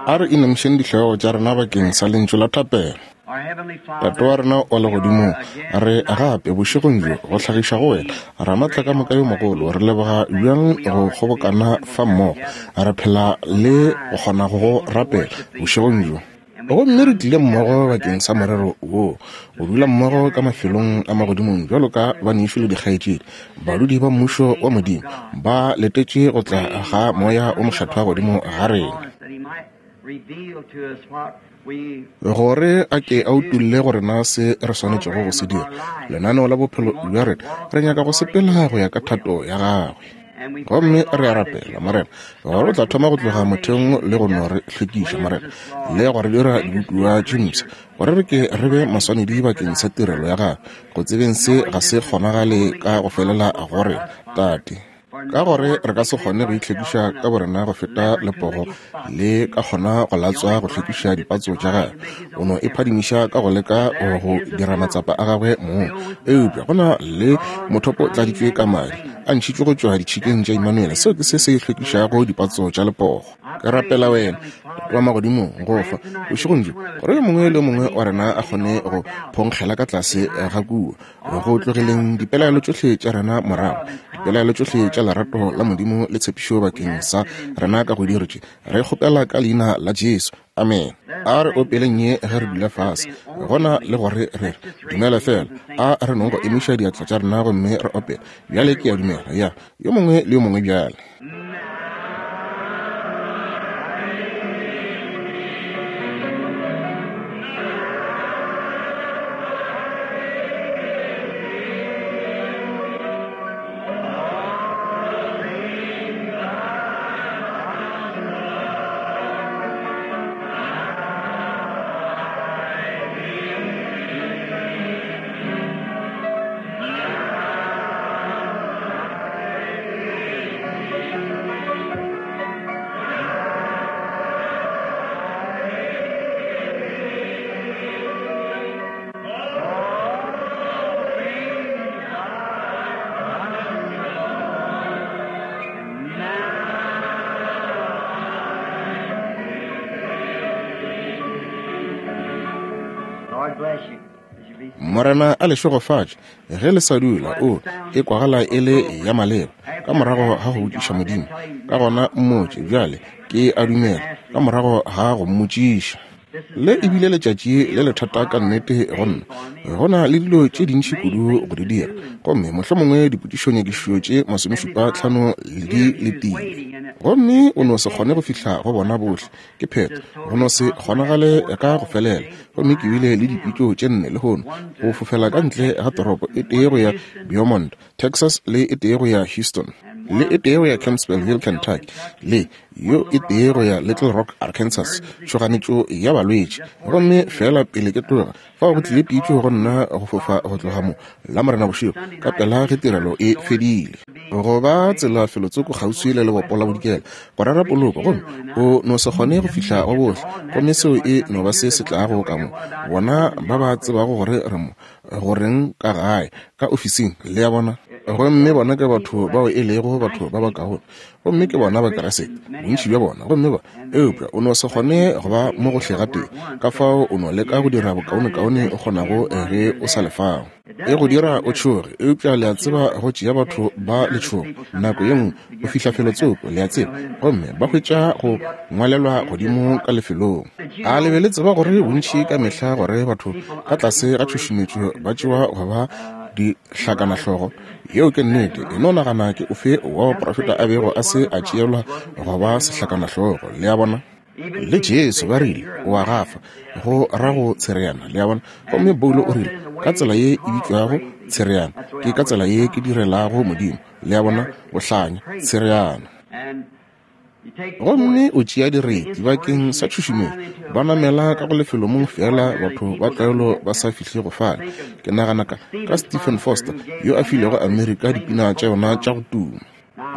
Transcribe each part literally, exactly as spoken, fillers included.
A re inamišeng dihlogo tša rena bakeng sa lentšu la thapelo. Tate wa rena wa legodimong, re gape bošegong bjo go hlagiša go wena Ramaatla ka moka yo mogolo. Re leboga bjang go kgobokana fa mmogo, re phela le go kgona go go rapela bošegong bjo. Gomme re tlile mmogo bakeng sa morero wo, go dula mmogo ka mafelong a magodimong bjalo ka banešu le dikgaetšedi, badudi ba mmušo wa Modimo, ba letetše go tla ga Moya o Mokgethwa godimo ga rena, gore a ke a utolle go rena se re swanetšego go se dira. Lenaneo la bophelo bja rena, re nyaka go sepela go ya ka thato ya gagwe. Gomme re a rapela, Morena, gore o tla thoma go tloga motheong le go no re hlwekiša, Morena, le go re dira dibopiwa tše mpsha, gore re ke re be maswanedi bakeng sa tirelo ya gagwe. Go tsebeng se ga se kgonagale ka go felela go rena, Tate, ka gore re ka se kgone go itlhwekiša ka borena go feta lepogo le ka kgona go latswa go hlwekiša dipatso tša gagwe. O no e phadimiša ka go leka go dira matsapa a gagwe mong, eupša go na le mothopo o tladitšwe ka madi a ntšhitšwe go tšwa ditšhikeng tša Immanuele. Seo ke se se hlwekišago dipatso tša lepogo. Ke rapela wena, Tate wa magodimong, go fa bošegong bjo gore yo mongwe le yo mongwe wa rena a kgone go phonkgela ka tlase ga kua, go tlogeleng dipelaelo tšohle tša rena morago, dipelaelo tšohle tša lerato la Modimo le tshepišo bakeng sa rena ka go diro tše. Re kgopela ka leina la Jesu, amen. A re opeleng ye ge re dula fase, gona le gore re re dumela fela. A re nong go emiša diatla tša rena gomme re opele bjale. Ke a dumela ya yo mongwe le yo mongwe bjale. Morena a le šegofatše ge le sa dula. O e kwagala e le ya maleba ka morago ga go botšiša Modimo, ka gona mmotše bjale ke a dumela ka morago ga go mmotšiša. Le ebile letšatši le lethata ka nnete go nna. Go na le dilo tše dintši kudu go di dira, gomme mohlomongwe dipotšišonyakišišo tše masomešupa tlhano di letile, gomme o no se kgone go fihla go bona bohle. Ke phetho, go no se kgonagale ka go felela. Gomme ke bile le dipitšo tše nne lehono go fofela ka ntle ga toropo, e tee go ya Beaumont, Texas, le e tee go ya Houston, le e tee go ya Campbellsville, Kentucky, le yo e tee go ya Little Rock, Arkansas, tšhoganetšo ya balwetši. Gomme fela pele ke tloga fao go tlile pitšo go nna go fofa go tloga mo Lamorena bošego ka pela ge tirelo e fedile, go ba tsela felotsoko kgauswi le lebopo la bodikela go rera poloko. Gomme o no se kgone go fihla go bohle, gomme seo e no ba se se tlago ka mo bona ba ba tsebago gore re mo goreng ka gae ka ofising, le ya bona. Gomme bona ke batho bao e lego batho ba bakaone, gomme ke bona Bakeresete bontši bja bona. Gomme ba eupša o no se kgone go ba mo gohle gatee, ka fao o no leka go dira bokaonekaone o kgonago ge o sa le fao. E go dira o tšhoge, eupša le a tseba go tšea batho ba letšhogo nako ye nngwe go fihla felotsoko, le a tseba, gomme ba hwetša go ngwalelwa godimo ka lefelong. A le be le tseba gore bontši ka mehla gore batho ka tlase ga tšhušumetšo ba tšewa go ba dihlakanahlogo? Yeo ke nnete. E no nagana ke ofe wa baprofeta a bego a se a tšeelwa go ba sehlakanahlogo, le a bona. Le Jesu ba rile o a gafa, go ra go tshereana, le a bona. Gomme Paulo o rile ka tsela ye e bitšwago tshereana ke ka tsela ye ke direlago Modimo, le a bona, go hlanya tshereana. Gomme o tšea direti bakeng sa tšhušumetšo, ba namela ka go lefelo mong fela batho ba tlwaelo ba sa fihle go fale. Ke nagana ka ka Stephen Foster yo a filego Amerika dipina tša yona tša go tuma.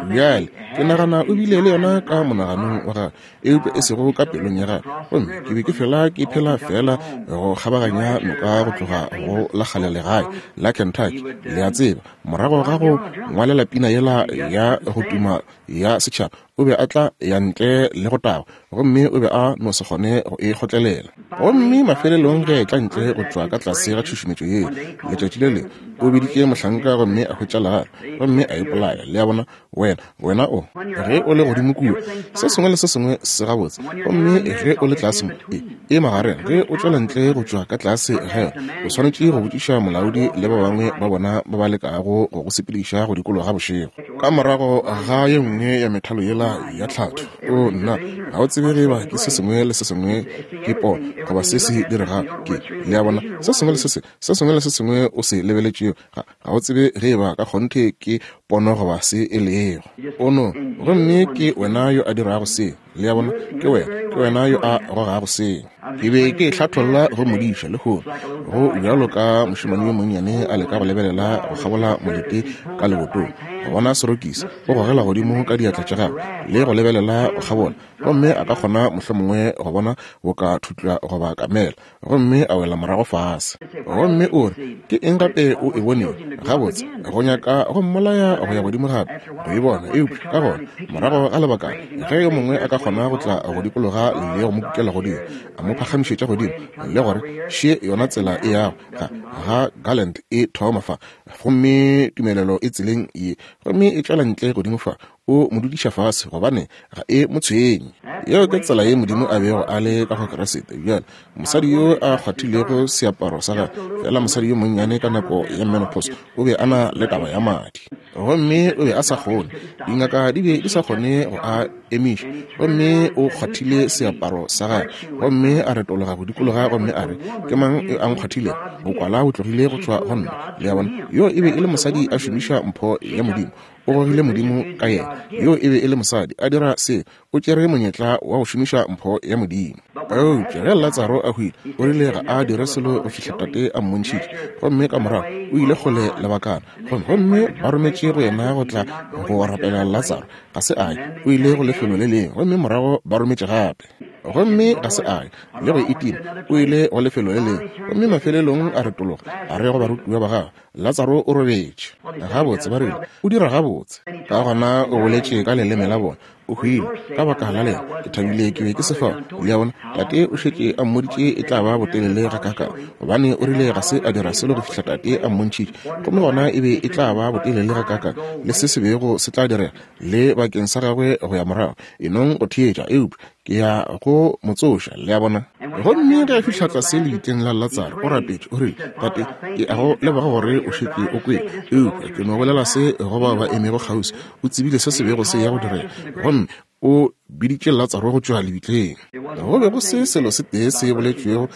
Bjale ke nagana o bile le yona ka monaganong wa gagwe, eupša e sego ka pelong ya gagwe. Gomme ke be ke fela ke phela fela go kgabaganya noka go tloga go la kgale legae la Kentucky, le a tseba, morago ga go ngwalela pina yela ya go tuma ya setšhaba, O be a tla ya ntle le go tagwa, gomme o be a no se kgone go e kgotlelela. Gomme mafelelong ge a etla ntle go tšwa ka tlase ga tšhušumetšo yeo, letšatši le lengwe o biditše mohlanka gomme a hwetša legare, gomme a ipolaya. Le a bona, wena, wena o, ge o le godimo kua, se sengwe le se sengwe se gabotse, gomme ge o le tlase mo, e, e magareng, ge o tšwela ntle go tšwa ka tlase ga yona, o swanetše go botšiša molaodi le ba bangwe ba bona ba ba lekago go go sepediša go dikologa bošego. Ka morago ga ye nngwe ya methalo yela ya tlhatho, o nna, ga o tsebe ge eba ke se sengwe le se sengwe ke pono goba se se diregago. Ke, le a bona, se sengwe le se se, se sengwe le se sengwe o se lebeletšego, ga, ga o tsebe ge eba ka kgonthe ke pono goba se e lego. O no, gomme ke wena yo a dirago se. Le a bona, ke wena, ke wena yo a gogago se. Ke be ke hlatholla go modiša lehono, go bjalo ka mošemane yo monnyane a leka go lebelela go kgabola molete ka lebotong, go bona serokisi, o gogela godimo ka diatla tša gagwe le go lebelela go kgabola, gomme a ka kgona mohlomongwe go bona boka thutlwa goba kamela, gomme a wela morago fase. Gomme o re, ke eng gape o e bonego? Gabotse, go nyaka go mmolaya go ya godimo gape go e bona. Eupša ka gona morago ga lebakana, ge yo mongwe a ka kgona go tla go dikologa le go mo kukela godimo, a mo phagamišetša godimo, le gore še yona tsela e yago ga, ga Garland e thoma fa, gomme tumelelo e tseleng ye, gomme e tšwela ntle godimo fa, o mo dudiša fase, gobane ga e mo tshwenye. Yeo ke tsela ye Modimo a bego a le ka go Kriste. Bjale, mosadi yo a kgwathilego seaparo sa gagwe, fela mosadi yo monnyane ka nako ya menopause, o be a na le taba ya madi, gomme o be a sa kgone, dingaka di be di sa kgone go a emiša, gomme o kgwathile seaparo sa gagwe, gomme a retologa go dikologa, gomme a re, ke mang yo a nkgwathilego? Bokwala bo tlogile go tšwa go nna. Le a bona, yo e be e le mosadi a šomiša mpho ya Modimo. O gogile Modimo ka yena. Yo e be e le mosadi a dira se, o tšere monyetla wa go šomiša mpho ya Modimo. Eupša ge Latsaro a hwile, o rile ga a dire selo go fihla Tate a mmontšhitše, gomme ka morago o ile kgole lebakana, gomme gomme ba rometše go yena go tla go rapela Latsaro. Ga se a ye, o ile go lefelo le lengwe, gomme morago ba rometše gape, gomme ga se a ye le go itima, o ile go lefelo le lengwe, gomme mafelelong a retologa a re go barutiwa ba gagwe, Latsaro o robetše. Gabotse, ba rile, o dira gabotse. Ka gona o boletše ka leleme la bona, o hwile ka baka la lena. Ke thabile ke be ke se fao. Le a bona, Tate o šetše a mmoditše e tla ba botelele gakaakang, gobane o rile ga se a dira selo go fihla Tate a mmontšhitše, gomme gona e be e tla ba botelele gakaakang le se se bego se tla direga le bakeng sa gagwe go ya morago. E nong go theetša, eupša ke ya go mo tsoša. Le a bona. Gomme ge a fihla tlase lebitleng la Latsaro, o rapetše, o rile, Tate, ke a go leboga gore o šetše o kwele, eupša ke no bolela se go bao ba emego kgauswi. O tsebile se se bego se ya go direga, gomme o biditše Latsaro go tšwa lebitleng. Go be go se selo se tee se boletšwego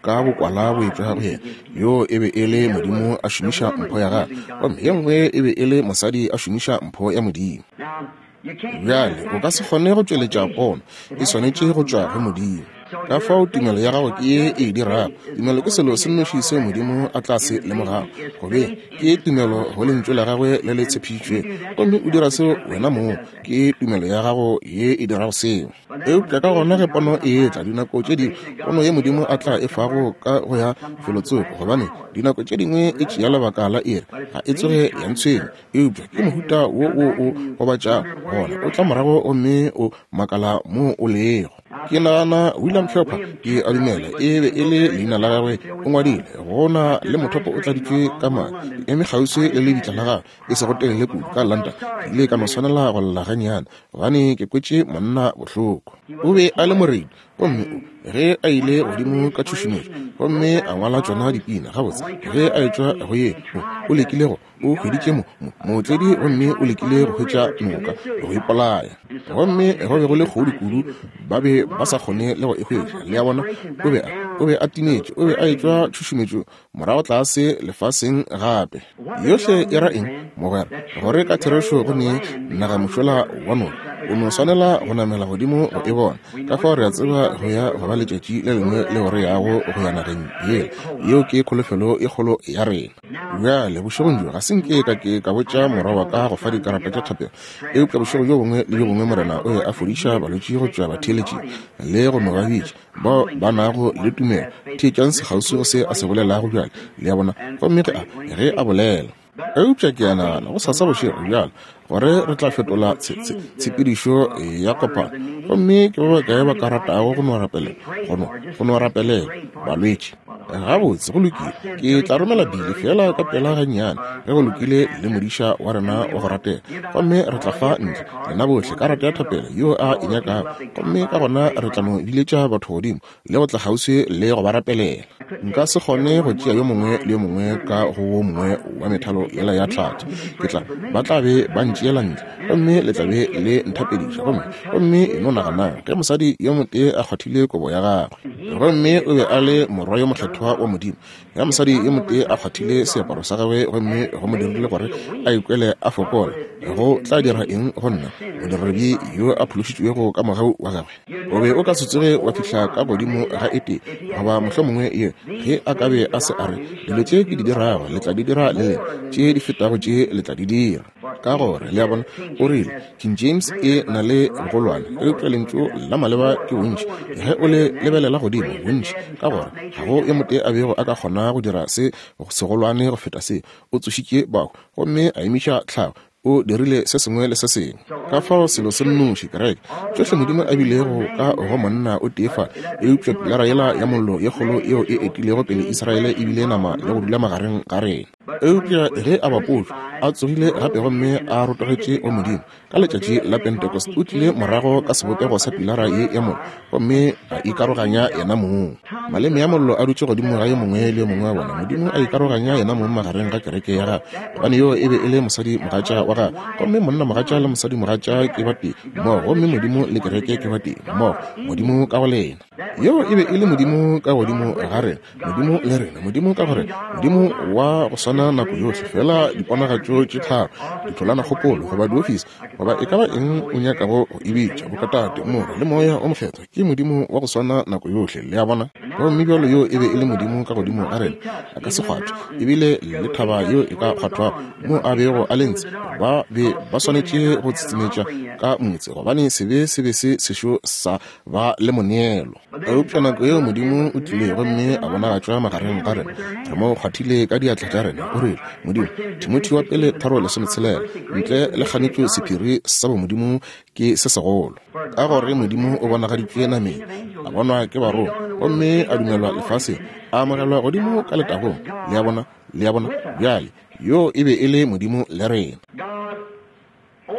ka bokwala bo etšwa go yena. Yo e be e le Modimo a šomiša mpho ya gagwe, gomme ye nngwe e be e le mosadi a šomiša mpho ya Modimo. Bjale o ka se kgone go tšweletša pono, e swanetše go tšwa go Modimo. Ka fao tumelo ya gago ke ye e dirago. Tumelo ke selo se nnoši seo Modimo a tla se lemogago, gobe ke tumelo go lentšu la gagwe le le tshepišitšwego, gomme o dira seo wena mong. Ke tumelo ya gago ye e dirago seo. Eupša ka gona ge pono e etla, dinako tše dingwe pono ye Modimo a tla e fago ka go ya felotsoko, gobane dinako tše dingwe e tšea lebaka la iri, ga e tsoge ya ntshwenya, eupša ke mohuta wo wo o gobatšago, gona o tla morago gomme o makala mo o lego. Ke nagana William Cowper, ke a dumela e be e le leina la gagwe, o ngwadile, go na le mothopo o tladitšwe ka madi, ke eme kgauswi le lebitla la gagwe, e sego telele kudu ka London. Ke ile ka no swanela go lla gannyane, gobane ke kwetše monna bohloko. O be a le moredi, gomme o, ge a ile godimo ka tšhušumetšo, gomme a ngwala tšona dipina gabotse, ge a etšwa go ye, o, o lekile go, o hweditše mo, mo, mootledi, gomme o lekile go hwetša noka go ipolaya, gomme go be go le kgodu kudu, ba be ba sa kgone le go e hwetša. Le a bona, o be a, o be a timetše, o be a etšwa tšhušumetšo morago tlase lefaseng gape. Yohle e ra eng, mogwera? Gore ka therešo go ne naga mošola wa noka, o no swanela go namela godimo go e bona. Ka fao re a tseba go ya go ba letšatši le lengwe leo re yago go ya nageng yela. Yeo ke kholofelo e kgolo ya rena. Bjale bošegong bjo ga se nke ka ke ka botša morwa wa ka go fa dikarata tša thapelo, eupša bošego bjo bongwe le bjo bongwe Morena o be a fodiša balwetši go tšwa batheeletšing le go no ba bitša bao ba nago le tumelo. Theetšang sekgauswi go se a se bolelago bjale, le a bona. Gomme ge a, ge a bolela, Eupša ke a nagana gosasa bošego bjalo gore re tla fetola tshepedišo ya kopano. Gomme ke ba bakae ba ka ratago go no rapelela, go no, go no rapelela balwetši? Gabotse, go lokile. Ke tla romela Billy feela ka pela gannyane ge go lokile le modiša wa rena wa go ratega. Gomme re tla fa ntle lena bohle karata ya thapelo yo a e nyakago. Gomme ka gona re tla no biletša batho godimo le go tla kgauswi le go ba rapelela. Nka se kgone go tšea yo mongwe le yo mongwe ka go wo mongwe wa methalo yela ya tlhatho. Ke tla, ba tla be ba ntšeela ntle, gomme le tla be le nthapediša. Gomme, gomme e no naganang ge mosadi yo motee a kgwathile kobo ya gagwe, gomme o be a le morwa yo mokgethwa wa Modimo. Ge mosadi yo motee a kgwathile seaparo sa gagwe gomme go mo dirile gore a ikwele a fokola, go tla dira eng go nna, modiredi yo a phološitšwego ka mogau wa gagwe? O be o ka se tsoge wa fihla ka godimo ga e tee, goba mohlomongwe ye, ge a ka be a se a re, dilo tše ke di dirago le tla di dira le lena, tše di fetago tše le tla di dira. Ka gore, le a bona, o rile King James e na le bogolwane, eupša lentšu la maleba ke bontši ge o le lebelela godimo, bontši, ka gore ga go yo motee a bego a ka kgona go dira se segolwane go feta se. O tsošitše bahu gomme a emiša tlhago, o dirile se sengwe le se sengwe. Ka fao selo se nnoši, kereke, tšohle Modimo a bilego ka go monna o tee fa, eupša pilara yela ya mollo ye kgolo yeo e etilego pele Israele e bile nama le go dula magareng ga rena. Eupša ge a bapotšwe, a tsogile gape gomme a rotogetše go Modimo ka letšatši la Pentecost, o tlile morago ka sebopego sa pilara ye ya mollo gomme a ikaroganya yena mong. Maleme a mollo a dutše godimo ga yo mongwe le yo mongwe wa bona. Modimo a ikaroganya yena mong magareng ga kereke ya gagwe, gobane yo e be e le mosadi mogatša wa gagwe. Gomme monna mogatša le mosadi mogatša ke ba tee mmogo, gomme Modimo le kereke ke ba tee mmogo, Modimo ka go lena. Yeo e be e le Modimo ka godimo ga rena, Modimo le rena, Modimo ka go rena, Modimo wa go swana nako yohle, fela diponagatšo tše tharo, ditholanakgopolo goba diofisi, goba e ka ba eng o nyakago go e bitša, bokatate, Morwa le Moya o Mokgethwa, ke Modimo wa go swana nako yohle. Le a bona? Gomme bjalo yo e be e le Modimo ka godimo ga rena, a ka se kgwathwe, ebile le thaba yeo e ka kgwathwago mo a bego a le ntshe, ba be ba swanetše go tsitsimetša ka motse, gobane sebe se be se sešo sa ba le moneelo. Eupša nako yeo Modimo o tlile gomme a bonagatšwa magareng ga rena, re mo kgwathile ka diatla tša rena. O rile, Modimo, Timothy wa pele tharo lesometshela, ntle le kganetšo sephiri sa bomodimo ke se segolo, ka gore Modimo o bonagaditšwe nameng, a bonwa ke barongwa, gomme a dumelwa lefaseng, a amogelwa godimo ka letagong. Le a bona? Le a bona? Bjale, yo e be e le Modimo le rena.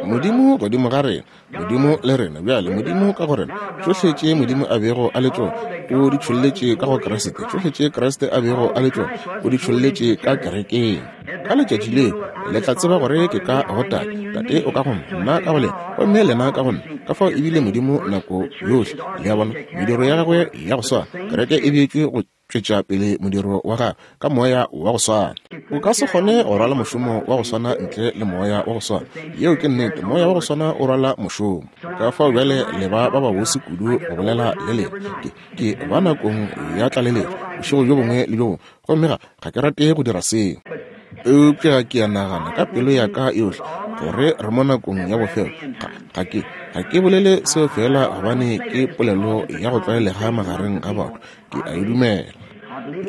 Modimo godimo ga rena, Modimo le rena. Bjale Modimo ka go rena, tšohle tše Modimo a bego a le tšona o di tšholletše ka go Kriste, tšohle tše Kriste a bego a le tšona o di tšholletše ka kerekeng. Ka letšatši leo le tla tseba gore ke ka go Tate, Tate o ka go nna, nna ka go lena, gomme lena ka go nna. Ka fao ebile Modimo nako yohle, le a bona, mediro ya gagwe ya go swana, kereke e beetšwe go tšwetša pele modiro wa gagwe ka moya wa go swana. O ka se kgone go rwala mošomo wa go swana ntle le moya wa go swana. Yeo ke nnete, moya wa go swana o rwala mošomo. Ka fao bjale le ba ba babose kudu go bolela le lena. Ke, ke ba nakong ya tlaleletšo bošego bjo bongwe le bjo bongwe, gomme ga, ga ke rate go dira seo. Eupša ke a nagana ka pelo ya ka yohle gore re mo nakong ya bofelo. Ga, ga ke, ga ke bolele seo fela gobane ke polelo ya go tlwaelega magareng ga batho. Ke a e dumela.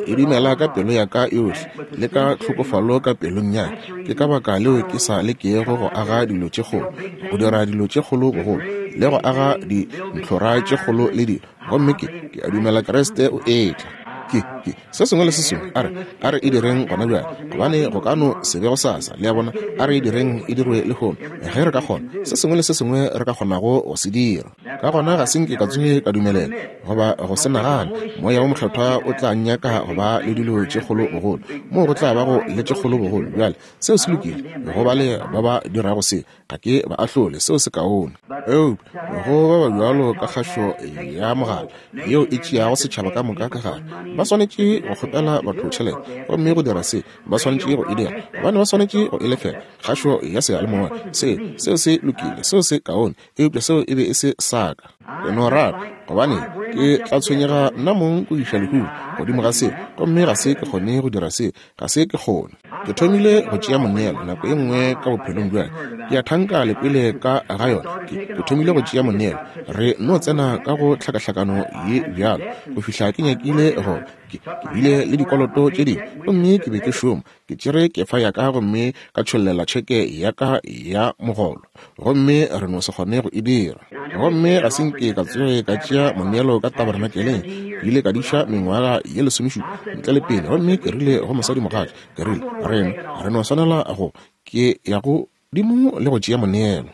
Ke e dumela ka pelo ya ka yohle le ka tlhokofalo ka pelong ya ka. Ke ka baka leo ke sa lekego go aga dilo tše kgolo, go dira dilo tše kgolo bogolo, le go aga dintlhora tše kgolo le dilo. Gomme ke, ke a dumela Kriste o etla. Ke, ke, se sengwe le se sengwe, a re, a re e direng gona bjale, gobane go ka no se be gosasa. Le a bona? A re e direng e dirwe lehono, ge re ka kgona, se sengwe le se sengwe re ka kgonago go se dira. Ka gona ga se nke ka tsoge ka dumelela goba go se nagane Moya wo Mokgethwa o tla nnyaka go ba le dilo tše kgolo bogolo, moo go tla bago le tše kgolo bogolo. Bjale seo se lokile go ba le ba ba dirago se, ga ke ba ahlole, seo se kaone. Eupša go ba ba bjalo ka kgašo ya mogala yeo e tšeago setšhaba ka moka ka gare, ba swanetše go kgopela batho tšhelete, gomme go dira se ba swanetše go e dira, gobane ba swanetše go e lefela kgašo ya seyalemoya. Se, seo se lokile, seo se kaone, eupša seo e be e se sa ka. Ke no rata, gobane ke tla tshwenyega nna mong go iša lehu godimo ga seo, gomme ga se ke kgone go dira seo, ga se ke kgone. Ke thomile go tšea moneelo nako ye nngwe ka bophelong bjale. Ke a thanka le kwele ka ga yona. Ke, ke thomile go tšea moneelo. Re no tsena ka go tlhakahlakano ye bjalo go fihla ke nyakile go ke, ke bile le dikoloto tše dingwe, gomme ke be ke šoma. Ke tšere kefa ya ka gomme ka tšhollela tšheke ya ka ya mogolo, gomme re no se kgone go e dira. Gomme ga se nke ka tsoge ka tšea moneelo ka tabernakeleng. Ke ile ka diša mengwaga ye lesomešupa ntle le pele, gomme ke rile go mosadimogatša, ke rile, rena re no swanela go, ke ya go godimo le go tšea moneelo.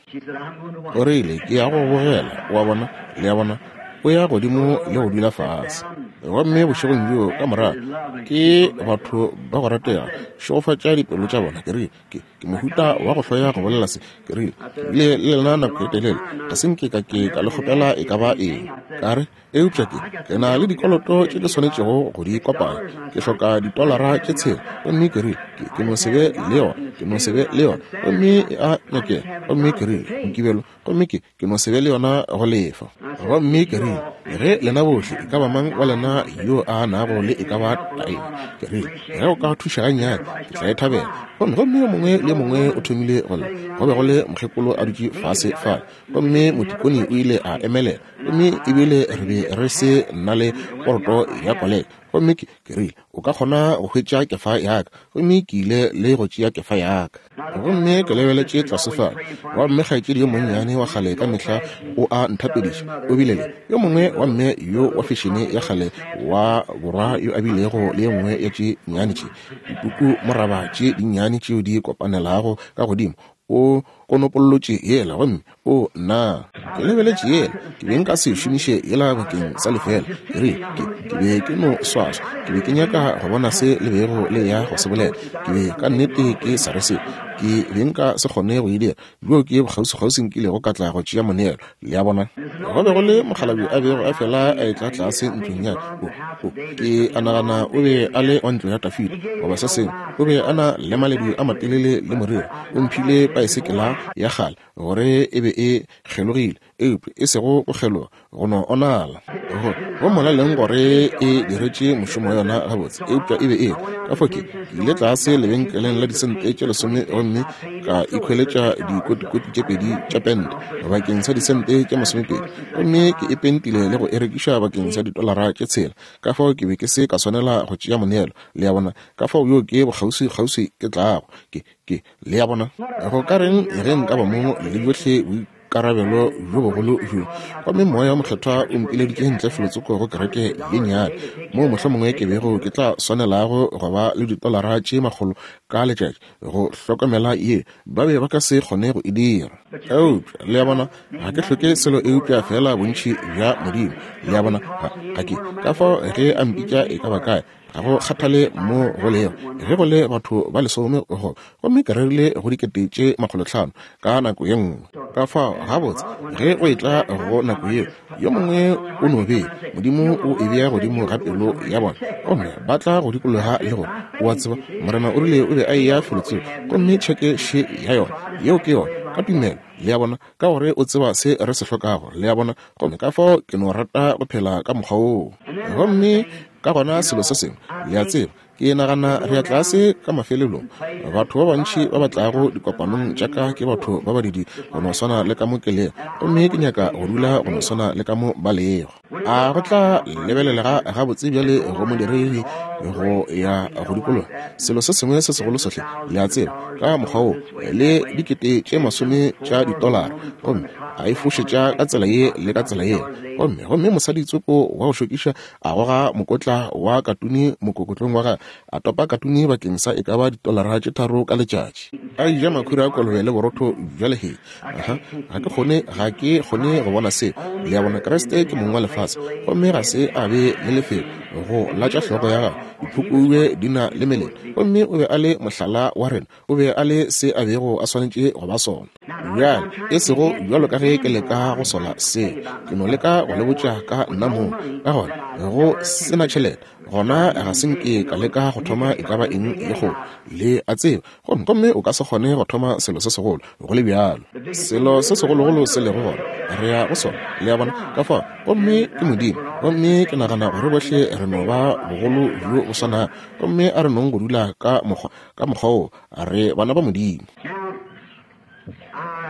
O rile, ke ya go bogela, wa bona, le a bona, o ya godimo le go dula fase. Gomme bošegong bjo ka morago ke batho ba go ratega, šegofatša dipelo tša bona. Ke rile, ke, ke mohuta wa go hloya go bolela se. Ke rile, ke bile le lena nako e telele, ga se nke ka ke ka le kgopela e ka ba eng. Ka re, eupša ke, ke na le dikoloto tše ke swanetšego go di kopanya. Ke hloka ditolara tše tshela. Gomme ke rile, ke, ke no se be le yona, ke no se be le yona. Gomme e a nyakega. Gomme ke rile, Mokibelo, gomme ke, ke no se be le yona go lefa. Gomme ke rile, ge lena bohle, e ka ba mang wa lena yo a nago le e ka ba taelo, ke rile, ge o ka thuša gannyane, ke tla e thabela. Gomme gomme yo mongwe le yo mongwe o thomile go lla. Go be go le mokgekolo a dutše fase fale, gomme motikoni o ile a emelela, gomme ebile re be re se na le poroto ya koleka. Gomme ke, ke rile, o ka kgona go hwetša kefa ya ka. Gomme ke ile le go tšea kefa ya ka. Gomme ke lebeletše tlase fale, gomme kgaetšedi yo monnyane wa kgale ka mehla o a nthapediša. O bile le yo mongwe wa mme yo wa fešene ya kgale wa borwa yo a bilego le ye nngwe ya tše nnyane tše dipuku moraba tše dinnyane tšeo di kopanelago ka godimo. O konopollotše yela, gomme o nna ke lebeletše yela. Ke be nka se šomiše yela bakeng sa lefela. Ke rile, ke, ke be ke no swaswa. Ke be ke nyaka go bona se le bego le ya go se bolela. Ke be ka nnete ke sa re selo. Ke be nka se kgone go e dira. Bjo ke bokgauswi-kgauswi nkilego ka tla go tšea moneelo, le a bona. Go be go le mokgalabje a bego a fela a etla tlase ntlong ya ka. O, o, ke a nagana o be a le wa ntlo ya Dafida goba se sengwe. O be a na le maledu a matelele le moriri. O mphile paesekela ya kgale gore e be e kgelogile, eupša e sego go kgeloga, go no onala. Go, go molaleng gore e diretše mošomo wa yona gabotse, eupša e be e ka fao ke, ke ile tlase lebenkeleng la disente tše lesome gomme ka ikhweletša dikotikoti tše pedi tša pente bakeng sa disente tše masomepedi, gomme ke e pentile le go e rekiša bakeng sa ditolara tše tshela. Ka fao ke be ke se ka swanela go tšea moneelo, le a bona. Ka fao yo ke bokgauswi-kgauswi ke tlago, ke, ke, le a bona. Go ka reng ge nka ba mo le bjohle boikarabelo bjo bogolo bjo, gomme Moya wa Mokgethwa o mpileditše ntle felotsoko go kereke ye nnyane, moo mohlomongwe ke bego ke tla swanelago go ba le ditolara tše makgolo ka letšatši go hlokomela ye, ba be ba ka se kgone go e dira. Eupša le a bona, ga ke hloke selo eupša fela bontši bja Modimo, le a bona. Ga, ga ke ka fao ge a mpitša e ka ba kae, ga go kgathale mo go lego, ge go le batho ba lesome go, gomme ke rerile go dikete tše makgolotlhano ka nako ye nngwe. Ka fao gabotse ge go etla go nako yeo, yo mongwe o no be Modimo o e bea godimo ga pelo ya bona, gomme ba tla go dikologa le gore, o a tseba, Morena o rile o be a eya felotsoko, gomme tšheke še ya yona, yeo ke yona, ka tumelo, le a bona, ka gore o tseba se re se hlokago, le a bona. Gomme ka fao ke no rata go phela ka mokgwa woo. Gomme ka gona selo se sengwe, le a tseba, ke nagana re ya tlase ka mafelelong. Batho ba bantši ba ba tlago dikopanong tša ka ke batho ba badidi go no swana le ka mo ke lego, gomme ke nyaka go dula go no swana le ka mo ba lego. A go tla lebelelega gabotse bjale go modiredi go ya go dikologa selo se sengwe se segolo sohle, le a tseba, ka mokgwa wo, le dikete tše masome tša ditolara, gomme a e fošetša ka tsela ye le ka tsela yela, gomme gomme mosadi tsoko wa go šokiša a goga mokotla wa katune mokokotlong wa gagwe, a topa katune bakeng sa e ka ba ditolara tše tharo ka letšatši, a ja makhura a kolobe le borotho bja lehea. Aha, ga ke kgone, ga ke kgone go bona seo, le a bona. Kriste ke mong wa lefase, gomme ga se a be le lefelo go latša hlogo ya gagwe. Diphukubje di na le melelo. Gomme o be a le mohlala wa rena. O be a le se a bego a swanetše go ba sona. Bjale, e sego bjalo ka ge ke leka go sola se, ke no leka go le botša ka nna mong. Ka gona, go se na tšhelete, gona ga se nke ka leka go thoma e ka ba eng ye kgolo. Le a tseba, gomme gomme o ka se kgone go thoma selo se segolo go le bjalo. Selo se segologolo se lego gona, re ya go sona, le a bona, ka fao. Gomme ke Modimo, gomme ke nagana gore bohle re no ba bogolo bjo bo swanago, gomme a re nong go dula ka mokgwa ka mokgwa wo, re bana ba Modimo.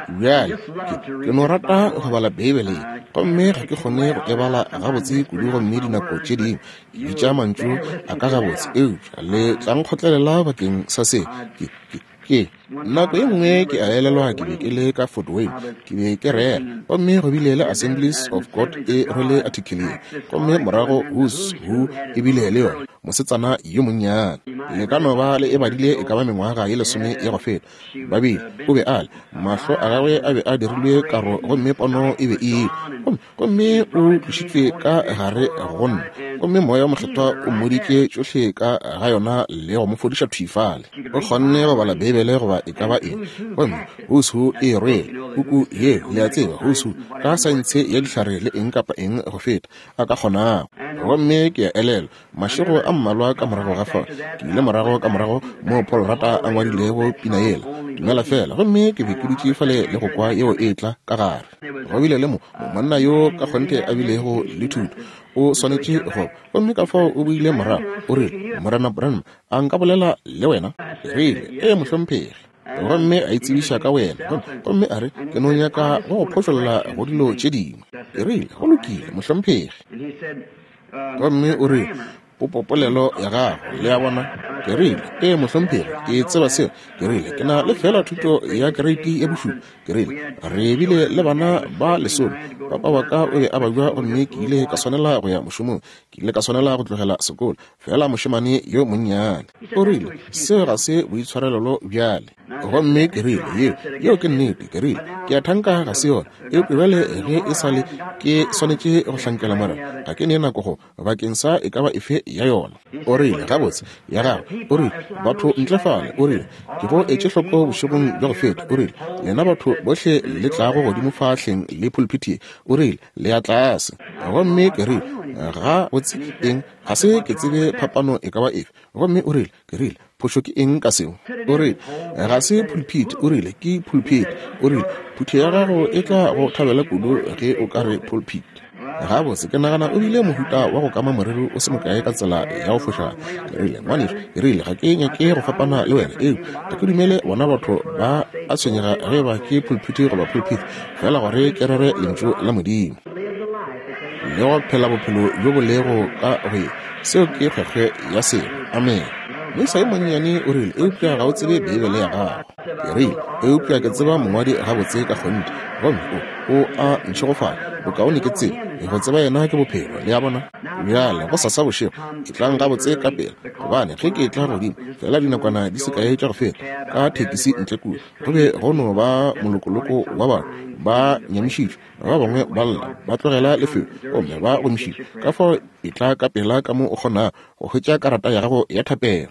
Bjale, ke, ke no rata go bala Beibele ye, gomme ga ke kgone go e bala gabotse kudu, gomme dinako tše dingwe ke bitša mantšu a ka gabotse, eupša le tla nkgotlelela bakeng sa se. Ke, ke, ke nako ye nngwe ke a elelwa ke be ke le ka Fort Wayne, ke be ke rera, gomme go bile le Assemblies of God e rwele article ye, gomme morago Who's Who e bile le yona, mosetsana yo monnyane. Le ka no ba le e badile e ka ba mengwaga ye lesome ya go feta. Ba bile, o be a le, mahlo a gagwe a be a dirilwe karo, gomme pono e be e ile, gomme, gomme o tlošitšwe ka gare go nna, gomme Moya wo Mokgethwa o mmoditše tšohle ka ga yona le go mo fodiša thwi fale. O kgonne go bala Beibele goba e ka ba eng. Gomme Who's Who e rwele puku ye, le a tseba, Who's Who, ka saense ya dihlare le eng kapa eng go feta a ka kgonago. Gomme ke a elelwa, mašego a mmalwa ka morago ga fao, ke ile morago ka morago moo Paul Rata a ngwadilego pina yela, Dumela Fela, gomme ke be ke dutše fale le go kwa yeo e tla ka gare. Go bile le mo monna yo ka kgonthe a bilego le thuto, o swanetše go, gomme ka fao o boile morago, o rile, Morena Branham, a nka bolela le wena? Ke rile, ee, mohlomphegi. Gomme a itsebiša ka wena, gomme a re, ke no nyaka go go phošolla go dilo tše dingwe. Ke rile, go lokile, mohlomphegi. Gomme o rile, popopolelo ya gago, le a bona. Ke rile, ee, mohlomphegi, ke tseba seo. Ke rile, ke na le fela thuto ya kereiti ya bošupa. Ke rile, re bile le bana ba lesome. Papa wa ka o be a babja, gomme ke ile ka swanela go ya mošomong. Ke ile ka swanela go tlogela sekolo, fela mošemane yo monnyane. O rile, seo ga se boitshwarelelo bjale. Gomme ke rile, yeo, yeo ke nnete. Ke rile, ke a thanka ga se yona, eupša bjale ge e sa le ke swanetše go hlankela Morena, ga ke ne nako go bakeng sa e ka ba efe ya yona. O rile, gabotse, ya gago. O rile, batho ntle fale, o rile, ke go etše hloko bošegong bja go feta. O rile, lena batho bohle le tlago godimo fa hleng le pulpit ye, o rile, le ya tlase. Gomme ke rile, ga botse eng, ga se ke tsebe phapano e ka ba efe. Gomme o rile, ke rile, phošo ke eng ka seo? O rile, ga se pulpit, o rile, ke pulpit. O rile, phutho ya gago e tla go thabela kudu ge o ka re pulpit. Gabotse, ke nagana o bile mohuta wa go kama moriri o se mokae ka tsela ya go fošagala. Ke rile, ngwanešu, ke rile, ga ke nyake go fapana le wena, eupša ga ke dumele bona batho ba a tshwenyega ge ba ke pulpit goba pulpit, fela gore ke rere lentšu la Modimo le go phela bophelo bjo bo lego ka go ye. Seo ke kgwekgwe ya selo. Amen. Moisa yo monnyane o rile, eupša ga o tsebe Beibele ya gago. Ke rile, eupša ke tseba mongwadi gabotse ka kgonthe, gomme o, o a ntšhegofala. Bokaone ke tsebe, go tseba yena ke bophelo, le a bona. Bjale go sasa bošego, e tlang gabotse ka pela, gobane ge ke tla godimo, fela dinakwana di se kae tša go feta, ka thekisi ntle kua, go be go no ba molokoloko wa batho ba nyamišitšwe, ba bangwe ba lla, ba tlogela lefelo, gomme ba gomišitšwe. Ka fao e tla ka pela ka mo o kgonago go hwetša karata ya gago ya thapelo.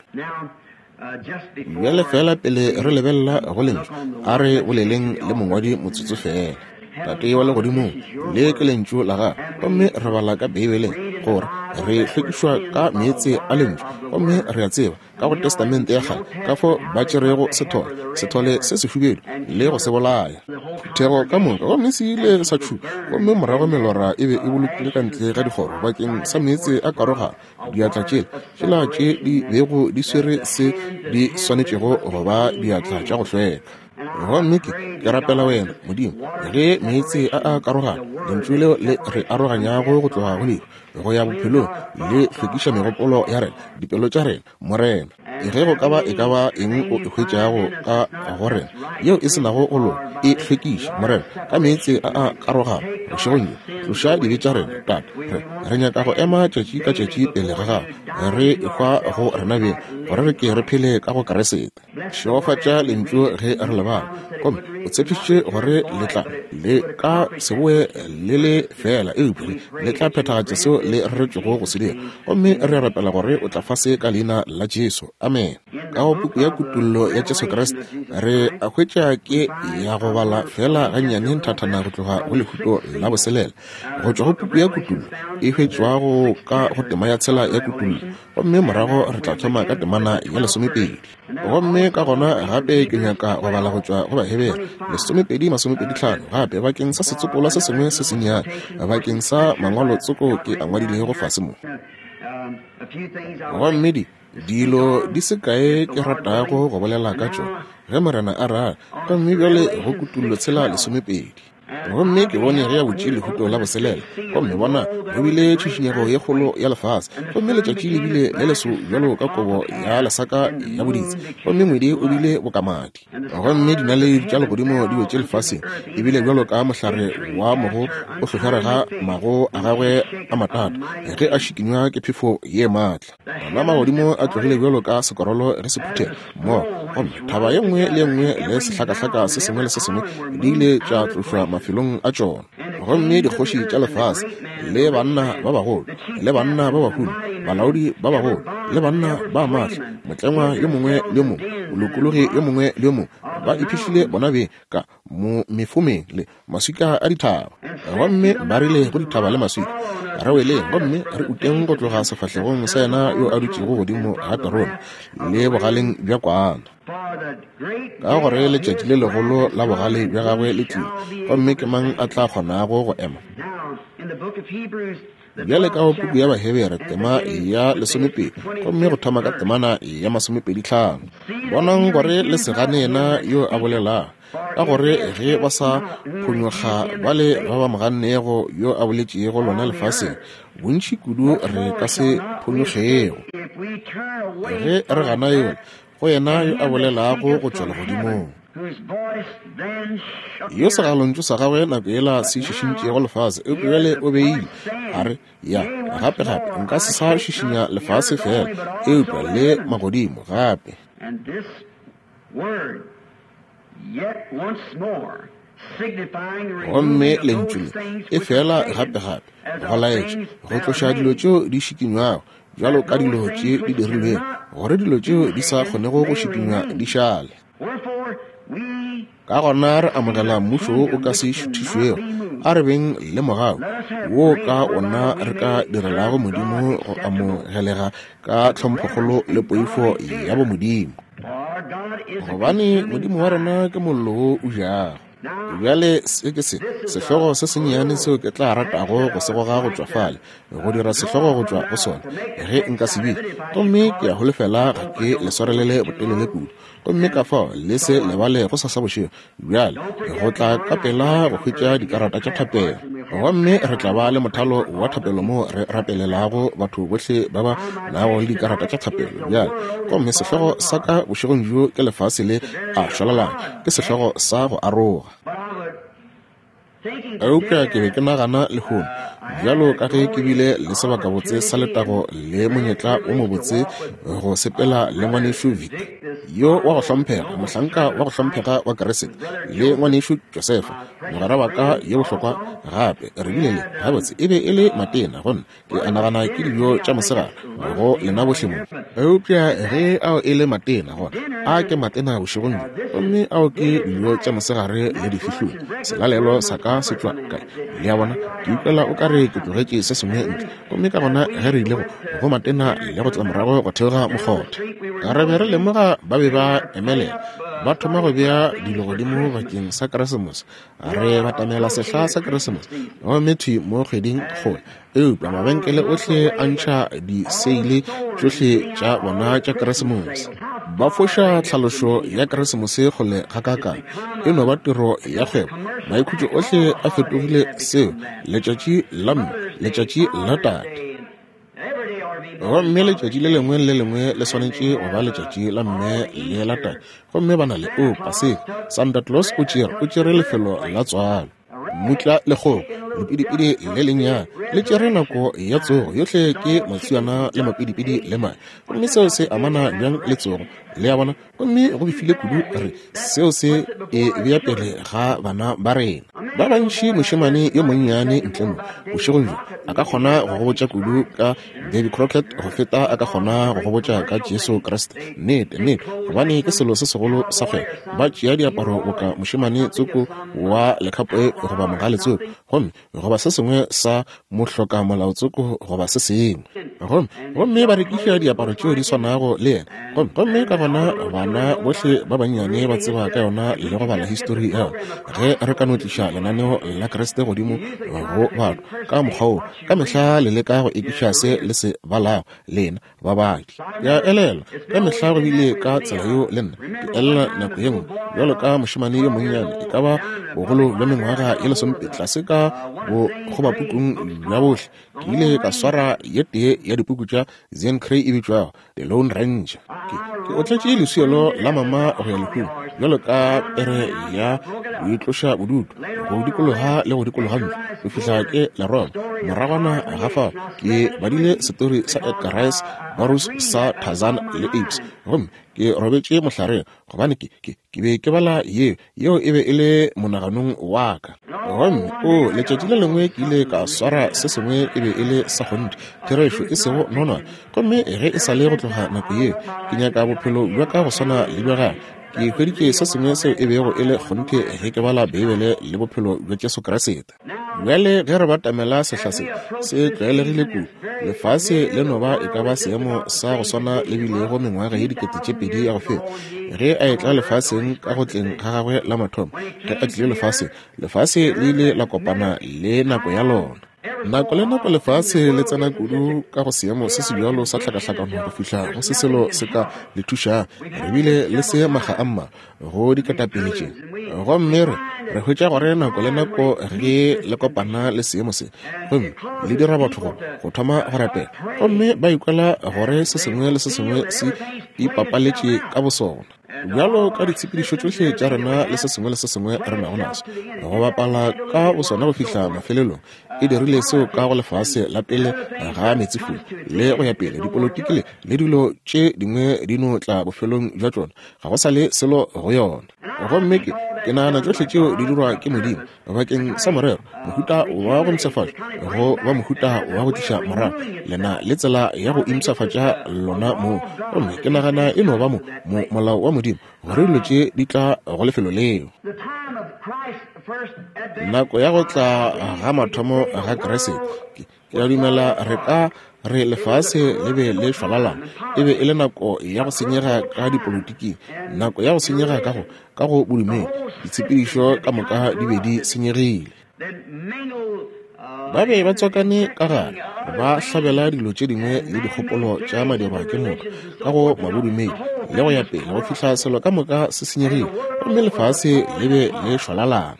Bjale fela pele re lebelela go lentšu, a re boleleng le mongwadi motsotso fela. Tate wa legodimong, le ke lentšu la gago, gomme re bala ka Beibeleng gore re hlwekišwa ka meetse a lentšu, gomme re a tseba ka go Testamente ya kgale ka fao ba tšerego sethole, sethole se sehubedu, le go se bolaya. Phuthego ka moka, gomme se ile sa tšhupa, gomme morago melora e be e bolokilwe ka ntle ga dikgoro bakeng sa meetse a karogano. Diatla tšela tšela tše di bego di swere se di swanetšego go ba diatla tša go hlweka. Gomme ke, ke rapela wena, Modimo, ge meetse a a karogana, lentšu leo le re aroganyago go tloga go lehu go ya bophelong, le hlwekiša megopolo ya rena, dipelo tša rena, Morena. Ge go ka ba e ka ba eng o e hwetšago ka go rena yeo e se nago go loka, e hlwekiše, Morena, ka meetse a a karogana bošegong bjo. Tloša dibe tša rena, Tate. Re, re nyaka go ema tšatši ka tšatši pele ga gago, re ehwa go rena beng, gore re ke re phele ka go Kriste. Šegofatša lentšu ge re le bala, gomme O tshepišitše gore le tla le ka se boe le le fela, eupša le tla phethagatša seo le reretšwego go se dira. Gomme re rapela gore o tla fase ka leina la Jesu. Amen. Ka go puku ya Kutollo ya Jesu Kriste re a hwetša ke ya go bala fela gannyane nthathana go tloga go lehuto la boselela go tšwa go puku ya Kutollo e hwetšwago ka go tema ya tshela ya Kutollo, gomme morago re tla thoma ka temana ya lesomepedi. Gomme ka gona gape ke nyaka go bala go tšwa go Bahebere lesomepedi masomepedi tlhano gape bakeng sa setsopolwa se sengwe se sennyane bakeng sa mangwalo tsoko ke a ngwadilego fase mo. Gomme di dilo di se kae ke ratago go bolela ka tšona ge Morena a rata. Gomme bjale go Kutollo tshela lesomepedi. Gomme ke bone ge a butše lehuto la boselela, gomme bona go bile tšhišinyego ye kgolo ya lefase, gomme letšatši le bile le leso bjalo ka kobo ya lesaka ya boditsi, gomme ngwedi o bile bokamadi, gomme dinaledi tša legodimo di wetše lefaseng, e bile bjalo ka mohlare wa mogo o hlohlorega mago a gagwe a matata ge a šikinywa ke phefo ye maatla. Ona magodimo a tlogile bjalo ka sekorolo ge se phuthega mmogo, gomme thaba ye nngwe le ye nngwe le sehlakahlaka se sengwe le se sengwe di ile tša tlošwa mafelong a tšona. Gomme dikgoši tša lefase le banna ba bagolo le banna ba bahumi, balaodi ba bagolo le banna ba maatla, motlengwa yo mongwe le yo mongwe, molokologi yo mongwe le yo mongwe, ba iphihlile bona beng ka mo mefomeng le maswika a dithaba. Gomme ba rile go dithaba le maswika, re weleng gomme re uteng go tloga sefahlegong sa yena yo a dutšego godimo ga terone le bogaleng bja kwana, ka gore letšatši le legolo la bogale bja gagwe le tlile, gomme ke mang a tla kgonago go ema? Bjale ka go puku ya Bahebere tema ya lesomepedi, gomme go thoma ka temana ya masomepedi tlhano. Bonang gore le se gane yena yo a bolelago, ka gore ge ba sa phonyokga bale ba ba mo gannego yo a boletšego lona lefaseng, bontši kudu re ka se phonyokgego ge re gana yola go yena yo a bolelago go tšwa legodimong, yo segalontšu sa gagwe nako yela se šišintšego lefase, eupša bjale o beile a re, ya gape gape nka se sa šišinya lefase fela, eupša le magodimo gape. Gomme lentšu le e fela gape gape go laetša go tloša dilo tšeo di šikinywago bjalo ka dilo tše di dirilwego, gore dilo tšeo di sa kgonego go šikinywa di šale. Ka gona re amogela mmušo wo o ka se šuthišwego, a re beng le mogau wo ka ona re ka direlago Modimo go amogelega ka tlhomphokgolo le poifo ya bomodimo, gobane Modimo wa rena ke mollo wo o jago. Bjale se ke se sehlogo se sennyane seo ke tla ratago go se goga go tšwa fale, go dira sehlogo go tšwa go sona ge nka se bile, gomme ke a holofela ga ke le swarelele botelele kudu. Gomme ka fao le se lebale go sasa bošego bjale go tla ka pela go hwetša dikarata tša thapelo, gomme re tla ba le mothalo wa thapelo moo re rapelelago batho bohle ba ba nago le dikarata tša thapelo bjale. Gomme sehlogo sa ka bošegong bjo ke lefase le a šwalalana, ke sehlogo sa go aroga. Eupša ke be ke nagana lehono, bjalo ka ge ke bile le sebakabotse sa letago le monyetla o mobotse go sepela le ngwanešu Victor yo wa go hlomphega, mohlanka wa go hlomphega wa Keresete, le ngwanešu Josefa mogwera wa ka yo bohlokwa gape. Re bile le gabotse e be e le matena, gonne ke a nagana ke dijo tša mosegare go lena bohle mo. Eupša ge ao e le matena, gona a ke matena bošegong bjo, gomme ao ke dijo tša mosegare le difihlolo. Selalelo sa ka se tšwa kae? Le a bona, ke utlwela o ka re ke tlogetše se sengwe ntle. Gomme ka gona ge re ile go go matena le go tla morago go theoga mokgotha, re be re lemoga ba be ba emelela, ba thoma go bea dilo godimo bakeng sa Keresemose. Re batamela sehla sa Keresemose, gomme thwi mo kgweding kgole, eupša mabenkele ohle a ntšha diseile tšohle tša bona tša Keresemose. Ba foša tlhalošo ya Keresemose kgole gakaakang, e no ba tiro ya kgwebo. Maikhutšo ohle a fetogile seo, letšatši la mme, letšatši la tate. Gomme letšatši le lengwe le lengwe le swanetše go ba letšatši la mme le la tate. Gomme ba na le o Paseka, Santa Claus o tšere o tšere lefelo la tswalo, mmutla le kgogo Lepidipidi le lennyane le tšere nako ya tsogo. Yohle ke matswiana le mapidipidi le mae. Gomme seo se amana bjang le tsogo? Le a bona? Gomme go befile kudu re seo se e bea pele ga bana ba rena. Ba bantši mošemane yo monnyane ntle mo bošegong bjo a ka kgona go go botša kudu ka Davy Crockett go feta a ka kgona go go botša ka Jesu Kriste. Nnete, nnete, gobane ke selo se segolo sa kgwebo. Ba tšea diaparo boka mošemane tsoko wa lekhapoe goba mogale tsoko, gomme goba se sengwe sa mohloka molao tsoko goba se sengwe, gomme gomme ba rekiša diaparo tšeo di swanago le yena. Gomme gomme ka gona bana bohle ba bannyane ba tseba ka yona le go bala histori ya yona. Ge re ka no tliša lenaneo la Kriste godimo go batho ka mokgwa wo, ka mehla le leka go ekiša se le se balago lena babadi. Ke a elelwa ka mehla go bile ka tsela yeo le nna. Ke elelwa nako ye nngwe bjalo ka mošemane yo monnyane, e ka ba bogolo bja mengwaga ye lesomepedi, tlase ka bokgobapukung bja bohle, ke ile ka swara ye tee ya dipuku tša Zane Grey e bitšwago The Lone Ranger. Ke, ke otletše leswielo la mama go ya lehung bjalo ka pere ya boitloša bodutu, go dikologa le go dikologa ntlo go fihla ke la Roma. Moragwana ga fao ke badile setori sa Edgar Rice Burroughs sa Tarzan le Apes, gomme ke robetše mohlareng gobane ke, ke, ke be ke bala yeo, yeo e be e le monaganong wa ka. Gomme o letšatši le lengwe ke ile ka swara se sengwe e be e le sa kgonthe, therešo e sego nonwane. Gomme ge e sa le go tloga nako yeo, ke nyaka bophelo bja ka go swana le bja gagwe. Ke hweditše se sengwe seo e bego e le kgonthe ge ke bala Beibele le bophelo bja Jesu Kriste. Bjale ge re batamela sehla se se tlwaelegile kudu, lefase le no ba e ka ba seemo sa go swana le bilego mengwaga ye dikete tše pedi ya go feta. Ge a etla lefaseng ka go tleng ga gagwe la mathomo, ge a tlile lefaseng, lefase le ile la kopana le nako ya lona. Nako le nako lefase le tsena kudu ka go seemo se se bjalo sa tlhakahlakano go fihla go se selo se ka le thušang. Re bile le se maga a mmalwa go diketapele tše, gomme re re hwetša gore nako le nako ge le kopana le seemo se, gomme le dira batho go go thoma go rapela, gomme ba ikwela gore se sengwe le se sengwe se ipapaletše ka bosona. Bjalo ka ditshepedišo tšohle tša rena le se sengwe le se sengwe re nago naso, go bapala ka bosona go fihla mafelelong, e dirile seo ka go lefase la pele ga meetsefula le go ya pele. Dipolotiki le le dilo tše dingwe di no tla bofelong bja tšona, ga go sa le selo go yona. Gomme ke ke nagana tšohle tšeo di dirwa ke Modimo bakeng sa morero, mohuta wa go mpshafatša go ba mohuta wa go tliša morago lena le tsela ya go impshafatša lona moo. Gomme ke nagana e no ba mo, mo molao wa Modimo gore dilo tše di tla go lefelo leo. Nako ya go tla ga mathomo ga Kriste, ke ke a dumela re ka re lefase le be le šwalalana. E be e le nako ya go senyega ka dipolotiking, nako ya go senyega ka go ka go bodumedi. Ditshepedišo ka moka di be di senyegile. Ba be ba tswakane ka gare, ba hlabela dilo tše dingwe le dikgopolo tša madirwa ke motho ka go mabodumedi le go ya pele, go fihla selo ka moka se senyegile, gomme lefase le be le šwalalana.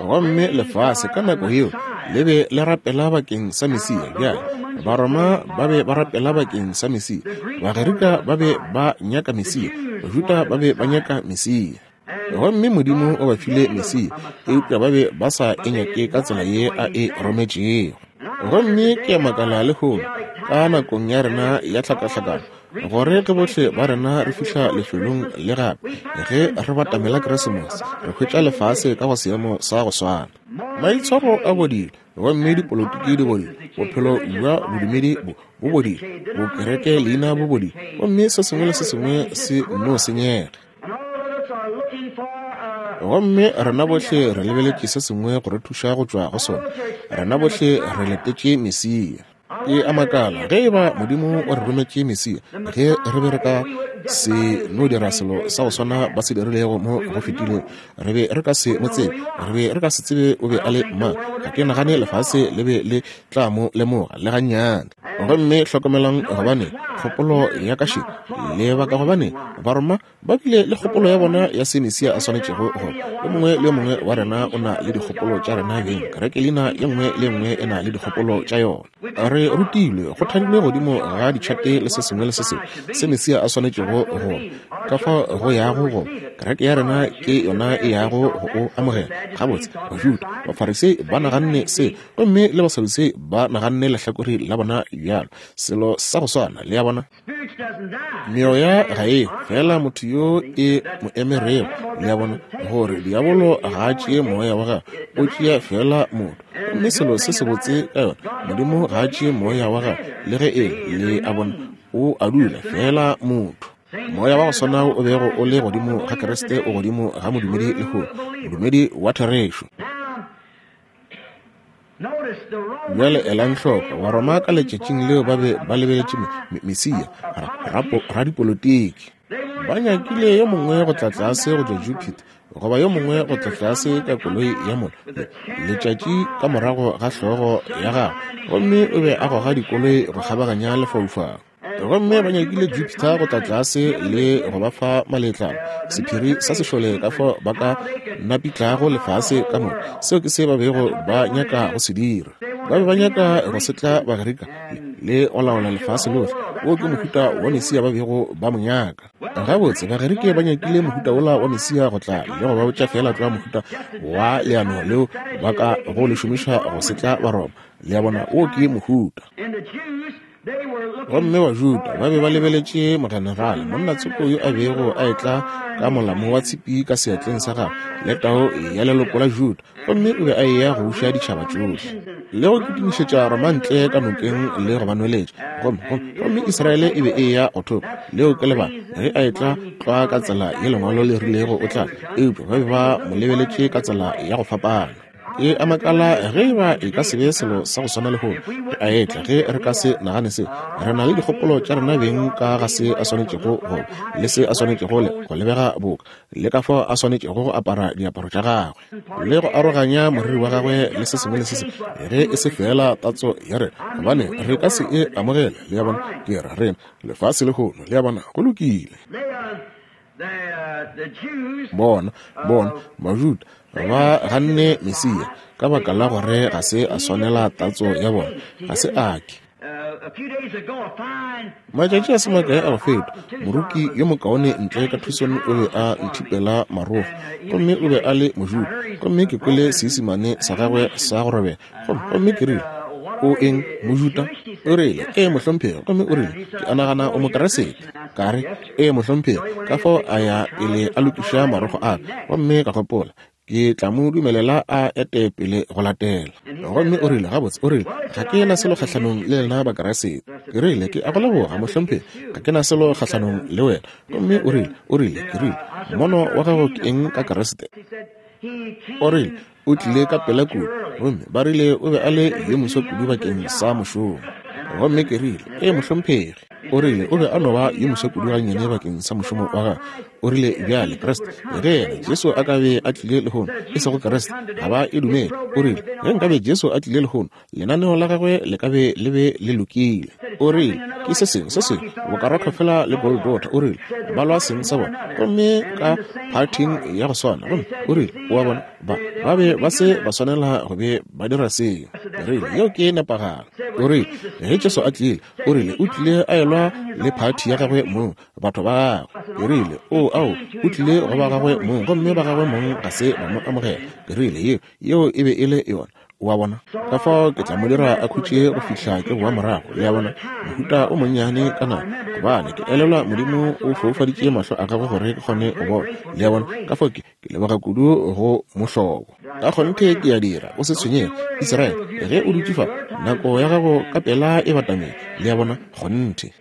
Gomme lefase ka nako yeo le be le rapela bakeng sa Mesia. Bjale Baroma ba be ba rapela bakeng sa Mesia, Bagerika ba be ba nyaka Mesia, Bajuda ba be ba nyaka Mesia. Gomme Modimo o ba file Mesia, eupša ba be ba sa e nyake ka tsela ye a e rometšego. Gomme ke a makala lehono ka nakong ya rena ya tlhakahlakano, gore ge bohle ba rena re fihla lefelong le gape, ge re batamela Keresemose, re hwetša lefase ka go seemo sa go swana. Maitshwaro a bodile, gomme dipolotiki di bodile, bophelo bja bodumedi bo bo bodile, bokereke leina bo bodile, gomme se sengwe le se sengwe se no senyega. Gomme rena bohle re lebeletše se sengwe go re thuša go tšwa go sona. Rena bohle re letetše Mesia. Ke a makala ge e ba Modimo o re rometše Mesia, ge re be re ka se no dira selo sa go swana ba se dirilego mo go fetilego, re be re ka se mo tsebe, re be re ka se tsebe o be a le mang. Ga ke nagane lefase le be le tla mo lemoga le gannyane. Gomme hlokomelang, gobane kgopolo ya ka še lebaka, gobane Baroma ba bile le kgopolo ya bona ya se Mesia a swanetšego go. Yo mongwe le yo mongwe wa rena o na le dikgopolo tša rena beng. Kereke leina ye nngwe le nngwe e na le dikgopolo tša yona. Re rutilwe, go thadilwe godimo ga ditšhate le se sengwe le se sengwe se Mesia a swanetšego go. Ka fao go yago go kereke ya rena ke yona e yago go o amogela. Gabotse, Bajuda, Bafarisei ba naganne se, gomme le Basadusei ba naganne lehlakore la bona bjalo, selo sa go swana. Le a bona? Meoya ga e fela motho yo e mo emerego. Le a bona, gore diabolo ga a tšee moya wa gagwe, o tšea fela motho. Gomme selo se sebotse ka yona, Modimo ga a tšee moya wa gagwe le ge e le a bona, o a dula fela motho. Moya wa go swana o bego o le godimo ga Kriste o godimo ga modumedi lehono, modumedi wa therešo. Bjale elang hloko, Baroma ka letšatšing leo ba be ba lebeletše Mesia, radipolotiki. Ba nyakile yo mongwe go tla tlase go tšwa Jupiter, goba yo mongwe go tla tlase ka koloi ya mollo, letšatši ka morago ga hlogo ya gagwe, gomme o be a goga dikoloi go kgabaganya lefaufau. Gomme ba nyakile Jupiter go tla tlase le go ba fa maletlalo, sephiri sa sešole ka fao ba ka napitlago lefase ka moka. Seo ke se ba bego ba nyaka go se dira. Ba be ba nyaka go setla Bagerika le go laola lefase lohle. Wo ke mohuta wa Mesia ba bego ba mo nyaka. Gabotse, Bagerike ba nyakile mohuta wola wa Mesia go tla le go ba botša fela tlwa mohuta wa leano leo ba ka go le šomiša go setla Baroma. Le a bona, wo ke mohuta. Gomme Bajuda ba be ba lebeletše mogenerale, monna tsoko yo a bego a etla ka molamo wa tshipi ka seatleng sa gagwe le tao ya leloko la Juda, gomme o be a eya go buša ditšhaba tšohle le go kitimišetša Roma ntle ka nokeng le go ba nweletša. Gomme gomme Israele e be e eya go thopa. Leo ke lebaka ge a etla tlwa ka tsela ye lengwalo le rilego o tla, eupša ba be ba mo lebeletše ka tsela ya go fapana. E a makala ge e ba e ka se be selo sa go swana lehono ge a etla, ge re ka se nagane seo. Re na le dikgopolo tša rena beng ka ga se a swanetšego go le se a swanetšego go lebega boka, le ka fao a swanetšego go apara diaparo tša gagwe le go aroganya moriri wa gagwe le se sengwe le se sengwe, ge e se fela tatso ya rena, gobane re ka se e amogele. Le a bona, ke ra rena lefase lehono. Le a bona, go lokile. Bona, bona, Bajuda ba ganne Mesia ka baka la gore ga se a swanela tatso ya bona, ga se a ke. Matšatši a se makae a go feta, moruki yo mokaone ntle ka Tucson o be a nthipela marogo, gomme o be a le Mojuda, gomme ke kwele Seisemane sa gagwe sa go robela, gomme ke rile, o eng Mojuda? O rile, ee mohlomphegi. Gomme o rile, ke a nagana o Mokeresete. Ka re, ee mohlomphegi. Ka fao a ya pele a lokiša marogo a ka, gomme ka gopola, ke tla mo dumelela a ete pele go latela. Gomme o rile, gabotse, o rile, ga ke na selo kgahlanong le lena Bakeresete. Ke rile, ke a go leboga mohlomphegi, ga ke na selo kgahlanong le wena. Gomme o rile, o rile, ke rile, mono wa gago ke eng ka Keresete? O rile, o tlile ka pela kudu, gomme ba rile o be a le yo moswa kudu bakeng sa mošomo. Gomme ke rile, ee mohlomphegi. O rile o be a no ba yo moswa kudu gannyane bakeng sa mošomo wa gagwe. O rile, bjale Kriste, ge yena Jesu a ka be a tlile lehono, e sego Kriste, ga ba e dumele. O rile, ge nkabe Jesu a tlile lehono, lenaneo la gagwe le ka be le be le lokile. O rile, ke se sengwe se sengwe boka fela le Gold Daughter. O rile, ba lwa seng sa bona, gomme ka phathing ya go swana. Gomme o rile, o a bona, ba ba be ba se ba swanela go be ba dira seo. O rile, yeo ke nepagalo. O rile, ge Jesu a tlile, o rile o tlile a elwa le phathi ya gagwe mong, batho ba gagwe. Ke rile, o ao, o tlile go ba gagwe mong, gomme ba gagwe mong ga se ba mo amogela. Ke rile, yeo yeo e be e le yona. O a bona, ka fao ke tla mo dira a khutše go fihla ke boa morago. Le a bona, mohuta o monnyane ka nako, gobane ke elelwa Modimo o foufaditše mahlo a gagwe gore ke kgone go bona. Le a bona, ka fao ke ke leboga kudu go mohlobo. Ka kgonthe ke a dira, o se tshwenyege, Israele, ge o dutše fa, nako ya gago ka pela e batamile. Le a bona, kgonthe.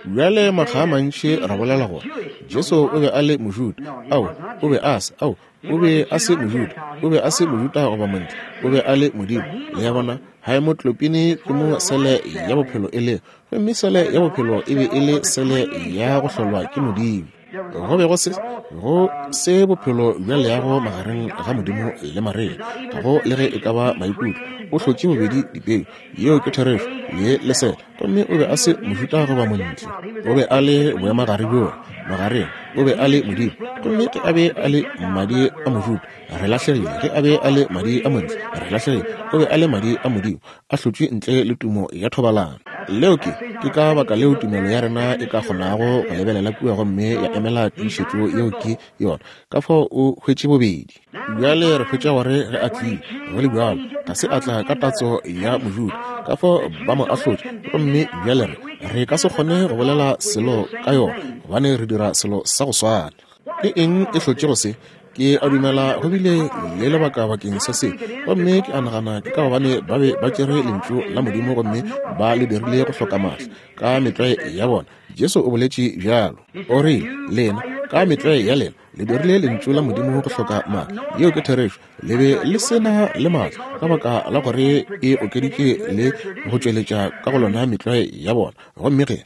Bjale makga a mantši ra bolela gore Jesu o be a le Mojuda. Ao, o be a se, ao, o be a se Mojuda, o be a se Mojuda goba montle, o be a le Modimo. Le a bona, haemoglobin ke mo sele ya bophelo e lego, gomme sele ya bophelo e be e le sele ya go hlolwa ke Modimo. Go be go se go se bophelo bja leago magareng ga Modimo le Maria, ga go le ge e ka ba maikutlo. O hlotše bobedi dipeu, yeo ke therešo, le lesela, gomme o be a se Mojuda goba montle. O be a le boemagare bjola magareng. O be a le Modimo. Gomme ge a be a le madi a Mojuda, re lahlegile. Ge a be a le madi a Montle, re lahlegile. O be a le madi a Modimo, a hlotšwe ntle le tumo ya thobalano. Leo ke, ke ka baka leo tumelo ya rena e ka kgonago go lebelela kua gomme ya emela tiišetšo yeo ke yona. Ka fao o hwetše bobedi. Bjale re hwetša gore ge a tlile, go le bjalo, ga se a tla ka tatso ya Mojuda. Ka fao ba mo ahlotše, gomme bjale re, re ka se kgone go bolela selo ka yona, gobane re dira selo sa go swana. Ke eng e hlotšego se? Ke a dumela go bile le lebaka bakeng sa se, gomme ke a nagana ke ka gobane ba be ba tšere lentšu la Modimo gomme ba le dirile go hloka maatla ka metlwae ya bona. Jesu o boletše bjalo, o rile, lena ka metlwae ya lena le dirile lentšu la Modimo go hloka maatla. Yeo ke therešo. Le be le se na le maatla ka baka la gore e okeditše le go tšweletša ka go lona metlwae ya bona. Gomme ge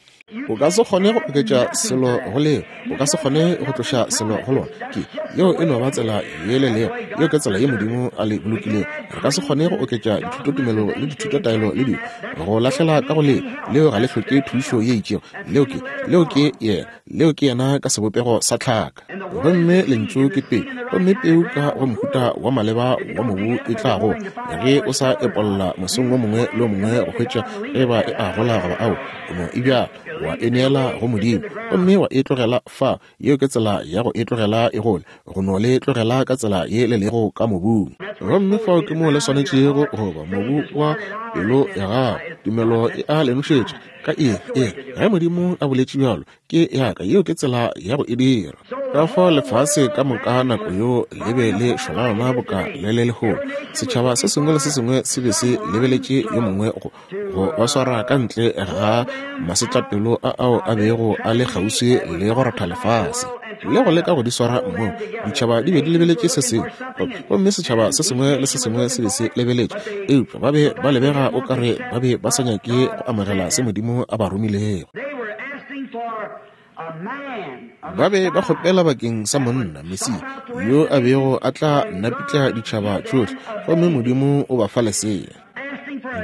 o ka se kgone go oketša selo go leo, o ka se kgone go tloša selo go lona. Ke yeo e no ba tsela ye le leo, yeo ke tsela ye Modimo a le bolokilego. Re ka se kgone go oketša dithutotumelo le dithutotaelo le dilo go lahlela ka go leo. Leo ga le hloke thušo ye itšego. Leo ke, leo ke yena, leo ke yena ka sebopego sa tlhaka. Gomme lentšu ke peu, gomme peu ka go mohuta wa maleba wa mobu e tla gola. Ge o sa epolla mosong o mongwe le o mongwe go hwetša ge ba e a gola goba ao, o no e bjala, wa e neela go Modimo, gomme wa e tlogela fa. Yeo ke tsela ya go e tlogela e gole, go no le tlogela ka tsela ye le lego ka mobung. Gomme fao ke mo le swanetšego go ba, mobu wa pelo ya gago. Tumelo e a le nošetša ka eng? Eng? Ge Modimo a boletše bjalo, ke ya ka. Yeo ke tsela ya go e dira. Ka fao lefase ka moka nako yeo le be le šwalalana boka le le lehono. Setšhaba se sengwe le se sengwe se be se lebeletše yo mongwe go, go ba swara ka ntle ga masetlapelo a ao a bego a le kgauswi le go ratha lefase le go leka go di swara mmogo. Ditšhaba di be di lebeletše se sengwe, gomme setšhaba se sengwe le se sengwe se be se lebeletše, eupša ba be ba lebega o kare ba be ba sa nyake go amogela se Modimo a ba romilego. Ba be ba kgopela bakeng sa monna, Mesia, yo a bego a tla napitla ditšhaba tšohle, gomme Modimo o ba fa lesea.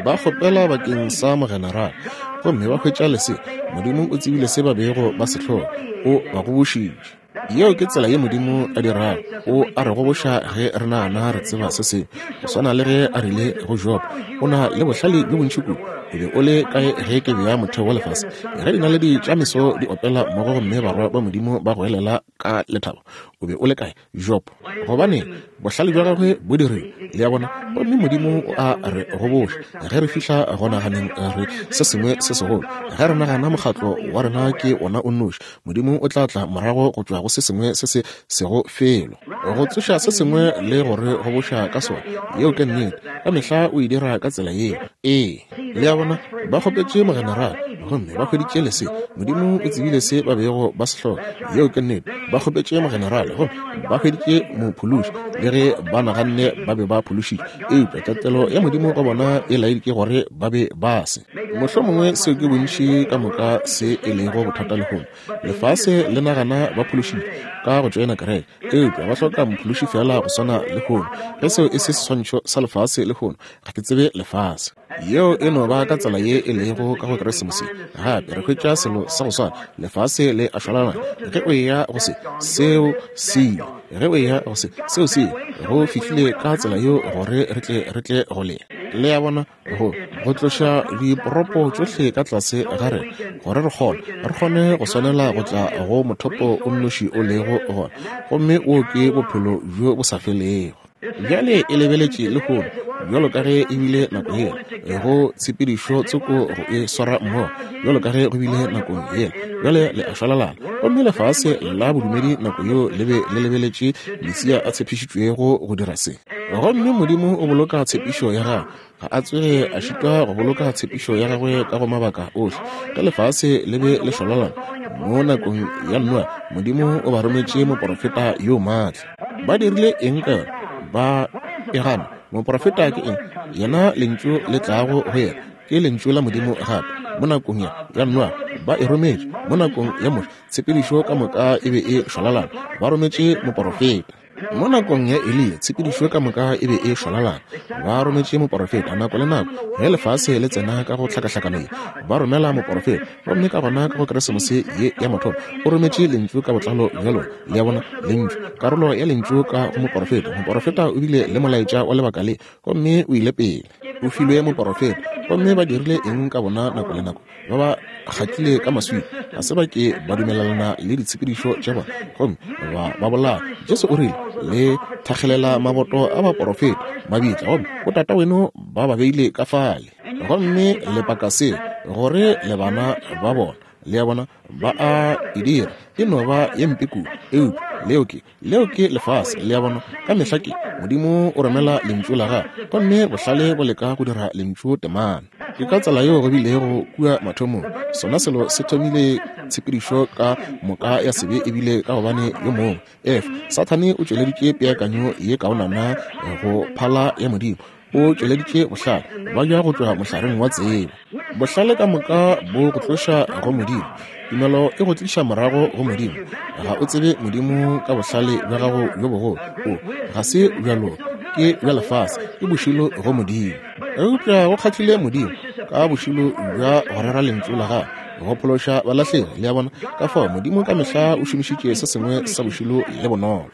Ba kgopela bakeng sa mogenerale, gomme ba hwetša lesea. Modimo o tsebile se ba bego ba se hloka, o ba gobošitše. Yeo ke tsela ye Modimo a dirago. O a re goboša ge re nagana re tseba se sengwe. Go swana le ge a rile go Job, o na le bohlale bjo bontši kudu. O be o le kae ge ke bea motheo wa lefase? Ge dinaledi tša meso di opela mmogo gomme barwa ba Modimo ba goelela ka lethabo, o be o le kae, Job? Gobane bohlale bja gagwe bo dirile, le a bona. Gomme Modimo o a re goboša ge re fihla go naganeng re se sengwe se segolo. Ge re nagana mokgatlo wa rena ke wona o nnoši, Modimo o tla tla morago go tšwa go se sengwe se se sego felo, go tsoša se sengwe le go re goboša ka sona. Yeo ke nnete. Ka mehla o e dira ka tsela yeo. Ee, le a bona, ba kgopetše mogenerale gomme ba hweditše lesea. Modimo o tsebile se ba bego ba se hloka. Yeo ke nnete. Ba kgopetše mogenerale gomme ba hweditše mophološi, le ge ba naganne ba be ba phološitše, eupša tatelo ya Modimo go bona e laeditše gore ba be ba se. Mohlomongwe seo ke bontši ka moka se e lego bothata lehono. Lefase le nagana ba phološitše ka go tšoena kereke, eupša ba hloka mophološi fela go swana lehono. Ge seo e se seswantšho sa lefase lehono, ga ke tsebe lefase. Yeo e no ba ka tsela ye e lego ka go Keresemose. Gape re hwetša selo sa go swana. Lefase le a šwalalana. Ge o eya go se, seo se ile. Ge o eya go se, seo se ile. Go fihlile ka tsela yeo gore re tle re tle go le. Le a bona, go go tloša diporopo tšohle ka tlase ga rena, gore re kgone re kgone go swanela go tla go mothopo o nnoši o lego gona, gomme wo ke bophelo bjo bo sa felego. Bjale e lebeletše lehono bjalo ka ge e bile nako yela, go tshepedišo tsoko go e swara mmogo bjalo ka ge go bile nakong yela. Bjale le a šwalalana, gomme lefase la bodumedi nako yeo le be le lebeletše Mesia a tshepišitšwego go dira se. Gomme Modimo o boloka tshepišo ya gagwe. Ga a tsoge a šitwa go boloka tshepišo ya gagwe ka go mabaka ohle. Ge lefase le be le šwalalana mo nakong ya Noa, Modimo o ba rometše moporofeta yo maatla. Ba dirile eng ka yona? Ba e gana. Moporofeta ke eng? Yena lentšu le tlago go yena ke lentšu la Modimo gape. Mo nakong ya ya Noa ba e rometše, mo nakong ya Moshe tshepedišo ka moka e be e šwalalana, ba rometše moporofeta. Mo nakong ya Eliya, tshepedišo ka moka e be e šwalalana. Ba rometše moporofeta nako le nako ge lefase le tsena ka go hlakahlakano ye, ba romela moporofeta. Gomme ka gona ka go Keresemose ye ya mathomo, o rometše lentšu ka botlalo bja lona. Le a bona, lentšu, karolo ya lentšu ka go moporofeta. Moporofeta o bile le molaetša wa lebaka le, gomme o ile pele. O filwe moporofeta, gomme ba dirile eng ka bona nako le nako? Ba ba kgatlile ka maswika, ga se ba ke ba dumelelana le ditshepedišo tša bona, gomme ba ba bolaya. Jesu o rile, le thakgelela maboto a baporofeta mabitla, gomme botata weno ba ba beile ka fale, gomme le paka se gore le bana ba bona. Le a bona, ba a e dira, e no ba ye mpe kudu. Eupša leo ke, leo ke lefase. Le a bona, ka mehla ke Modimo o romela lentšu la gagwe, gomme bohlale bo leka go dira lentšu temana. Ke ka tsela yeo go bilego kua mathomong. Sona selo se thomile tshepedišo ka moka ya sebe ebile ka gobane yo mongwe, Efa, Sathane o tšweleditše peakanyo ye kaonana go phala ya Modimo. O tšweleditše bohlale, ba ja go tšwa mohlareng wa tsebo. Bohlale ka moka bo go tloša go Modimo. Tumelo e go tliša morago go Modimo. Ga o tsebe Modimo ka bohlale bja gago bjo bogolo. O ga se bja loka, ke bja lefase, ke bošilo go Modimo. Eupša go kgahlile Modimo ka bošilo bja go rera lentšu la gagwe, go phološa balahlegi. Le a bona, ka fao Modimo ka mehla o šomišitše se sengwe sa bošilo le bonolo.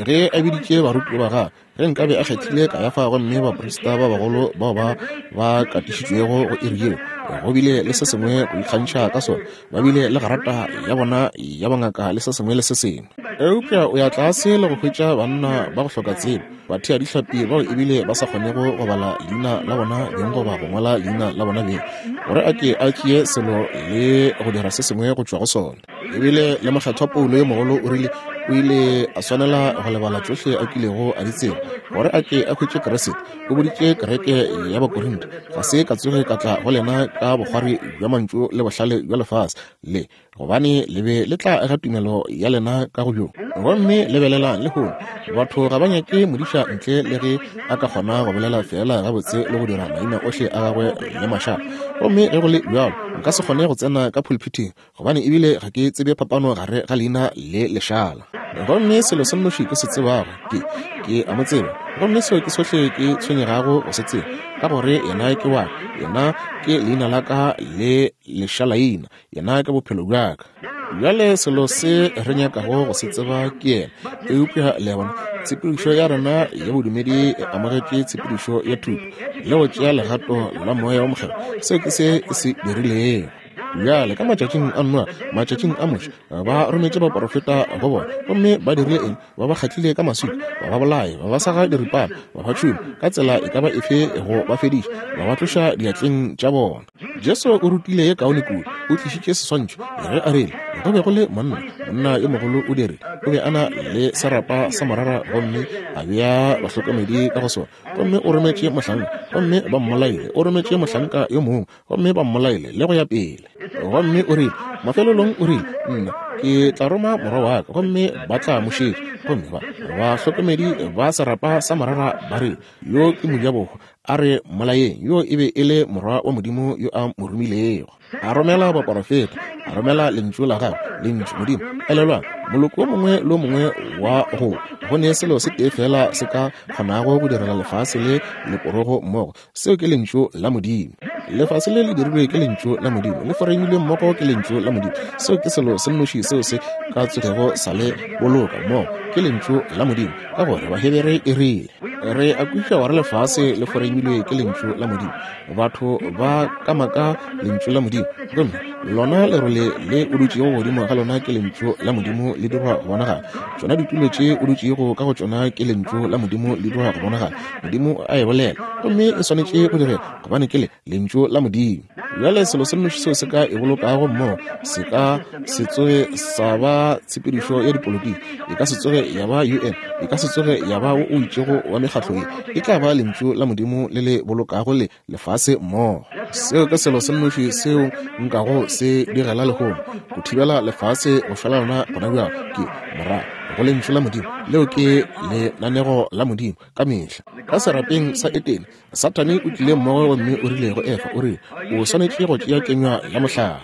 Ge a biditše barutiwa ba gagwe, ge nkabe a kgethile Kayafa gomme baprista ba bagolo bao ba ba katišitšwego go iri yeo, go bile le se sengwe go ikgantšha ka sona, ba bile le garata ya bona ya bongaka le se sengwe le se sengwe. Eupša o ya tlase le go hwetša banna ba go hloka tsebo, batheadihlapi bao ebile ba sa kgonego go bala leina la bona beng goba go ngwala leina la bona beng, gore a ke a tšee selo le go dira se sengwe go tšwa go sona. Ebile le mokgethwa Paulo yo mogolo o rile o ile a swanela go lebala tšohle a kilego a di tseba gore a ke a hwetše Kriste. O boditše kereke ya Bakorinthe, ga se ka tsoge ka tla go lena ka bokgwari bja mantšu le bohlale bja lefase le, gobane le be le tla aga tumelo ya lena ka go bjo. Gomme lebelelang lehono, batho ga ba nyake modiša ntle le ge a ka kgona go bolela feela gabotse le go dira maina ohle a gagwe le mašata. Gomme ge go le bjalo, nka se kgone go tsena ka pulpithing, gobane ebile ga ke tsebe phapano gare ga leina le lešala. Gomme selo se nnoši ke se tsebago ke, ke a mo tseba, gomme seo ke sohle ke tshwenyegago go se tseba, ka gore yena ke wa ka, yena ke leina la ka le lešalaina, yena ke bophelo bja ka. Bjale selo se re nyakago go se tseba ke yena. Eupša le a bona, tshepedišo ya rena ya bodumedi e amogetše tshepedišo ya thuto le go tšea legato la moya wa mokgethwa. Seo ke se e se dirilego. Bjale ka matšatšing a Noa, matšatšing a Moshe, ba rometše baporofeta go bona, gomme ba dirile eng? Ba ba kgatlile ka maswika, ba ba bolaye, ba ba saga diripana, ba ba tšhuma ka tsela e ka ba efe go ba fediša, ba ba tloša diatleng tša bona. Jesu o rutile ye kaone kudu, o tlišitše seswantšho ge a rile go be go le monna, monna yo mogolo o dirile, o be a na le serapa sa morara gomme a bea bahlokomedi ka go sona, gomme o rometše mohlanka, gomme ba mmolaile, o rometše mohlanka yo mongwe, gomme ba mmolaile, le go ya pele. Gomme o rile mafelelong, o rile, nna ke tla roma morwa wa ka, gomme ba tla mo šetša. Gomme ba bahlokomedi ba serapa sa morara ba re, yo ke mojabohwa, a re mmolayeng. Yo e be e le morwa wa Modimo yo a mo romilego. A romela baporofeta, a romela lentšu la gagwe, lentšu Modimo. Elelwang, moloko o mongwe le o mongwe wa go go ne selo se tee fela se ka kgonago go direla lefase le leporogo mmogo, seo ke lentšu la Modimo. Lefase le le dirilwe ke lentšu la Modimo, le foreimilwe mmogo ke lentšu la Modimo. Seo ke selo se nnoši seo se ka tsogego sa le boloka mmogo, ke lentšu la Modimo, ka gore Bahebere e rile re a kwešiša gore lefase le foreimilwe ke lentšu la Modimo. Batho ba kamaka lentšu la Modimo, gomme lona lerole le o dutšego godimo ga lona ke lentšu la Modimo le dirwa go bonagala. Tšona ditulo tše o dutšego ka go tšona ke lentšu la Modimo le dirwa go bonagala. Modimo a e bolela, gomme e swanetše go direga, gobane ke le lentšu la Modimo. Bjale selo se nnoši seo se ka e bolokago mmogo se ka se tsoge sa ba tshepedišo ya dipolotiki, e ka se tsoge ya ba U N, e ka se tsoge ya ba wo o itšego wa mekgatlo ye, e tla ba lentšu la Modimo le le bolokago le lefase mmogo. Seo ke selo se nnoši seo nkago se direla lehono go thibela lefase go šwalalana gona bjalo ke morago go lentšu la Modimo. Leo ke lenanego la Modimo ka mehla. Ka serapeng sa Etene, Sathane o tlile mmogo gomme o rile go Efa, o rile, o swanetše go tšea kenywa ya mohlare.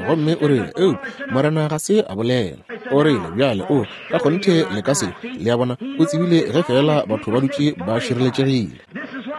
Gomme o rile, eupša Morena ga se a bolela. O rile, bjale o ka kgonthe le ka se. Le a bona, o tsebile ge fela batho ba dutše ba šireletšegile.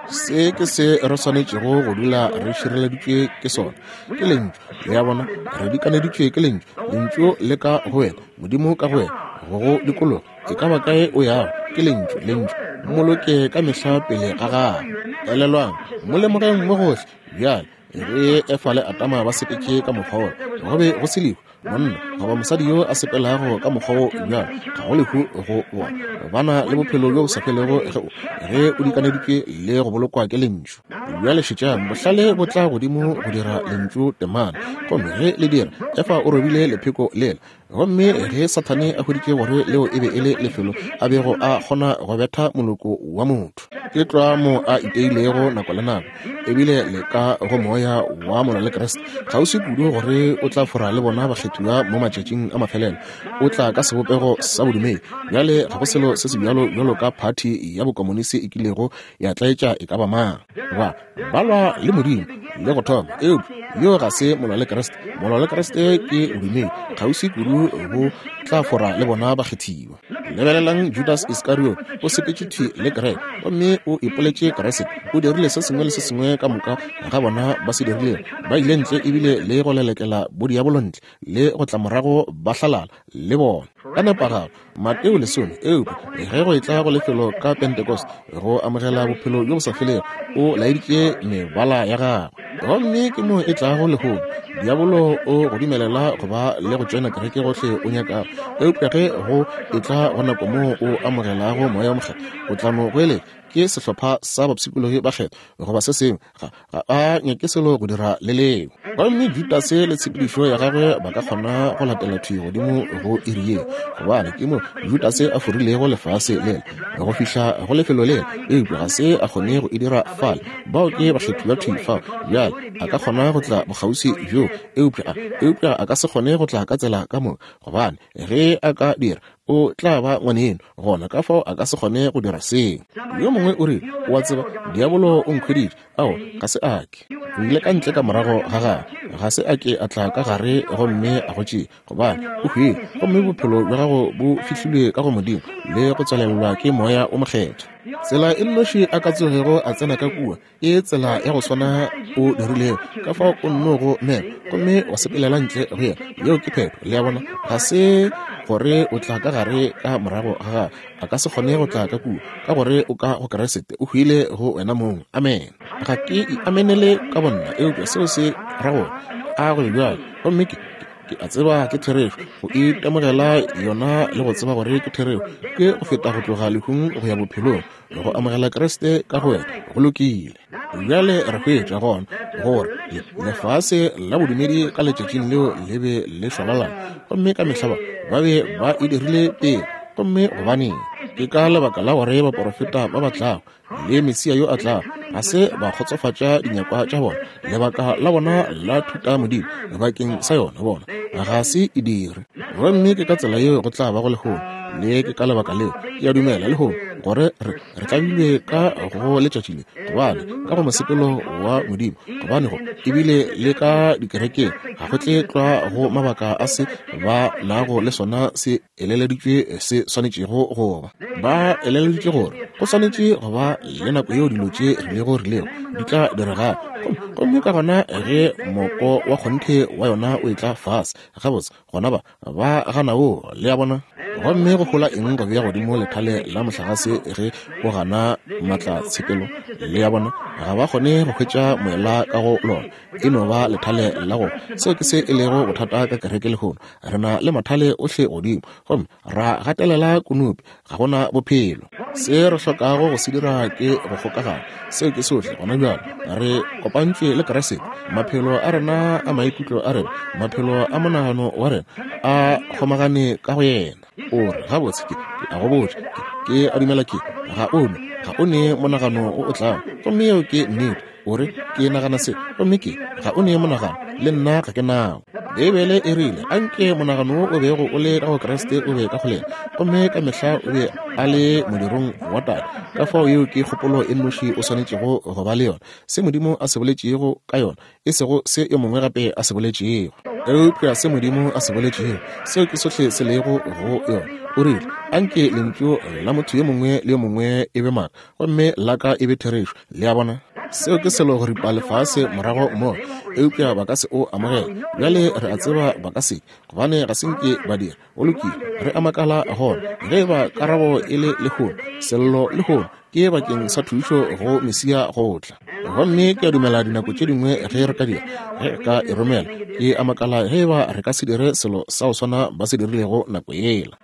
Se ke se re swanetšego go dula re šireleditšwe ke sona, ke lentšu. Le a bona, re dikaneditšwe ke lentšu. Lentšu le ka go wena, Modimo ka go wena, go go dikologa. E ka ba kae o yago, ke lentšu, lentšu. Mmoloke ka mehla pele ga gago. Elelwang, mo lemogeng mo gohle. Bjale ge Efa le Adama ba sepetše ka mokgwa wola, go be go se lehu. Monna goba mosadi yo a sepelago ka mokgwa wo bjalo, ga go lehu go bona. Ba na le bophelo bjo bo sa felego ge o ge o dikaneditšwe le go bolokwa ke lentšu. Bjale šetšang, bohlale bo tla godimo go dira lentšu temana. Gomme ge le dira, Efa o robile lepheko lela. Gomme ge Sathane a hweditše gore leo e be e le lefelo a bego a kgona go betha moloko wa motho, ke tlwa mo a iteilego nako le nako, ebile le ka go moya wa molwa le Kriste kgauswi kudu gore o tla fora le bona bakgethiwa mo matšatšing a mafelelo. O tla ka sebopego sa bodumedi. Bjale ga go selo se se bjalo bjalo ka phathi ya bokomonisi e kilego ya tlaetša e ka ba mang. Ba ba lwa le Modimo le go thoma, eupša yo ga se molwa le Kriste. Molwa le Kriste ke bodumedi kgauswi kudu bo tla fora le bona bakgethiwa. Lebelelang Judas Iscariot, o sepetše thwi le kereke gomme o ipoletše Kriste. O dirile se sengwe le se sengwe ka moka ga bona ba se dirilego. Ba ile ntle ebile le go lelekela bodiabolo ntle le go tla morago ba hlalala le bona ka nepagalo. Mateo lesome, eupša ge go etla go lefelo ka Pentecost go amogela bophelo bjo bo sa felego, o laeditše mebala ya gagwe. Gomme ke mo e tlago lehono. Diabolo o go dumelela go ba le go tšena kereke gohle o nyakago, eupša ge go etla go nako moo o amogelago moya o mokgethwa, o tla no goeletša ke sehlopha sa bapshikologi ba kgetho goba se sengwe. Ga ga a nyake selo go dira le leo. Gomme Judase le tshepedišo ya gagwe ba ka kgona go latela thwi godimo go iri ye, gobane ke mo Judase a forilego lefase lela go fihla go lefelo lela, eupša ga se a kgone go e dira fale. Bao ke bakgethiwa thwi fao. Bjale a ka kgona go tla bokgauswi bjo, eupša eupša a ka se kgone go tla ka tsela ka moka, gobane ge a ka dira o tla ba ngwaneno gona, ka fao a ka se kgone go dira seo. Yo mongwe o rile, o a tseba, diabolo o nkhweditše. Ao, ga se a ke. O ile ka ntle ka morago ga gagwe. Ga se a ke a tla ka gare gomme a go tšea, gobane o hwile, gomme bophelo bja gago bo fihlilwe ka go Modimo le go tswalelelwa ke moya o mokgethwa. Tsela e nnoši a ka tsogego a tsena ka kua ke tsela ya go swana o dirilego, ka fao o nno go mema gomme wa sepelela ntle go yena. Yeo ke phetho. Le a bona, ga se gore o tla ka gare ka morago ga gagwe. A ka se kgone go tla ka kua, ka gore o ka go Kriste, o hwile go wena mong. Amen. Ga ke iamenele ka bonna, eupša seo se ra gore a go bjalo. Gomme ke ke a tseba ke therešo, go itemogela yona le go tseba gore ke therešo ke go feta go tloga lehung go ya bophelong, go amogela Kriste ka go wena. Go lokile. Bjale re hwetša gona gore lefase la bodumedi ka letšatšing leo le be le šwalalana, gomme ka mehla ba be ba e dirile pele. Gomme gobaneng? Ke ka lebaka la gore baporofeta ba ba tlago le Mesia yo a tlago ga se ba kgotsofatša dinyakwa tša bona. Lebaka la bona la thuta Modimo bakeng sa yona bona ga se e dire. Gomme ke ka tsela yeo go tla ba go lehono, le ke ka lebaka leo ke a dumela lehono gore re re tlabilwe ka go letšatši le, gobane ka go mosepelo wa Modimo, gobane go ebile le ka dikerekeng ga go tle tlwa go mabaka a se ba nago le sona se eleleditšwe se swanetšego go ba. Ba eleleditše gore go swanetše go ba le nako yeo dilo tše rilego rilego di tla diregago, gomme ka gona ge moko wa kgonthe wa yona o etla fase gabotse, gona ba ba gana wo. Le a bona? Gomme go hola eng go bea godimo lethale la mohlagase ge o gana maatlatshepelo? Le a bona? Ga ba kgone go hwetša moela ka go lona, e no ba lethale la go. Seo ke se e lego bothata ka kereke lehono. Re na le mathale ohle godimo, gomme ra gatelela konopi, ga gona bophelo. Se re hlokago go se dira ke go kgokagana. Seo ke sohle gona bjalo. Re kopantšwe le Kriste. Maphelo a rena a maikutlo a rena, maphelo a monagano wa rena a kgomagane ka go yena. O re, gabotse ke a go botša, ke a dumela ke ga o ne, ga o ne monagano o o tlago. Gomme yeo ke nnete. O re, ke nagana se, gomme ke ga o ne monagano, le nna ga ke nao. Beibele e rile, anke monagano wo o bego o le ka go Kriste o be ka go lena, gomme ka mehla o be a le modirong wa Tate. Ka fao yeo ke kgopolo e nnoši o swanetšego go ba le yona, se Modimo a se boletšego ka yona, e sego se yo mongwe gape a se boletšego, eupša se Modimo a se boletšego, seo ke sohle se lego go yona. O rile, anke lentšu la motho yo mongwe le yo mongwe e be maaka, gomme la ka e be therešo. Le a bona? Seo ke selo go ripa lefase morago mo, eupša ba ka se o amogela. Bjale re a tseba ba ka se, gobane ga se nke ba dira. Go lokile, re a makala gona ge ba karabo e le lehono, sello lehono ke bakeng sa thušo go Mesia go tla. Gomme ke a dumela dinako tše dingwe ge re ka dira, ge re ka e romela, ke a makala ge ba re ka se dire selo sa go swana ba se dirilego nako yela.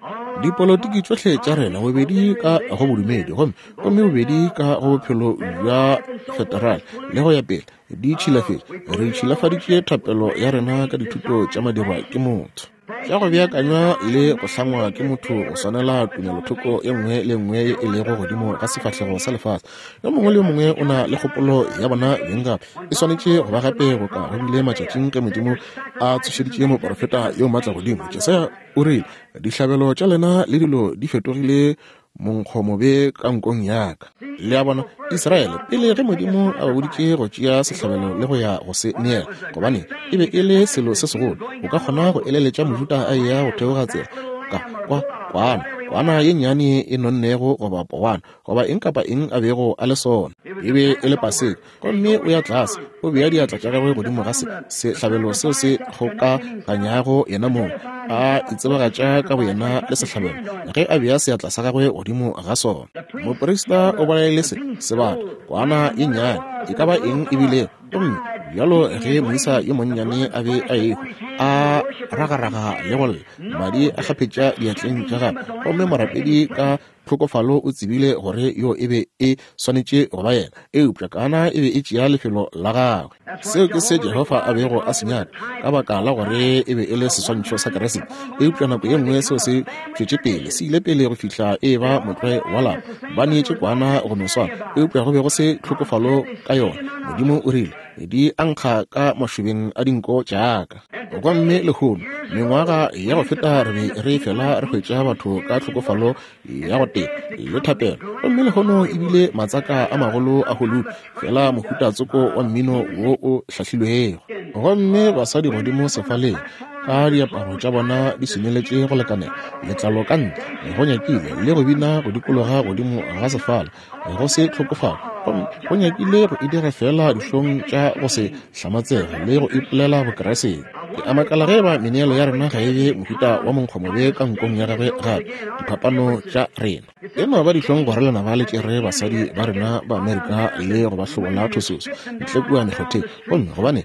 Dipolotiki tšohle tša rena, bobedi ka go bodumedi gomme gomme bobedi ka go bophelo bja federal le go ya pele, di tšhilafetše. Re tšhilafaditše thapelo ya rena ka dithuto tša madirwa ke motho, tša go beakanywa le go hlangwa ke motho go swanela tumelothoko ye nngwe le nngwe ye e lego godimo ga sefahlego sa lefase. Yo mongwe le yo mongwe o na le kgopolo ya bona beng gape. E swanetše go ba gape boka go bile matšatšing ge Modimo a tsošeditše moprofeta yo maatla godimo. Jesaya o rile, dihlabelo tša lena le dilo di fetogile monkgomobe ka nkong ya ka. Le a bona, Israele pele ge Modimo a ba boditše go tšea sehlabelo le go ya go se neela, gobane e be e le selo se segolo, o ka kgona go eleletša Mojuda a eya go theoga tsela ka kwa kwana, kwana ye nnyane e nonnego goba powana goba eng kapa eng a bego a le sona, e be e le paseka. Gomme o ya tlase, o bea diatla tša gagwe godimo ga se sehlabelo seo se kgokaganyago yena mong, a itsebagatša ka boyena le sehlabelo ge a bea seatla sa gagwe godimo ga sona. Moprista o bolaile se sebata, kwana ye nnyane, e ka ba eng e bilego. Gomme bjalo ge moisa yo monnyane a be a ehwa, a ragaraga le go lla, madi a kgaphetša diatleng tša gagwe, gomme morapedi ka tlhokofalo o tsebile gore yo e be e swanetše go ba yena, eupša kana e be e tšea lefelo la gagwe. Seo ke se Jehofa a bego a se nyaka, ka baka la gore e be e le seswantšho sa Kriste. Eupša nako ye nngwe seo se tšwetše pele, se ile pele go fihla e ba motlwae wa lapa. Ba neetše kwana go no swana, eupša go be go se tlhokofalo ka yona. Modimo o rile, di ankga ka mašobeng a dinko tšaka. Gomme lehono, mengwaga ya go feta re be re fela re hwetša batho ka tlhokofalo ya go tee le thapelo, gomme lehono ebile matsaka a magolo a Hollywood, fela mohuta tsoko wa mmino wo o hlahlilwego. Gomme basadi godimo sefaleng ka diaparo tša bona di swineletše go lekanela, letlalo ka ntle go nyakile, le go bina go dikologa godimo ga sefala, go se tlhokofalo, gomme go nyakile go e dira fela dihlong tša go se hlamatsege le go ipolela Bokreste. Ke a makala ge ba meneelo ya rena ga e be mohuta wa monkgomobe ka nkong ya gagwe gape, diphapano tša rena. E no ba dihlong gore lenaba le tšere basadi ba rena ba Amerika le go ba hlobola thososo ntle kua mekgotheng, gomme gobane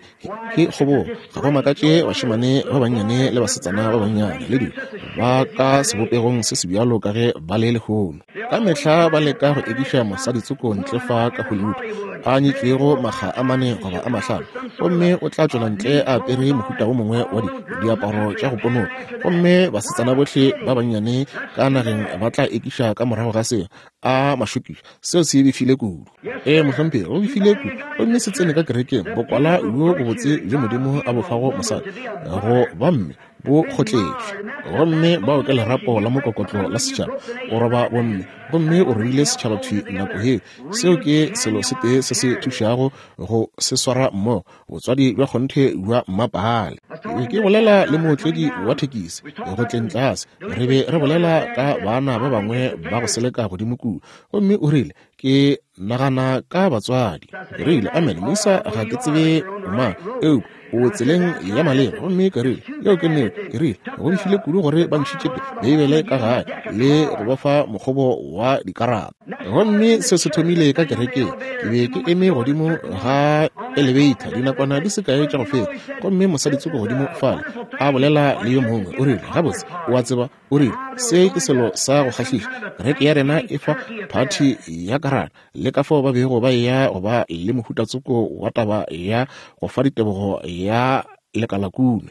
ke kgobogo, ga go makatše bašemane ba bannyane le basetsana ba bannyane le dilo ba ka sebopegong se se bjalo ka ge ba le lehono. Ka mehla ba leka go ekiša mosadi tsoko ntle fa ka Hollywood a nyetšwego makga a mane goba a mahlano, gomme o tla tšwela ntle a apere mohuta wo mongwe wa di diaparo tša go ponoka, gomme basetsana bohle ba bannyane ka nageng ba tla ekiša ka morago ga seo. A mašokiša, seo se befile kudu. Ee mohlomphegi, go befile kudu. Gomme se tsene ka kerekeng, bokwala bjo bobotse bjo Modimo a bo fago mosadi go ba mme bo kgotletšwe, gomme bao ke lerapo la mokokotlo la setšhaba. O roba bomme, gomme o roile setšhaba thwi nako yeo. Seo ke selo se tee se se thušago go se swara mmogo, botswadi bja kgonthe bja mmapale. Ke ke bolela le mootledi wa thekisi go tleng tlase, re be re bolela ka bana ba bangwe ba go seleka godimo kua, gomme o rile, ke nagana ka batswadi. Ke rile, amen moisa, ga ke tsebe mang, eupša o tseleng ya maleba. Gomme ke rile, yeo ke nnete. Ke rile, go befile kudu gore ba ntšhitše Beibele ka gae le go ba fa mokgobo wa dikarata. Gomme se se thomile ka kerekeng. Ke be ke eme godimo ga elevator dinakwana di se kae tša go feta, gomme mosadi tsoko godimo fale a bolela le yo mongwe. O rile, gabotse, o a tseba, o rile, se ke selo sa go kgahliša, kereke ya rena e fa phathi ya karata, le ka fao ba bego ba eya go ba le mohuta tsoko wa taba ya go fa ditebogo ya lekalakune,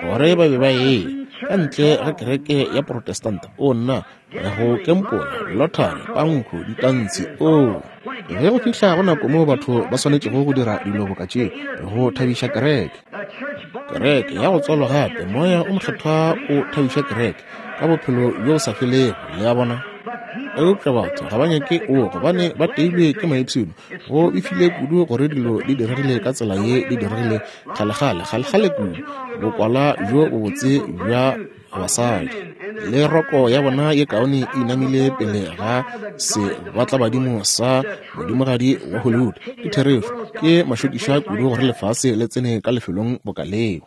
gore ba be ba eya ka ntle ga kereke ya Protestanta. O nna, go kempola, lottery, pankho, ditantshi. O ge go fihla go nako moo batho ba swanetšego go dira dilo boka tšeo go thabiša kereke. Kereke ya go tswalwa gape, Moya o Mokgethwa o thabiša kereke ka bophelo bjo bo sa felego, le a bona. Eupša batho ga ba nyake o, gobane ba teilwe ke maipshino. Go befile kudu gore dilo di diregile ka tsela ye di diregile kgalekgale, kgalekgale kudu. Bokwala bjo bobotse bja basadi le roko ya bona ye kaone e inamile pele ga sebatlabadimo sa modimogadi wa Hollywood. Ke therešo, ke mašokiša kudu gore lefase le tsene ka lefelong boka leo.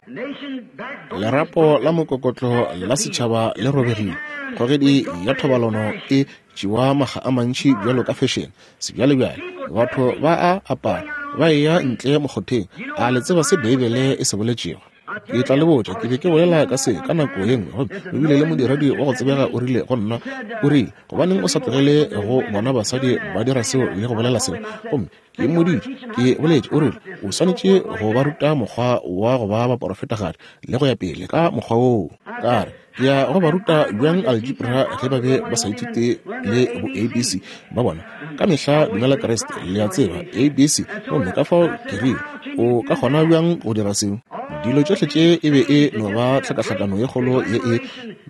Lerapo la mokokotlo la setšhaba le robegile. Kgogedi ya thobalano e tšewa makga a mantši bjalo ka fashion. Sebjalebjale batho ba a apara, ba eya ntle mokgotheng. A le tseba se Beibele e se boletšego? Ke tla le botša, ke be ke bolela ka se ka nako ye nngwe, gomme o bile le modiredi wa go tsebega o rile go nna, o rile, gobaneng o sa tlogele go bona basadi ba dira seo le go bolela seo? Gomme ke mmoditše, ke boletše, o rile, o swanetše go ba ruta mokgwa wa go ba baporofetagadi le go ya pele ka mokgwa woo. Ka re, ke ya go ba ruta bjang algebra ge ba be ba sa ithute le bo A B C ba bona? Ka mehla dumela Kriste, le a tseba, A B C. Gomme ka fao ke rile, o ka kgona bjang go dira seo? Dilo tšohle tše e be e no ba tlhakahlakano ye kgolo ye e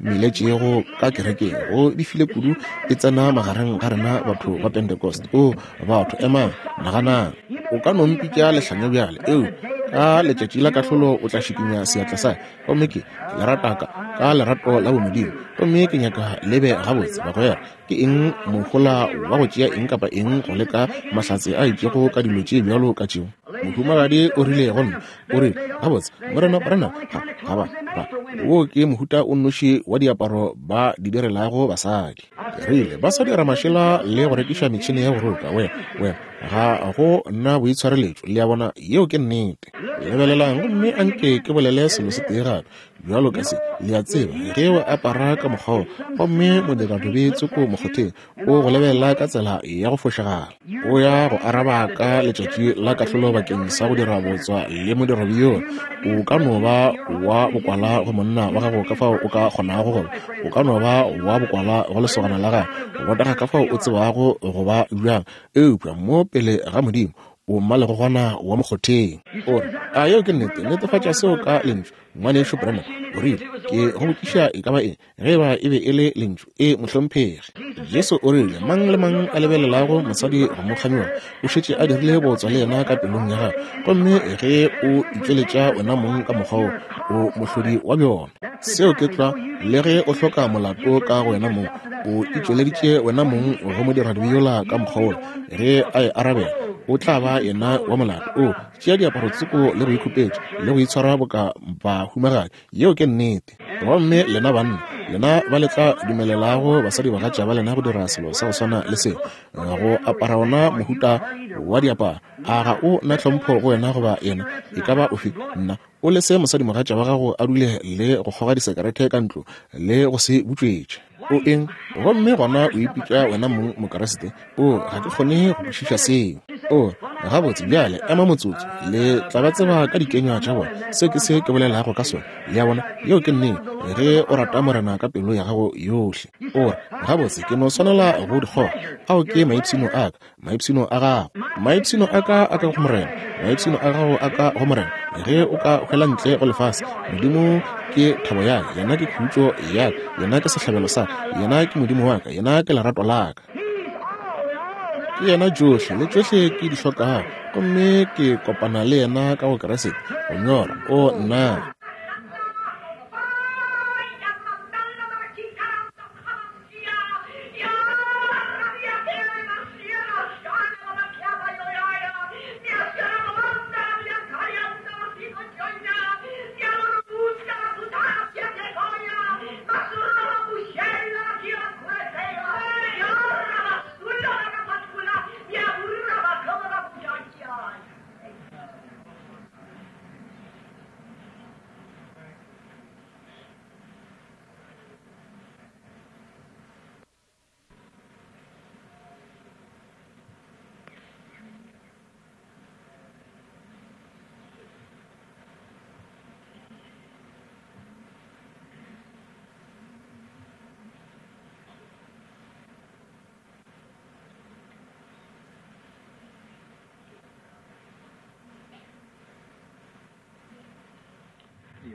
meletšego ka kerekeng. Go befile kudu e tsena magareng ga rena batho ba Pentecost. O batho, emang, naganang. O ka no mpitša lehlanya bjale, eo ka letšatši la kahlolo o tla šikinya seatla sa. Gomme ke le rata ka, ka lerato la bomodimo. Gomme ke nyaka le be gabotse, bagwera. Ke eng mohola wa go tšea eng kapa eng go leka mahlatse a itšego ka dilo tše bjalo ka tšeo? Mohumagadi o rile go nna, o rile, gabotse, Morena Branham, ga, ga ba, ba, wo ke mohuta o nnoši wa diaparo ba di direlago basadi. Ke rile, ba sa dira mašela le go rekiša metšhene ya go roka. Wena, wena, ga go na boitshwareletšo, le a bona, yeo ke nnete. Lebelelang, gomme anke ke bolele selo se tee gape bjalo ka se, le a tseba, ge o apara ka mokgwa wo, gomme modiradobe tsoko mokgotheng o go lebelela ka tsela ya go fošagala, o ya go araba ka letšatši la kahlolo bakeng sa go dira botswa le modiradobe yola. O ka no ba wa bokwala go monna wa gago ka fao o ka kgonago goba o ka no ba wa bokwala go lesogana la gago, go botega ka fao o tsebago go ba bjang, eupša mo pele ga Modimo o mmalegogwana wa mokgotheng. O re, a yeo ke nnete? Netefatša seo ka lentšu. Ngwanešu Branham o rile, ke go botšiša e ka ba eng, ge eba e be e le lentšu? E, mohlomphegi. Jesu o rile, mang le mang a lebelelago mosadi go mo kganyoga o šetše a dirile botswa le yena ka pelong ya gagwe. Gomme ge o itšweletša wena mong ka mokgwa wo, o mohlodi wa bjona. Seo ke tlwa, le ge o hloka molato ka go wena mong, o itšweleditše wena mong go modiradibe yola ka mokgwa wola. Ge a e arabela, o tla ba yena wa molato. O tšea diaparo tsoko le go ikhupetša le go itshwara boka bahumagadi. Yeo ke nnete. Gomme lena banna, lena ba le tla dumelelago basadi bagatša ba lena go dira selo sa go swana le seo, go apara ona mohuta wa diaparo, a ga o na tlhompho go wena goba yena e ka ba ofe? Nna, o lese mosadi mogatša wa gago a dule le go kgoga disekerete ka ntlo le go se butšwetše. O eng? Gomme gona o ipitša wena mong Mokriste? O, ga ke kgone go kwešiša seo. O, gabotse bjale, ema motsotso, le tla ba tseba ka dikenywa tša bona. Seo ke se ke bolelago ka sona, le a bona. Yeo ke nnete, ge o rata Morena ka pelo ya gago yohle. O re, gabotse, ke no swanela go di kgoga. Ao ke maipshino a ka, maipshino a gago. Maipshino a ka a ka go Morena, maipshino a gago a ka go Morena. Ge o ka hwela ntle go lefase, Modimo ke thabo ya ka, yena ke khutšo ya ka, yena ke sehlabelo sa ka, yena ke Modimo wa ka, yena ke lerato la ka. Ke yena tšohle le tšohle ke di hlokago, gomme ke kopana le yena ka go Kriste. Go nyora, o nna.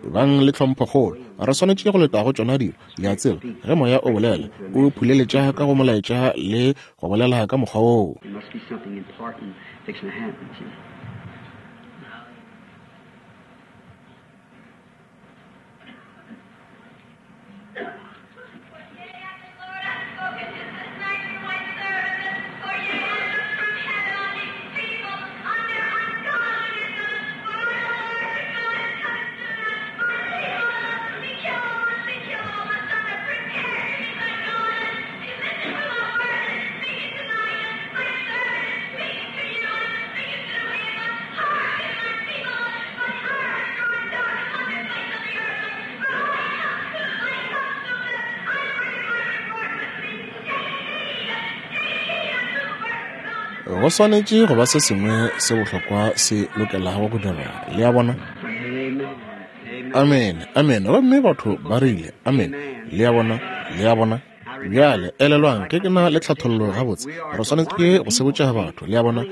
Bang le tlhomphokgolo. Re swanetše go leta go tšona dilo, le a tseba, ge moya o bolela, o phuleletša ka go molaetša le go bolela ka mokgwa woo. Go swanetše go ba se sengwe se bohlokwa se lokelago go direga. Le a bona? Amen, amen. Gomme batho ba rile amen. Le a bona? Le a bona? Bjale, elelwang, ge ke na le tlhathollo gabotse, re swanetše go sebotša batho, le a bona,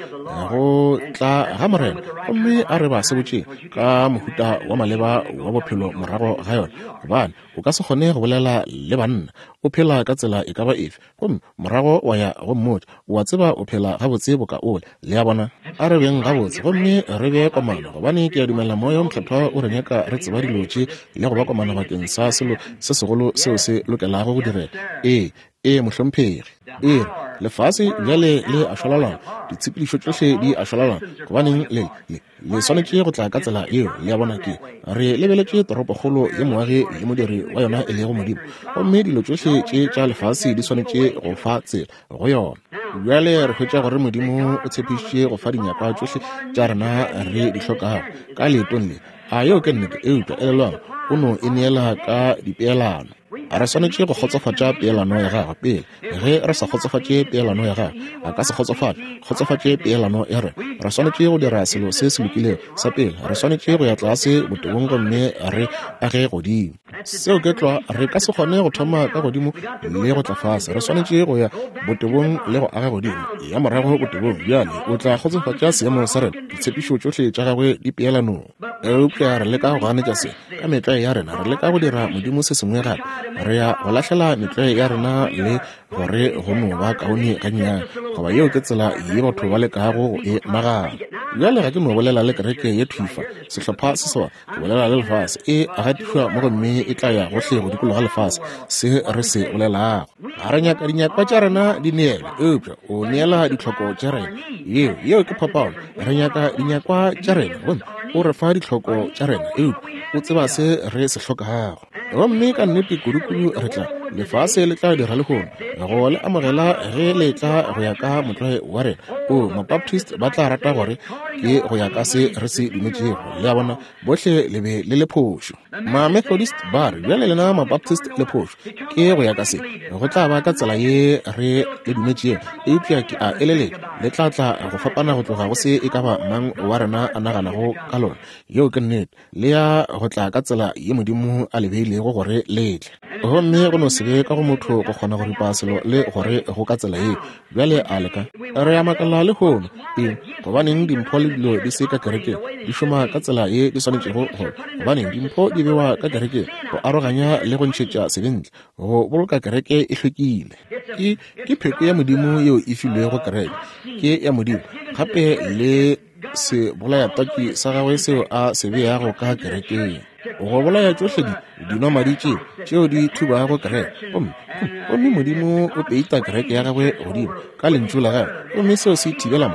go tla ga Morena, gomme a re ba sebotšeng ka mohuta wa maleba wa bophelo morago ga yona, gobane o ka se kgone go bolela le banna o phela ka tsela e ka ba efe, gomme morago wa ya go mmotša, o a tseba o phela gabotse boka ole. Le a bona? A re beng gabotse gomme re be komano, gobane ke a dumela Moya o Mokgethwa o re nyaka re tseba dilo tše le go ba komano bakeng sa selo se segolo seo se lokelago go direga. Ee, ee, mohlomphegi. Ee, lefase bjale le a šwalalana, ditshepedišo tšohle di a šwalalana, gobaneng le le le swanetše go tla ka tsela yeo. Le a bona? Ke re lebeletše toropokgolo ye moagi le modiri wa yona e lego Modimo, gomme dilo tšohle tše tša lefase di swanetše go fa tsela go yona. Bjale re hwetša gore Modimo o tshepišitše go fa dinyakwa tšohle tša rena re di hlokago ka leetong le. A yeo ke nnete? Eupša elelwang, o no e neela ka dipeelano. Re swanetše go kgotsofatša peelano ya gagwe pele. Ge re sa kgotsofatše peelano ya gagwe, a ka se kgotsofatše kgotsofatše peelano ya rena. Re swanetše go dira selo se se lokilego sa pele. Re swanetše go ya tlase botebong gomme re age godimo. Seo ke tlwa. Re ka se kgone go thoma ka godimo le go tla fase. Re swanetše go ya botebong le go aga godimo, ya morago botebong. Bjale o tla kgotsofatša seemo sa rena, ditshepišo tšohle tša gagwe di peelanong. Eupša re leka go ganetša se ka metlwae ya rena. Re leka go dira Modimo se sengwe gape. Re ya go lahlela metlwae ya rena le gore go no ba kaone gannyane, goba yeo ke tsela ye batho ba lekago go e nagana. Bjale ga ke no bolela le kereke ye thufa, sehlopha se seba, ke bolela le lefase. E gatišwa mo gomme e tla ya gohle go dikologa lefase, se re se bolelago. Ga re nyaka dinyakwa tša rena di neelwe, eupša o neela ditlhoko tša rena. Yeo yeo ke phapano. Re nyaka dinyakwa tša rena, gomme o re fa ditlhoko tša rena, eupša o tseba se re se hlokago. Gomme ka nnete kudukudu re tla, lefase le tla dira lehono go le amogela ge le tla go ya ka motlwae wa rena. O Mabaptist ba tla rata gore ke go ya ka se re se dumetšego. Le a bona? Bohle le be le le phošo. Ma-Methodist ba re, bjale lena Mabaptist le phošo, ke go ya ka se, go tla ba ka tsela ye re le dumetšego. Eupša ke a eleletša le tla tla go fapana go tloga go se e ka ba mang wa rena a naganago ka lona. Yeo ke nnete. Le ya go tla ka tsela ye Modimo a le beilego gore le tle. Gomme go no se be ka go motho go kgona go ripa selo le gore go ka tsela yeo. Bjale a leka. Re a makala lehono, eng, gobaneng dimpho le dilo di se ka kerekeng di šoma ka tsela ye di swanetšego go, gobaneng dimpho di bewa ka kerekeng go aroganya le go ntšhetša sebe ntle, go boloka kereke e hlwekile. Ke ke pheko ya Modimo yeo e filwego kereke, ke ya Modimo gape le se bolayatwatši sa gagwe seo a se beago ka kerekeng, go bolaya tšohle di dinomadi tše tšeo di thubago kereke. Gomme gomme Modimo o peita kereke ya gagwe godimo ka lentšu la gagwe, gomme seo se thibela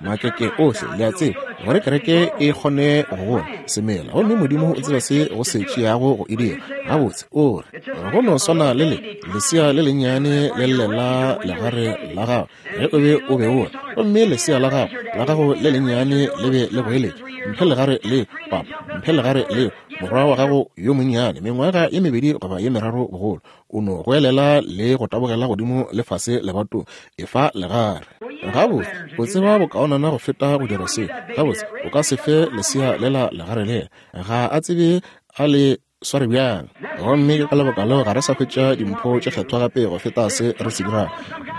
makeke ohle, le a tseba, gore kereke e kgone go gola semela. Gomme Modimo o tseba se go se tšeago go e dira gabotse. O re go no swana le le lesea le lennyane le llela legare la gago ge o be o beola, gomme lesea la gago la gago le lennyane le be le goeletša, mphe legare leo, papa, mphe legare leo. Morwa wa gago yo monnyane, mengwaga ye mebedi goba ye meraro bogolo, o no goelela le go tabogela godimo le fase lebatong, efa legare. Gabotse o tseba bokaonana go feta go dira seo. Gabotse o ka se fe lesea lela legare lela, ga a tsebe a le sware bjang. Gomme ke ka lebaka leo ga re sa hwetša dimpho tše kgethwa gape go feta se re se dirago.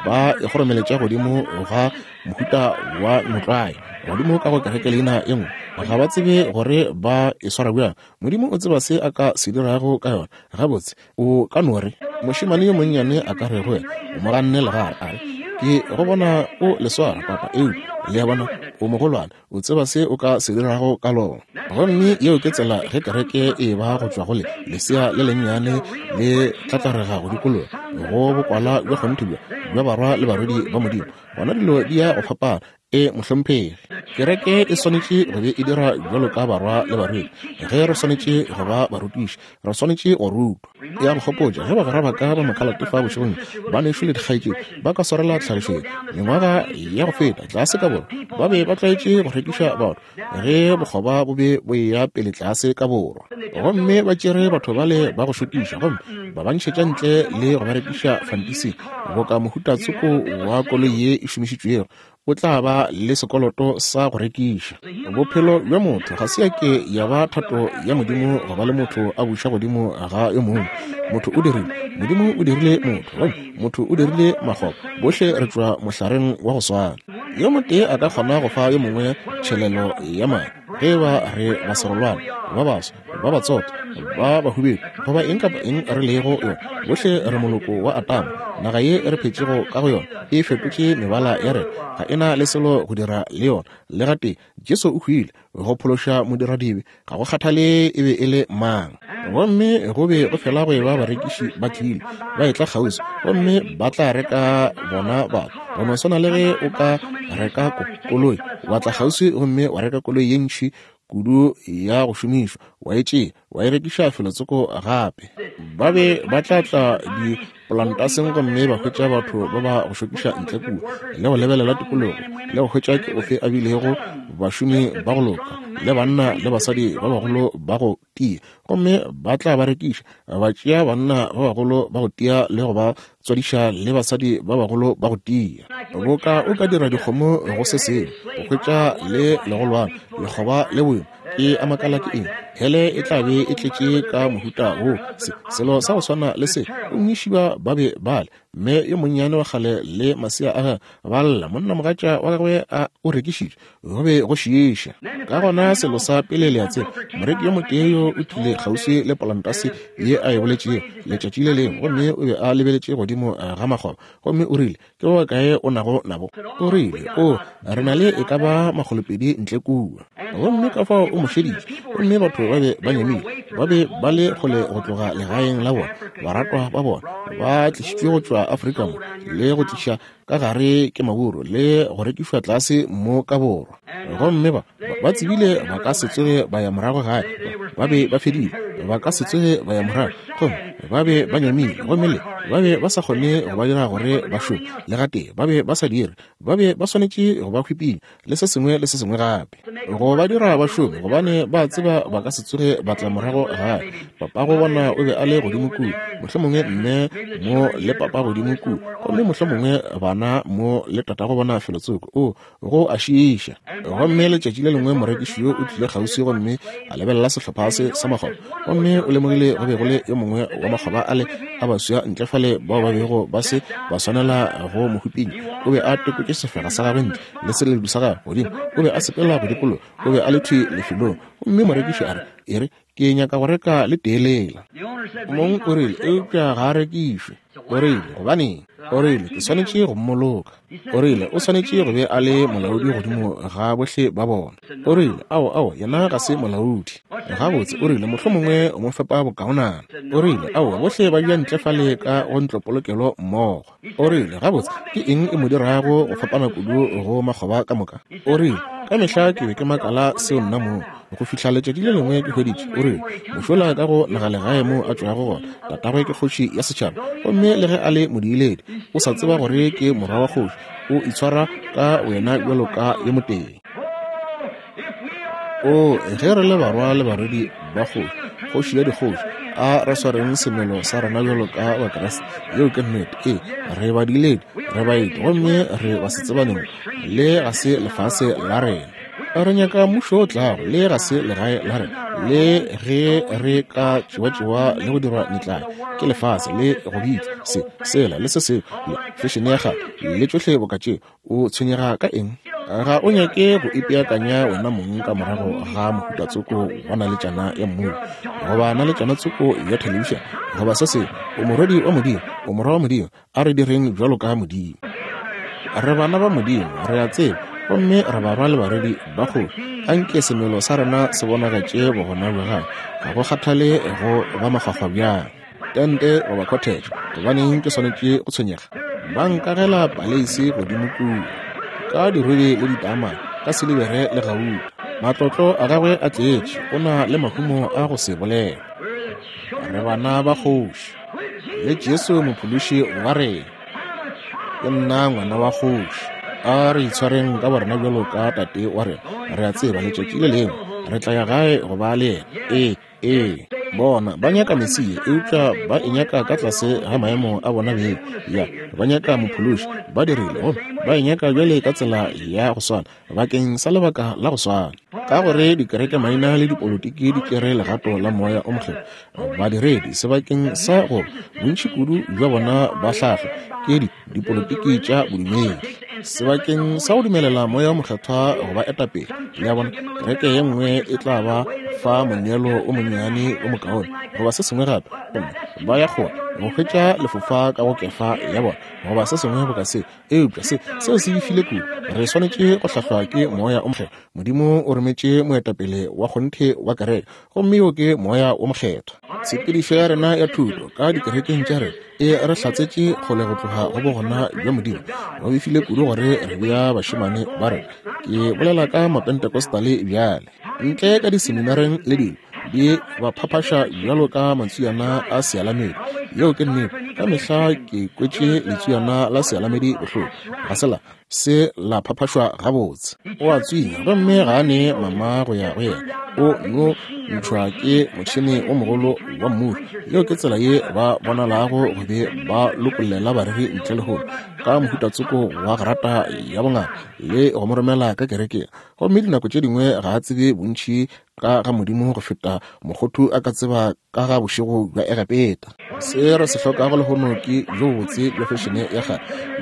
Ba e kgoromeletša godimo ga mohuta wa motlwae, godimo ka go kereke leina e nngwe. Ga ba tsebe gore ba e swara bjang. Modimo o tseba se a ka se dirago ka yona. Gabotse, o ka no re mošemane yo monnyane a ka re go wena, o mo ganne legare, a re, ke go bona o le swara, papa, eupša le a bona, o mogolwane, o tseba se o ka se dirago ka lona. Gomme yeo ke tsela ge kereke e ba go tšwa go le lesea le lennyane le tlatlarega go dikologa go bokwala bja kgonthe bja bja barwa le barwedi ba Modimo. Gona dilo di ya go fapana. E mohlomphegi, kereke e swanetše go be e dira bjalo ka barwa le barwedi. Ge re swanetše go ba barutiši, re swanetše go rutwa. Ya go gopotša ge bagwera ba ka ba makhalate fa bošegong, banešu le dikgaetšedi ba ka swarela tlhagišo ye. Mengwaga ya go feta tlase ka borwa ba be ba tlwaetše go rekiša batho ge bokgoba bo be bo eya pele tlase ka borwa, gomme ba tšere batho bale ba go šokiša gomme ba ba ntšhetša ntle le go ba rekiša fantising boka mohuta tsoko wa koloi ye e šomišitšwego. O tla ba le sekoloto sa go rekiša. Bophelo bja motho ga se ya ke ya ba thato ya Modimo go ba le motho a buša godimo ga yo mongwe. Motho o dirile, Modimo o dirile motho, gomme motho o dirile makgoba. Bohle re tšwa mohlareng wa go swana. Yo motee a ka kgona go fa yo mongwe tšhelelo ya madi ge ba re ba serolwana, ba baso, ba batsotho, ba bahubedu, goba eng kapa eng re lego yona. Bohle re moloko wa Atama. Naga ye re phetšego ka go yona e fetotše mebala ya rena, ga e na le selo go dira le yona. Le gatee Jesu o hwile go phološa modiradibe, ga go kgathale e be e le mang. Gomme go be go fela go eba barekiši ba tlile ba etla kgauswi, gomme ba tla reka bona batho. Go no swana le ge o ka reka koloi, wa tla kgauswi gomme wa reka koloi ye ntši kudu ya go šomišwa, wa e tšea wa e rekiša felotsoko gape. Ba be ba tla tla dipolantaseng gomme ba hwetša batho ba ba go šokiša ntle kua, le go lebelela tikologo, le go hwetša ke ofe a bilego bašomi ba go loka, le banna le basadi ba bagolo ba go tia, gomme ba tla ba rekiša. Ba tšea banna ba bagolo ba go tia le go ba tswadiša le basadi ba bagolo ba go tia. Boka o ka dira dikgomo go se sengwe, go hwetša le legolwane, lekgoba le boima. Ke a makala ke eng hele e tla be e tletše ka mohuta wo se selo sa go swana le se. Gomme ba be bale mme yo monnyane wa kgale le masea a gagwe ba lla, monnamogatša wa gagwe a o rekišitše, go be go šiiša. Ka gona selo sa pele le a tseba, moreki yo motee yo o tlile kgauswi le polantase ye a e boletšego letšatši le lengwe, gomme o be a lebeletše godimo ga makgoba, gomme o rile, ke ba bakae o nago nabo? O rile, o re na le e ka ba makgolopedi ntle kua. Gomme ka fao o mo šeditše, gomme batho ba be ba nyamile, ba be ba le kgole go tloga legaeng la bona, baratwa ba bona ba tlišitšwe go tšwa Afrika mo le go tliša ka gare ke maburu le go rekišwa tlase mo ka borwa. Gomme ba ba tsebile ba ka se tsoge ba ya morago gae, ba be ba fedile, ba ka se tsoge ba ya morago, gomme ba be ba nyamile, gomme le ba be ba sa kgone go ba dira gore ba šome le gatee, ba be ba sa dire, ba be ba swanetše go ba hwipinya le se sengwe le se sengwe gape go ba dira ba šome, gobane ba tseba ba ka se tsoge ba tla morago gae. Papago bona o be a le godimo kua, mohlomongwe mme mo le papa godimo kua, gomme mohlomongwe bana mo le tatago bona felotsoko. O go a šiiša. Gomme letšatši le lengwe morekiši yo o tlile kgauswi gomme a lebelela sehlopha se sa makgoba, gomme o lemogile go be go le yo mongwe wa makgoba ale a baswa ntle fale bao ba bego ba se ba swanela go mo hwipinya. O be a tekotše sefega sa gagwe ntle le seledu sa gagwe godimo, o be a sepela go dikologa, o be a le thwi lefelong. Gomme morekiši a re, e re, ke nyaka go reka le teelela. Mong o rile, eupša ga a rekišwe. O rile, gobaneng? O rile, ke swanetše go mmoloka. O rile, o swanetše go be a le molaodi godimo ga bohle ba bona. O rile, ao, ao, yena ga se molaodi. Gabotse, o rile, mohlomongwe o mo fepa bokaonana. O rile, ao, bohle ba bja ntle fale ka go ntlopolokelo mmogo. O rile, gabotse, ke eng e mo dirago go fapana kudu go makgoba ka moka? O rile, ka mehla ke be ke makala seo nna moo, go fihla letšatši le lengwe ke hweditše. O rile, mošola ka go nagalegae mo a tšwago gona, tatagwe ke kgoši ya setšhaba, gomme le ge a le modiiledi, o sa tseba gore ke morwa wa kgoši, o itshwara ka wena bjalo ka yo motee. O ge re le barwa le barwedi ba kgoši, kgoši ya dikgoši, a re swareng semelo sa rena bjalo ka Bakriste. Yeo ke nnete. Ee, re badiiledi, re baeti, gomme re basetsebaneng, le ga se lefase la rena. Re nyaka mmušo o tlago, le ga se legae la rena, le ge re ka tšewa-tšewa le go dirwa metlae ke lefase le go bitšwa se, sela le se sengwe, le fešene ya kgale le tšohle boka tšeo. O tshwenyega ka eng? Ga o nyake go ipeakanya wena mong ka morago ga mohutatsoko wa naletšana ya mmuno goba naletšana tsoko ya thelebišene goba se sengwe. O morwedi wa Modimo, o morwa wa Modimo. A re direng bjalo ka Modimo. Re bana ba Modimo, re a tseba, gomme re barwa le barwedi ba kgoši. Anke semelo sa rena se bonagatše bogona bja gagwe, ga go kgathale go ba makgwakgwa bjang, tente goba cottage. Gobaneng ke swanetše go tshwenyega? Ba nkagela paleisi godimo kua ka dirubi le ditaamane, ka silibere le gauta. Matlotlo a gagwe a tletše, o na le mahumo a go se bolele. Re bana ba kgoši le Jesu mophološi wa rena. Ke nna ngwana wa kgoši. A re itshwareng ka borena bjalo ka tate wa rena. Re a tseba letšatši le lengwe re tla ya gae go ba le yena. Ee, ee. Bona ba nyaka Mesia, eupša ba e nyaka ka tlase ga maemo a bona beng. Ya, ba nyaka mophološi, ba dirile, gomme ba e nyaka bjale ka tsela ya go swana, bakeng sa lebaka la go swana. Ka gore dikereke maina le dipolotiki di tšere legato la moya o mokgethwa, badiredi sebakeng sa go bontši kudu bja bona ba hlahlwa ke dipolotiki tša bodumedi sebakeng sa go dumelela moya o mokgethwa go ba etapele. Le a bona, kereke ye nngwe e tla ba fa moneelo o monnyane o mokaone goba se sengwe gape, gomme ba ya kgole go hwetša lefofa ka go kefa ya bona goba se sengwe boka se. Eupša se seo se befile kudu. Re swanetše go hlahlwa ke moya o mokgethwa. Modimo o rometše moetapele wa kgonthe wa kereke, gomme yo ke moya o mokgethwa. Tshepedišo ya rena ya thuto ka dikerekeng tša rena e re hlatsetše kgole go tloga go bogona bja Modimo. Ba befile kudu gore re bea bašemane ba rena, ke bolela ka mapentecostale bjale, ntle ka diseminareng le dilo, di ba phaphaša bjalo ka matswiana a sealamedi. Yeo ke nnete. Ka mehla ke kwetše letswiana la sealamedi bohloko, ga se la se la phaphašwa gabotse. O a tswinya gomme ga a ne mama go ya go yena, o no ntšhwa ke motšhene o mogolo wa mmušo. Yeo ke tsela ye ba bonalago go be ba lokollela bareri ntle lehono ka mohutatsoko wa grata ya bongaka le go mo romela ka kerekeng, gomme dinako tše dingwe ga a tsebe bontši ka ga Modimo go feta mokgothu a ka tseba ka ga bošego bja Egepeta. Se re se hlokago lehono ke bjo bobotse bja fešene ya kgale,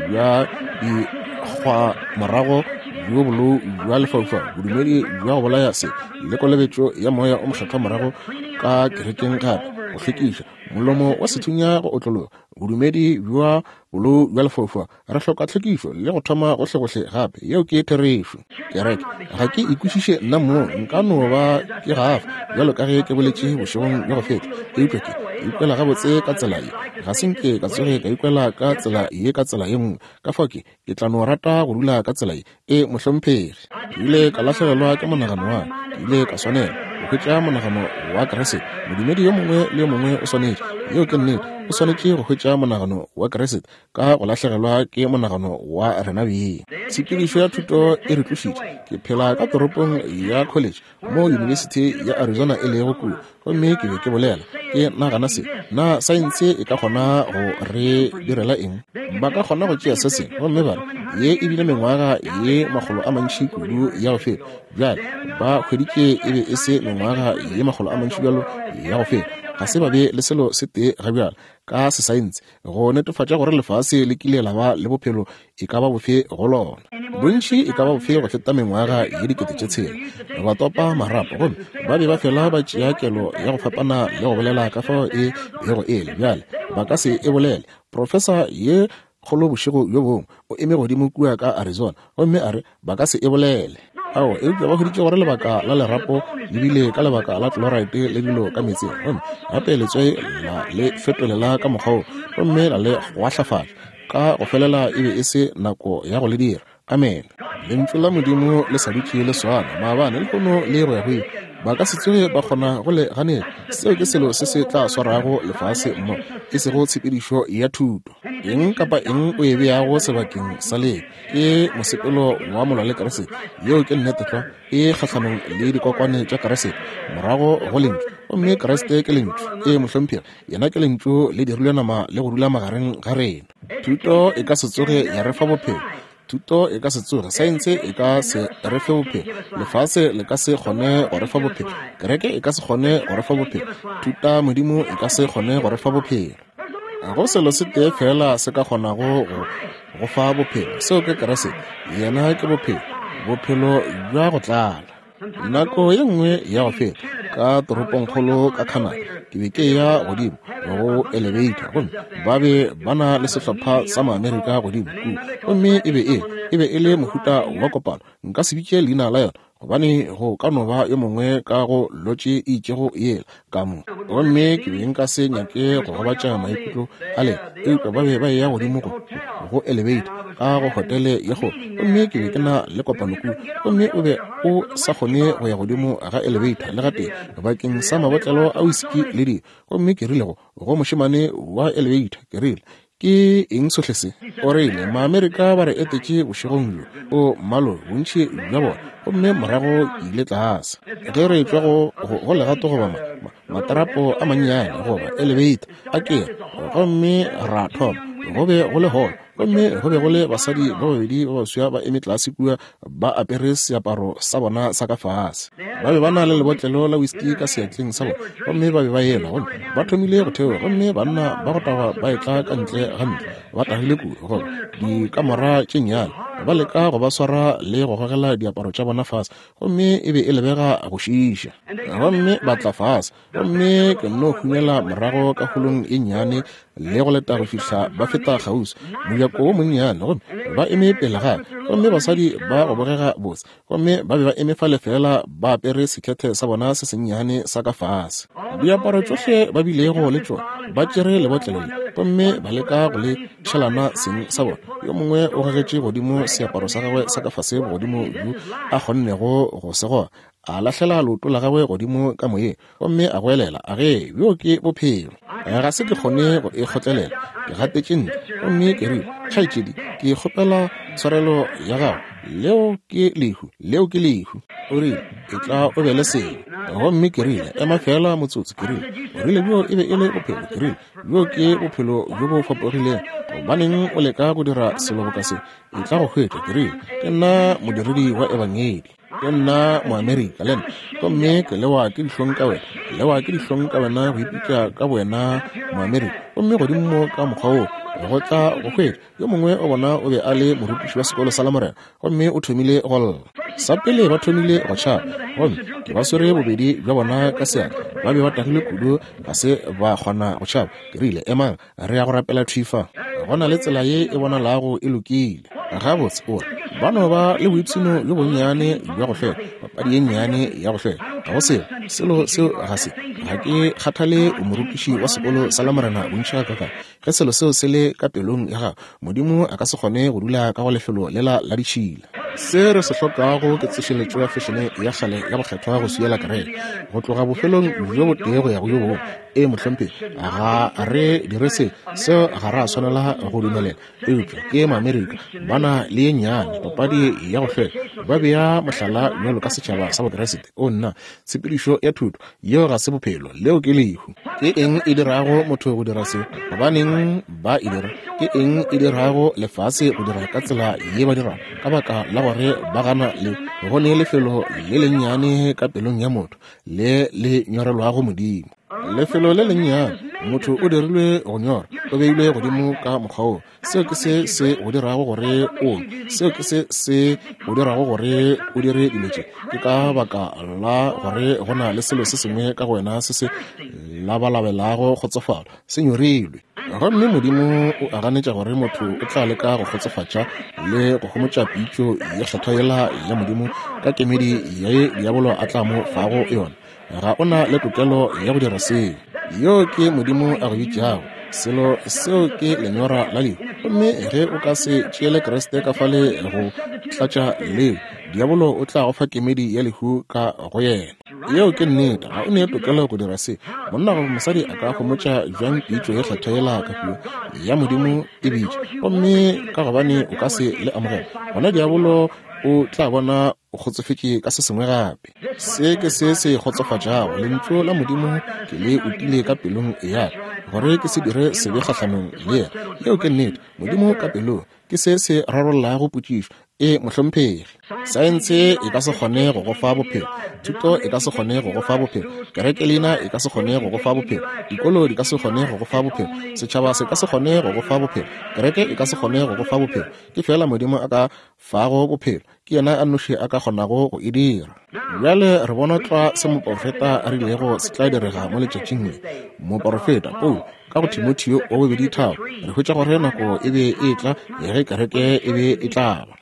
bja dikgwa morago, bjo bolou bja lefaufau, bodumedi bja go bolaya se le kolobetšo ya moya o mokgethwa morago ka kerekeng gape, go hlwekiša molomo wa sethunya go otlologa, bodumedi bja bolou bja lefaufau. Re hloka tlhwekišo le go thoma gohlegohle gape. Yeo ke therešo. Kereke ga ke ikwešiše nna mong, nka no ba ke gafa bjalo ka ge ke boletše bošegong bja go feta, eupša ke ikwela gabotse ka tsela ye. Ga se nke ka tsoge ka ikwela ka tsela ye ka tsela ye nngwe. Ka fao ke ke tla no rata go dula ka tsela ye. E mohlomphegi, ke ile ka lahlegelwa ke monagano wa ka, ke ile ka swanela go hwetša monagano wa Kriste. Modumedi yo mongwe le yo mongwe o swanetše, yeo ke nnete, o swanetše go hwetša monagano wa Kriste ka go lahlegelwa ke monagano wa rena beng. Tshepedišo ya thuto e re tlošitše. Ke phela ka toropong ya college mo University ya Arizona e lego kua, gomme ke be ke bolela ke nagana se, na saense e ka kgona go re direla eng? Ba ka kgona go tšea se sengwe gomme ba re ye e bile mengwaga ye makgolo a mantši kudu ya go feta. Bjale ba hweditše e be e se mengwaga ye makgolo a mantši bjalo ya go feta. Ga se ba be le selo se tee ga bjale ka sesaense go netefatša gore lefase le kile la ba le bophelo e ka ba bofe go lona, bontši e ka ba bofe go feta mengwaga ye dikete tše tshela. Ba topa marapo gomme ba be ba fela ba tšea kelo ya go fapana le go bolela ka fao e bego e le. Bjale ba ka se e bolele. Profesa ye kgolo bošego bjo bongwe o eme godimo kua ka Arizona gomme a re ba ka se e bolele. Ao, eupša ba hweditše gore lebaka la lerapo le bile ka lebaka la chloride le dilo ka meetseng, gomme gape letswai la le fetolela ka mokgwa wo gomme la le gwahlafatša ka go felela. E be e se nako ya go le dira. Amen. Lentšu la Modimo le sa dutše le swana maabane, lehono le go ya go ile. Ba ka se tsoge ba kgona go le ganetša. Seo ke selo se se tla swarago lefase mmogo, e sego tshepedišo ya thuto. Eng kapa eng o e beago sebakeng sa leo ke mosepelo wa molwa le Kriste. Yeo ke nnete tlwa, e kgahlanong le dikokwane tša Kriste morago go lentšu, gomme Kriste ke lentšu. E mohlomphegi, yena ke lentšu le dirilwe nama le go dula magareng ga rena. Thuto e ka se tsoge ya re fa bophelo. Thuto e ka se tsoge, saense e ka se re fe bophelo, lefase le ka se kgone go re fa bophelo, kereke e ka se kgone go re fa bophelo, thuta modimo e ka se kgone go re fa bophelo. Go selo se tee fela se ka kgonago go go fa bophelo, seo ke Kriste. Yena ke bophelo, bophelo bja go tlala. Nako ye nngwe ya go feta ka toropongkgolo ka Canada, ke be ke ya godimo go elevator, gomme ba be ba na le sehlopha sa Maamerika godimo kua, gomme e be e e be e le mohuta wa kopano. Nka se bitše leina la yona gobane go ka no ba yo mongwe ka go lotše e itšego yela ka mo, gomme ke be nka se nyake go gobatša maikutlo a lena, eupša ba be ba eya godimo go go elevator ka go hotele ye kgolo, gomme ke be ke na le kopano kua, gomme o be o sa kgone go ya godimo ga elevator le gatee bakeng sa mabotlelo a whisky le dilo. Gomme ke rile go go mošemane wa elevator, ke rile, ke eng sohle se? O rile, Maamerika ba re etetše bošegong bjo, o mmalo bontši bja bona. Gomme morago ke ile tlase ge re tšwa go go legato goba ma, matarapo a mannyane goba elevator a ke, gomme ra thoma. Go be go le holo, gomme go be go le basadi ba babedi ba baswa ba eme tlase kua ba apere seaparo sa bona sa ka fase. Ba be ba na le lebotlelo la whisky ka seatleng sa bona, gomme ba be ba elwa, gomme ba thomile go theoga, gomme banna ba go tagwa ba etla ka ntle ga ntlo ba tagile kudu, goba dikamora tše nnyane, ba leka go ba swara le go gogela diaparo tša bona fase, gomme e be e lebega go šiiša. Gomme ba tla fase, gomme ke nno hunyela morago ka holong e nnyane le go leta go fihla ba feta kgauswi mojako wo monnyane, gomme ba eme pele ga ka, gomme basadi ba go bogega botse, gomme ba be ba eme fale fela ba apere sekhethe sa bona se sennyane sa ka fase. Diaparo tšohle ba bilego le tšona ba tšere lebotlelo le, gomme ba leka go le tšhelana seng sa bona. Yo mongwe o gogetše godimo seaparo sa gagwe sa ka fase bogodimo bjo a kgonnego go se goga, a lahlela leoto la gagwe godimo ka moyeng, gomme a goelela, a ge bjo ke bophelo. Ga se ke kgone go e kgotlelela, ke gatetše ntle, gomme ke rile, kgaetšedi, ke kgopela tshwarelo ya gago, leo ke lehu, leo ke lehu. O rile, e tla o be le sengwe. Gomme ke rile, ema fela motsotso. Ke rile, o rile bjo e be e le bophelo. Ke rile, bjo ke bophelo bjo bo fapogilego. Gobaneng o leka go dira selo boka se? E tla go hwetša. Ke rile, ke nna modiredi wa ebangedi, ke nna Moamerika le nna, gomme ke lewa ke dihlong ka wena, lewa ke dihlong ka wena go ipitša ka wena Moamerika, gomme godimo mo ka mokgwa wo go tla go hwetša. Yo mongwe o bona o be a le morutiši wa sekolo sa Lamorena, gomme o thomile go lla. Sa pele ba thomile go tšhaba, gomme ke ba swere bobedi bja bona ka seatla. Ba be ba tagile kudu, ga se ba kgona go tšhaba. Ke rile, emang, re ya go rapela thwi fa. Go na le tsela ye e bonalago e lokile. Gabotse, o re ba no ba le boipshino bjo bonnyane bja go hlweka, papadi ye nnyane ya go hlweka. Ga go selo, selo seo ga se. Ga ke kgathale o morutiši wa sekolo sa Lamorena bontši gakaakang. Ge selo seo se le ka pelong ya gago, Modimo a ka se kgone go dula ka go lefelo lela la ditšhila. Se re se hlokago ke tsošeletšo ya fešene ya kgale ya bokgethwa go swiela kereke, go tloga bofelong bjo botee go ya go yo bongwe. E mohlomphegi, ga re dire se, seo ga ra swanela go dumelela. Eupša ke Maamerika, ba na le ye nnyane papadi ya go hlweka, ba bea mohlala bjalo ka setšhaba sa Bokeresete. O nna, tshepedišo ya thuto yeo ga se bophelo, leo ke lehu. Ke eng e dirago motho go dira se? Gobaneng ba e dira? Ke eng e dirago lefase go dira ka tsela ye ba dirago? Ka baka la gore ba gana le go ne lefelo le lennyane ka pelong ya motho le le nyorelwago Modimo. Lefelo le lennyane, motho o dirilwe go nyora, o beilwe godimo ka mokgwa wo. Seo ke se se go dirago gore o, seo ke se se go dirago gore o dire dilo tše. Ke ka baka la gore go na le selo se sengwe ka go wena se se labalabelago kgotsofalo, se nyorilwe. Gomme Modimo o a ganetša gore motho o tla leka go kgotsofatša le go homotša pitšo ye kgethwa yela ya Modimo ka kemedi ye diabolo a tla mo fago yona. Ga o na le tokelo ya go dira seo. Yo ke Modimo a go bitšago. Selo seo ke lenyora la lehu. Gomme ge o ka se tšeele Kriste ka fale go tlatša leo, diabolo o tla go fa kemedi ya lehu ka go yena. Yeo ke nnete. Ga o ne tokelo go dira se. Monna goba mosadi a ka homotša bjang pitšo ye kgethwa yela ka kua ya Modimo e bitša, gomme ka gobane o ka se le amogela, gona diabolo o tla bona o kgotsofetše ka se sengwe gape. Se ke se se kgotsofatšago. Lentšu la Modimo ke le utile ka pelong ya ka, gore ke se dire sebe kgahlanong le yena. Yeo ke nnete. Modimo ka pelong. Ke se se rarollago potšišo. E mohlomphegi. Saense e ka se kgone go go fa bophelo. Thuto e ka se kgone go go fa bophelo. Kerekelina e ka se kgone go go fa bophelo. Dikolo di ka se kgone go go fa bophelo. Setšhaba se ka se kgone go go fa bophelo. Kereke e ka se kgone go go fa bophelo. Ke fela Modimo a ka fago bophelo. Ke yena a nnoši a ka kgonago go e dira. Bjale re bona tlwa se moporofeta a rilego se tla direga mo letšatšing le. Moporofeta Paulo ka go Timotheo wa bobedi tharo re hwetša gore nako e be e tla ge kereke e be e tla ba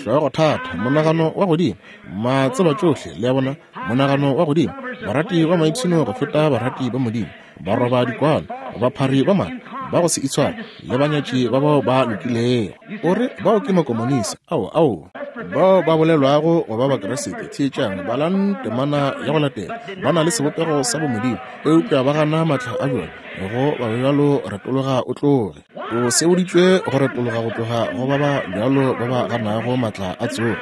hlogo thata, monagano wa godimo, matseba tšohle, le a bona, monagano wa godimo, barati ba maipshino go feta barati ba Modimo, baroba dikwano, baphari ba maaka, ba go se itshware, le banyatši ba bao ba lokilego. O re bao ke makomonisi, ao ao bao ba bolelwago go ba Bakriste. Theetšang, balang temana ya go latela. Ba na le sebopego sa bomodimo, eupša ba gana maatla a bjona. Go ba bjalo retologa o tloge. O seboditšwe go retologa go tloga go ba ba bjalo ba ba ganago maatla a tsogo.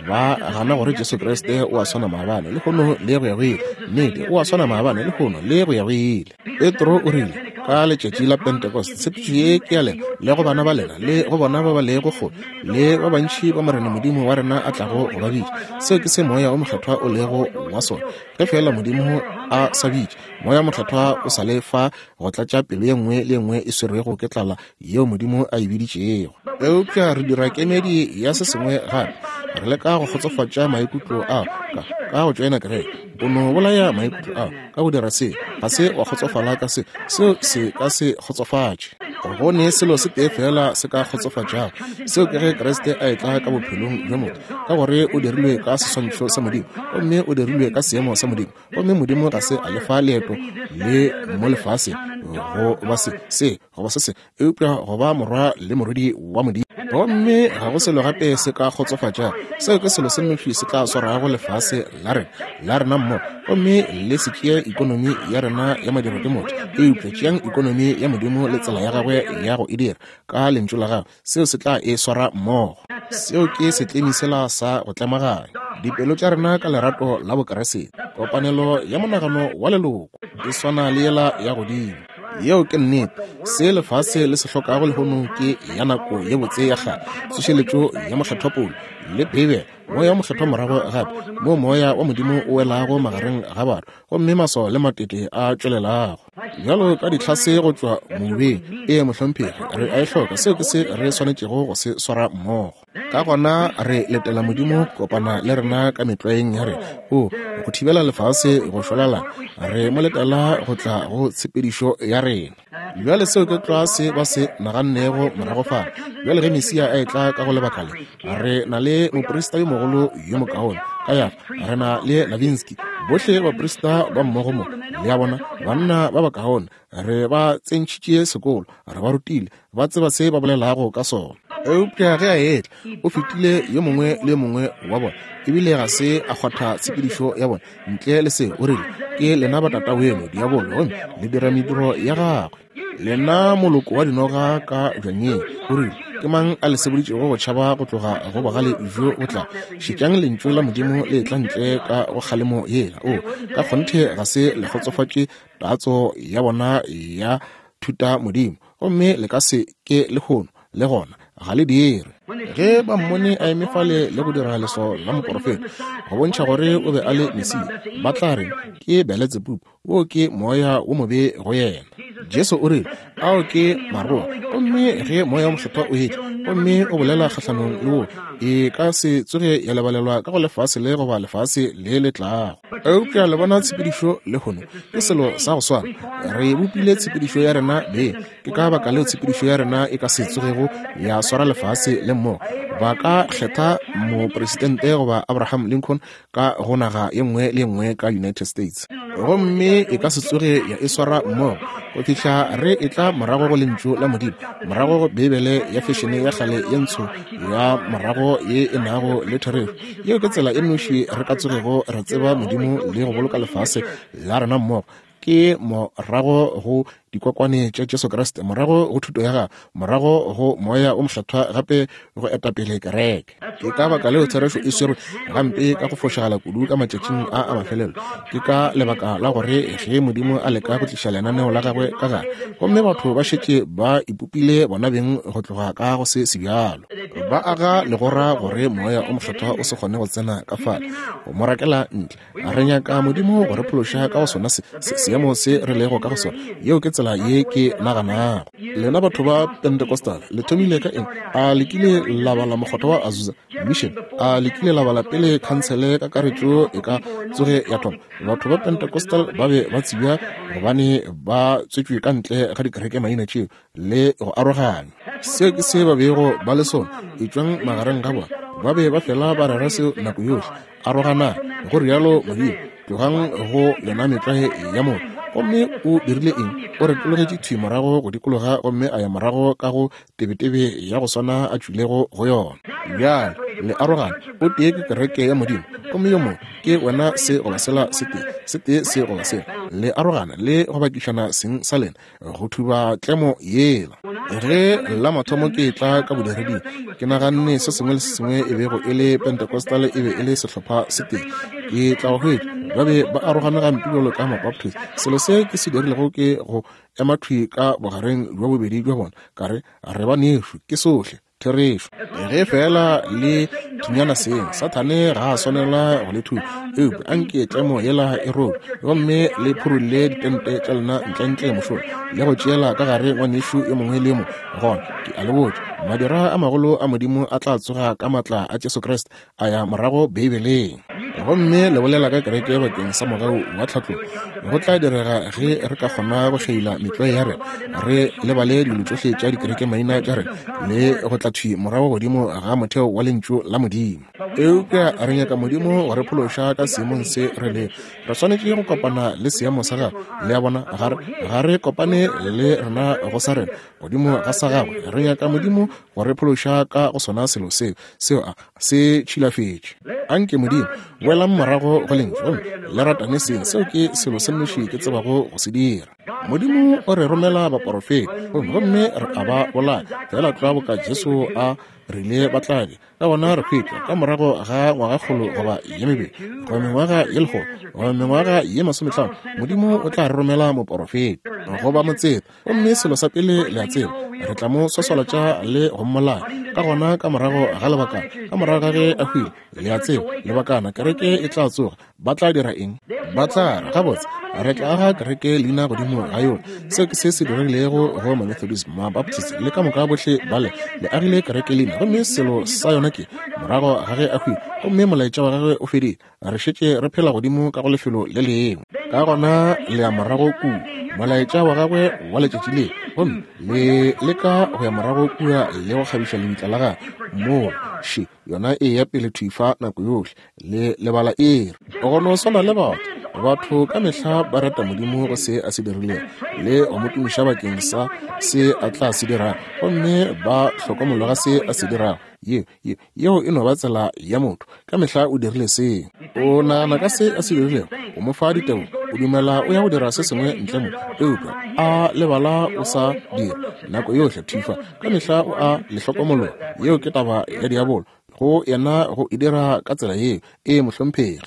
Ba gana gore Jesu Kriste o a swana maabane lehono le go ya go ile. Nnete, o a swana maabane lehono le go ya go ile. Petro o rile ka letšatši la Pentecost, tshepišo ye ke ya lena le go bana ba lena le go bona ba ba lego kgole le ba bantši ba Morena Modimo wa rena a tlago go ba bitša. Seo ke se Moya o Mokgethwa o lego wa sona. Ge fela Modimo a sa bitše, Moya o Mokgethwa o sa le fa go tlatša pelo ye nngwe le ye nngwe e swerwego ke tlala yeo Modimo a e biditšego. Eupša re dira kemedi ya se sengwe gape. Re leka go kgotsofatša maikutlo ao ka ka go tšoena kereke. O no bolaya maikutlo ao ka go dira se. Ga se wa kgotsofala ka se. Seo se ka se kgotsofatše. Go ne selo se tee fela se ka kgotsofatšago. Seo ke ge Kriste a etla ka bophelong bja motho, ka gore o dirilwe ka seswantšho sa Modimo, gomme o dirilwe ka seemo sa Modimo, gomme Modimo ga se a lefa leeto le mo lefaseng go ba se se goba se se, eupša go ba morwa le morwedi wa Modimo. Gomme ga go selo gape se ka kgotsofatšago. Seo ke selo se nnoši se tla swarago lefase la rena la rena mmogo. Gomme le se tšee ikonomi ya rena ya madiro ke motho, eupša tšeang ikonomi ya Modimo le tsela ya gagwe ya go e dira ka lentšu la gagwe. Seo se tla e swara mmogo. Seo ke setlemi sela sa go tlemaganya dipelo tša rena ka lerato la Bokriste. Kopanelo ya monagano wa leloko e swana le yela ya godimo. Yeo ke nnete. Se lefase le se hlokago lehono ke ya nako ye botse ya kgale, tsošeletšo ya Mokgethwa Paulo le Beibele, Moya wa Mokgethwa morago gape, moo Moya wa Modimo o welago magareng ga batho, gomme maswao le matete a tšwelelago bjalo ka ditlhase go tšwa mobeng. Ee mohlomphegi, re a e hloka. Seo ke se re swanetšego go se swara mmogo. Ka gona re letela Modimo kopana le rena ka metlwaeng ya rena, o go thibela lefase go šwalalana. Re mo letela go tla go tshepedišo ya rena. Bjale seo ke tlwa se ba se nagannego morago fale. Bjale ge Mesia a etla ka go lebaka le, re na le moprista yo mogolo yo mokaone Kayafa, re na le Lavinsky, bohle baprista ba mmogo mo, le a bona, banna ba bakaone. Re ba tsentšhitše sekolo, re ba rutile, ba tseba se ba bolelago ka sona. Eupša ge a etla, o fetile yo mongwe le yo mongwe wa bona, ebile ga se a kgwatha tshepedišo ya bona. Ntle le se, o rile, ke lena ba tata weno diabolo, gomme le dira mediro ya gagwe. Lena moloko wa dinoga ka bjanyeng, o rile, ke mang a le seboditšego go tšhaba go tloga go bogale bjo bo tlago? Šetšang lentšu la Modimo le tla ntle ka go kgalemo yela. O ka kgonthe ga se le kgotsofatše tatso ya bona ya thuta Modimo, gomme le ka se ke lehono le gona ga le dire. Ge ba mmone a eme fale le go dira leswao la moporofeta go bontšha gore o be a le Mesia, ba tla re ke Beletsebubu, wo ke moya wo mobe go yena. Jesu o rile, ao ke maroa, gomme ge Moya o Mokgethwa o etla gomme o bolela kgahlanong le wo, e ka se tsoge ya lebalelwa ka go lefase le goba lefase le le tlago. Eupša le bona tshepedišo lehono ke selo sa go swana. Re bopile tshepedišo ya rena beng. Ke ka baka leo tshepedišo ya rena e ka se tsogego ya swara lefase le mmogo. Ba ka kgetha mopresidente goba Abraham Lincoln ka go naga ye nngwe le ye nngwe ka United States, gomme e ka se tsoge ya e swara mmogo go fihla re etla morago go lentšu la Modimo, morago go Beibele ya fešene ya kgale ye ntsho ya morago ye e nago le therešo. Yeo ke tsela e nnoši re ka tsogego re tseba Modimo le go boloka lefase la rena mmogo, ke morago go dikokwane tša Jesu Kriste, morago go thuto ya gagwe, morago go Moya o Mokgethwa gape go etapele kereke. Ke ka baka leo therešo e swerwe gampe ka go fošagala kudu ka matšatšing a a mafelelo. Ke ka lebaka la gore ge Modimo a leka go tliša lenaneo la gagwe ka gare, gomme batho ba šetše ba ipopile bona beng go tloga ka go se sebjalo, ba aga legora gore Moya o Mokgethwa o se kgone go tsena ka fale go mo rakela ntle. Re nyaka Modimo go re phološa ka go sona se seemo se re lego ka go sona. Yeo ke tsela ye ke naganago. Lena batho ba Pentecostal le thomile ka eng? A le kile la bala mokgotha wa Azusa Mission? A le kile la bala pele khansele kakaretšo e ka tsoge ya thoma? Batho ba Pentecostal ba be ba tsebja gobane ba tswetšwe ka ntle ga dikereke maina tšeo le go arogana. Seo ke se ba bego ba le sona. Etšwang magareng ga bona. Ba be ba fela ba rera seo nako yohle. Arogana, go rialo Modimo. Tlogang go lena metlwae ya motho. Gomme o dirile eng? O retologetše thwi morago go dikologa gomme a ya morago ka go tebetebe ya go swana a tšwilego go yona. Bjale le arogana. O tee ke kereke ya Modimo, gomme yo mongwe ke wena se goba sela se tee, se tee se goba sela. Le arogana le go bakišana seng sa lena go thuba tlemo yela. Ge la mathomo ke tla ka bodireding, ke naganne se sengwe le se sengwe e bego e le Pentecostal e be e le sehlopha se tee. Ke tla go hwetša ba be ba arogane gampe bjalo ka Mabaptist. Selo se ke se dirilego ke go ema thwi ka bogareng bja bobedi bja bona, ka re re banešu, ke sohle therešo. Ge fela le thunyana seng, Sathane ga a swanela go le thuba, eupša anke tlemo yela e robe, gomme le phurulle ditente tša lena ntlentle mošola le go tšeela ka gare ngwanešu yo mongwe le yo mongwe. Gona ke a le botša, madira a magolo a Modimo a tla tsoga ka matla a Jesu Kriste a ya morago Beibeleng. Gomme le bolela ka kereke bakeng sa mogau wa tlhatlogo. Go tla direga ge re ka kgona go šaila metlwae ya rena, re lebale dilo tšohle tša dikereke maina tša rena, le go tla thwi morago godimo ga motheo wa lentšu la Modimo. Eupša re nyaka Modimo go re phološa ka seemong se re lego. Re swanetše go kopana le seemo sa gagwe. Le a bona, ga re ga re kopane le rena go sa rena godimo ga sa gagwe. Re nyaka Modimo go re phološa ka go sona selo seo, seo a se tšhilafetše. Anke Modimo boelang morago go lentšu gomme le ratane seng. Seo ke selo se nnoši ke tsebago go se dira. Modimo o re romela baporofeta gomme re a ba bolaya, fela tlwa boka Jesu a rile ba tla be. Ka gona re hwetša ka morago ga ngwagakgolo goba ye mebedi goba mengwaga ye lekgolo goba mengwaga ye masometlhano, Modimo o tla re romela moporofeta goba motseta, gomme selo sa pele le a tseba, re tla mo swaswalatša le go mmolaya. Ka gona ka morago ga lebakana, ka morago ga ge a hwile, le a tseba, lebakana kereke e tla tsoga. Ba tla dira eng? Ba tla re, gabotse, re tla aga kereke leina godimo ga yona. Seo ke se se dirilego go Mamethodist, Mabaptist le ka moka bohle bale. Le agile kereke leina, gomme selo sa yona ke morago ga ge a hwile gomme molaetša wa gagwe o fedile, re šetše re phela godimo ka go lefelo le lengwe. Ka gona le ya morago kua molaetša wa gagwe wa letšatši le, gomme le leka go ya morago kua le go kgabiša lebitla la gagwe moo. Še yona e ya pele thwi fa nako yohle, le lebala ere. Go no swana le batho, batho ka mehla ba rata Modimo go se a se dirilego le go mo tumiša bakeng sa se a tla se dirago, gomme ba hlokomologa se a se dirago. Ye, ye, yeo e no ba tsela ya motho. Ka mehla o dirile seo. O nagana ka se a se dirilego, o mo fa ditebogo, o dumela o ya go dira se sengwe ntle mo, eupša a lebala o sa dira nako yohle thwi fa. Ka mehla o a le hlokomologa. Yeo ke taba ya diabolo go yena go e dira ka tsela yeo. E mohlomphegi,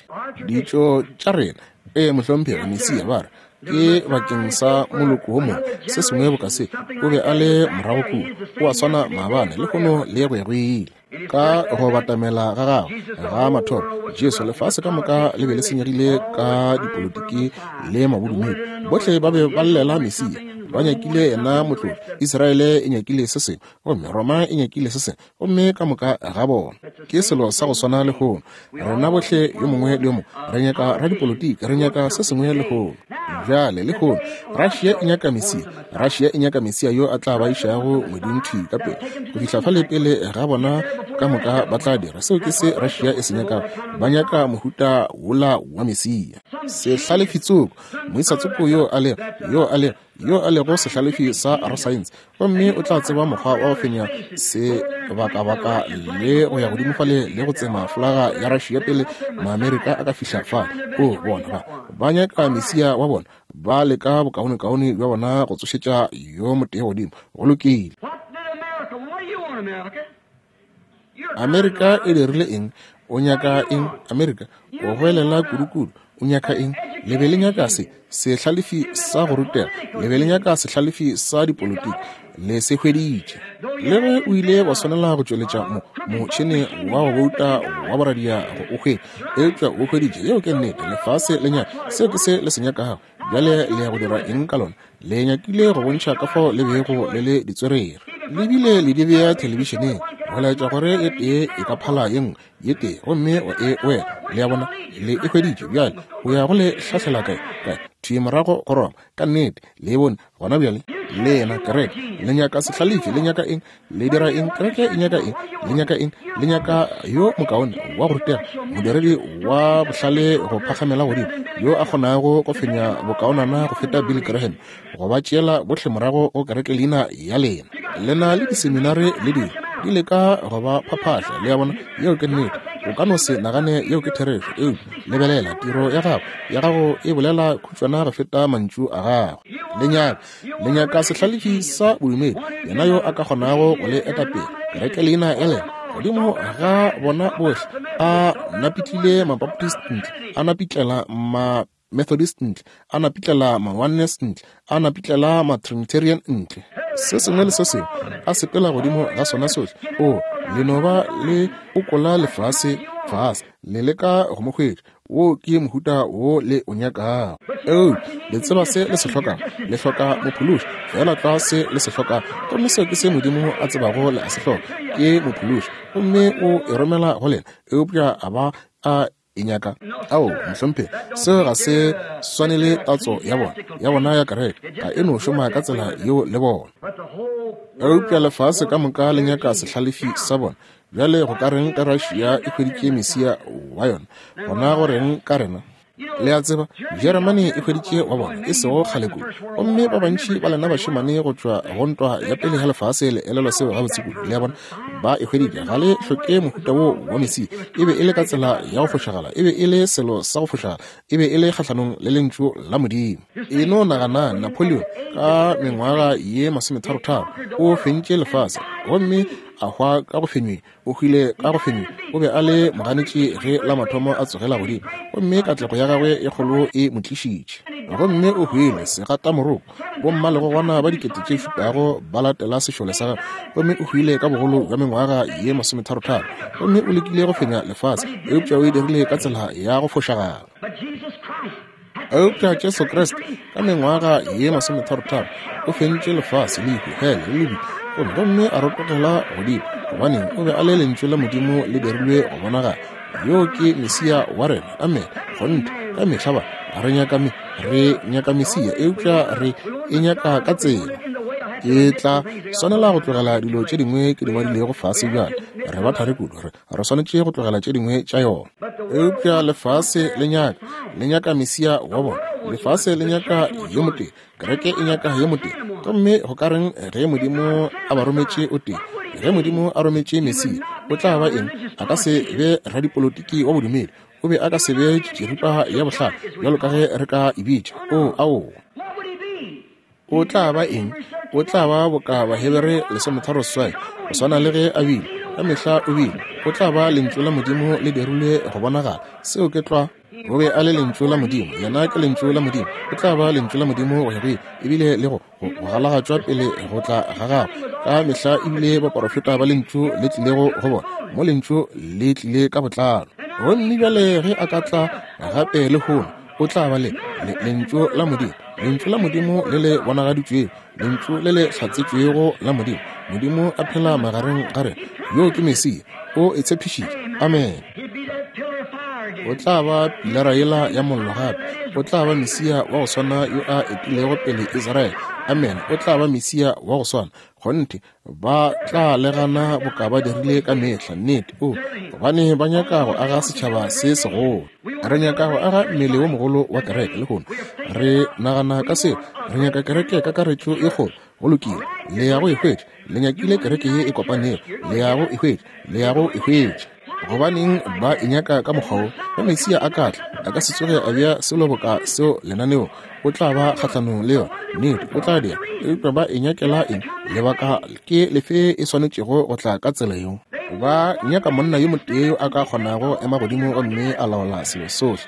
ditšo tša rena, e mohlomphegi Mesia ba re ke bakeng sa moloko wo mongwe, se sengwe boka se. O be a le morago kua, o a swana maabane lehono le go ya go ile. Ka go batamela ga gagwe ga mathomo, Jesu, lefase ka moka le be le senyegile ka dipolotiki le mabodumedi. Bohle ba be ba llela Mesia, ba nyakile yena motlodi. Israele e nyakile se sengwe, gomme Roma e nyakile se sengwe, gomme ka moka ga bona. Ke selo sa go swana lehono. Rena bohle yo mongwe le yo mongwe re nyaka radipolotiki, re nyaka se sengwe lehono. Bjale lehono Russia e nyaka Mesia. Russia e nyaka Mesia yo a tla ba išago ngweding thwi ka pele, go fihla fale pele ga bona ka moka ba tla dira. Seo ke se Russia e se nyakago. Ba nyaka mohuta wola wa Mesia. Sehlalefitsoko, moisatsoko yo yo a lego, yo a lego, yo a lego sehlalefi sa rasaense, gomme o tla tseba mokgwa wa go fenya sebakabaka le go ya godimo fale le go tsema folaga ya Russia pele Maamerika a ka fihla fale. O bona ba ba nyaka mesia wa bona, ba leka bokaonekaone bja bona go tsošetša yo motee godimo. Go lokile. Amerika e dirile eng? O nyaka eng, Amerika? O goelela kudukudu. O nyaka eng? Le be le nyaka se sehlalefi sa go rutega, le be le nyaka sehlalefi sa dipolotiki, le se hweditše. Le ge o ile wa swanela go tšweletša mo motšhene wa go bouta wa boradia go o hwetša, eupša o hweditše. Yeo ke nnete. Lefase le nyaka seo, ke se le se nyakago. Bjale le ya go dira eng ka lona? Le nyakile go bontšha ka fao le bego le le ditswerere. Le bile le di bea thelebišeneng go laetša gore e tee e ka phala ye nngwe ye tee, gomme wa e wela. Le a bona, le e hweditše. Bjale o ya go le hlahlela kae? Kae? Thwi morago go Roma. Ka nnete, le e bone gona bjale. Lena kereke le nyaka sehlalefi, le nyaka eng? Le dira eng? Kereke e nyaka eng? Le nyaka eng? Le nyaka yo mokaone wa go rutega, modiredi wa bohlale go phagamela godimo, yo a kgonago go fenya bokaonana go feta Billy Graham, go ba tšeela bohle morago go kereke leina ya lena. Le na le diseminare le dilo di leka go ba phaphahla. Le a bona, yeo ke nnete. O ka no se nagane yeo ke therešo, eupša lebelela tiro ya gago, ya gago e bolela khutšwana go feta mantšu a gago. Le nyaka, le nyaka sehlalefi sa bodumedi, yena yo a ka kgonago go le etapele kereke leina ya lena godimo ga bona bohle. A napitlile Mabaptist ntle, a napitlela ma Methodist ntle, a napitlela ma Oneness ntle, a napitlela ma Trinitarian ntle, se sengwe le se sengwe a sepela godimo ga sona sohle. O le no ba le okola lefase fase, le leka go mo hwetša. Wo ke mohuta wo le o nyakago. Eupša le tseba se le se hlokago? Le hloka mophološi, feela tlwa se le se hlokago. Gomme seo ke se Modimo a tsebago le a se hloka, ke mophološi, gomme o e romela go lena. Eupša a ba a e nyaka? Ao, mohlomphegi, seo ga se swanele tatso ya bona, ya bona ya kereke. Ga e no šoma ka tsela yeo le bona. Eupša lefase ka moka le nyaka sehlalefi sa bona. Bjale go ka reng ka Russia e hweditše mesia wa yona? Gona go reng ka rena? Le a tseba, Jeremane e hweditše wa bona e sego kgale kudu, gomme ba bantši ba lena bašemane go tšwa go ntwa ya pele ya lefase le elelwa seo gabotse kudu. Le a bona, ba e hweditše. Ga le hloke mohuta wo wa mesia. E be e le ka tsela ya go fošagala, e be e le selo sa go fošagala, e be e le kgahlanong le lentšu la Modimo. E no nagana, Napoleon ka mengwaga ye masometharotharo o fentše lefase, gomme a hwa ka go fenyweng. O hwile ka go fenyweng. O be a le moganetši ge la mathomo a tsogela godimo, gomme katlego ya gagwe e kgolo e mo tlišitše. Gomme o hwile segatamoroko, bommalegogwana ba dikete tše šupago ba latela sešole sa gagwe, gomme o hwile ka bogolo bja mengwaga ye masometharotharo. Gomme o lekile go fenya lefase, eupša o e dirile ka tsela ya go fošagala. Eupša Jesu Kriste ka mengwaga ye masometharotharo o fentše lefase, lehu, hele le lebitla, gomme gomme a rotogela godimo, gobaneng o be a le lentšu la Modimo le dirilwe go bonagala. Yo ke Mesia wa rena. Amen. Kgonthe, ka mehla ba re nyaka me, re nyaka Mesia, eupša re e nyaka ka tsela. Ke tla swanela go tlogela dilo tše dingwe ke di ngwadilego fase bjale. Re ba thari kudu, re re swanetše go tlogela tše dingwe tša yona. Eupša lefase le nyaka, le nyaka Mesia wa bona. Lefase le nyaka yo motee, kereke e nyaka yo motee. Gomme go ka reng ge Modimo a ba rometše o tee? Ge Modimo a rometše Mesia, o tla ba eng? A ka se be radipolotiki wa bodumedi. O be a ka se be tširipa ya bohlale bjalo ka ge re ka e bitša. O, ao. O tla ba eng? O tla ba boka Bahebere lesometharo seswai, go swana le ge a bile ka mehla o bile. O tla ba lentšu la Modimo le dirilwe go bonagala. Seo ke tlwa. O be a le lentšu la Modimo, yena ke lentšu la Modimo. O tla ba lentšu la Modimo go ya go ile, ebile le go go galagatšwa pele go tla ga gagwe. Ka mehla ebile baporofeta ba lentšu le tlilego go bona, mo lentšu le tlile ka botlalo. Gomme bjale ge a ka tla gape lehono, o tla ba le lentšu la Modimo, lentšu la Modimo le le bonagaditšwego, lentšu le le hlatsetšwego la Modimo. Modimo a phela magareng ga rena. Yo ke Mesia, o e tshepišitše. Amen. O tla ba pilara yela ya mollo gape. O tla ba Mesia wa go swana yo a etilego pele Israele Amen. O tla ba Mesia wa go swana. Kgonthe, ba tla legana boka ba dirile ka mehla. Nnete. O, gobane ba nyaka go aga setšhaba se segolo. Re nyaka go aga mmele wo mogolo wa kereke lehono. Re nagana ka seo. Re nyaka kereke kakaretšo e kgolo. Go lokile. Le ya go e hwetša. Le nyakile kereke ye e kopanego. Le ya go e hwetša. Le ya go e hwetša. Gobaneng ba e nyaka ka mokgwa wo? Ge Mesia a ka tla, a ka se tsoge a bea selo boka seo lenaneong. O tla ba kgahlanong le yona. Nnete, o tla dira. Eupša ba e nyakela eng? Lebaka ke lefe e swanetšego go tla ka tsela yeo? Ba nyaka monna yo motee yo a ka kgonago ema godimo gomme a laola selo sohle.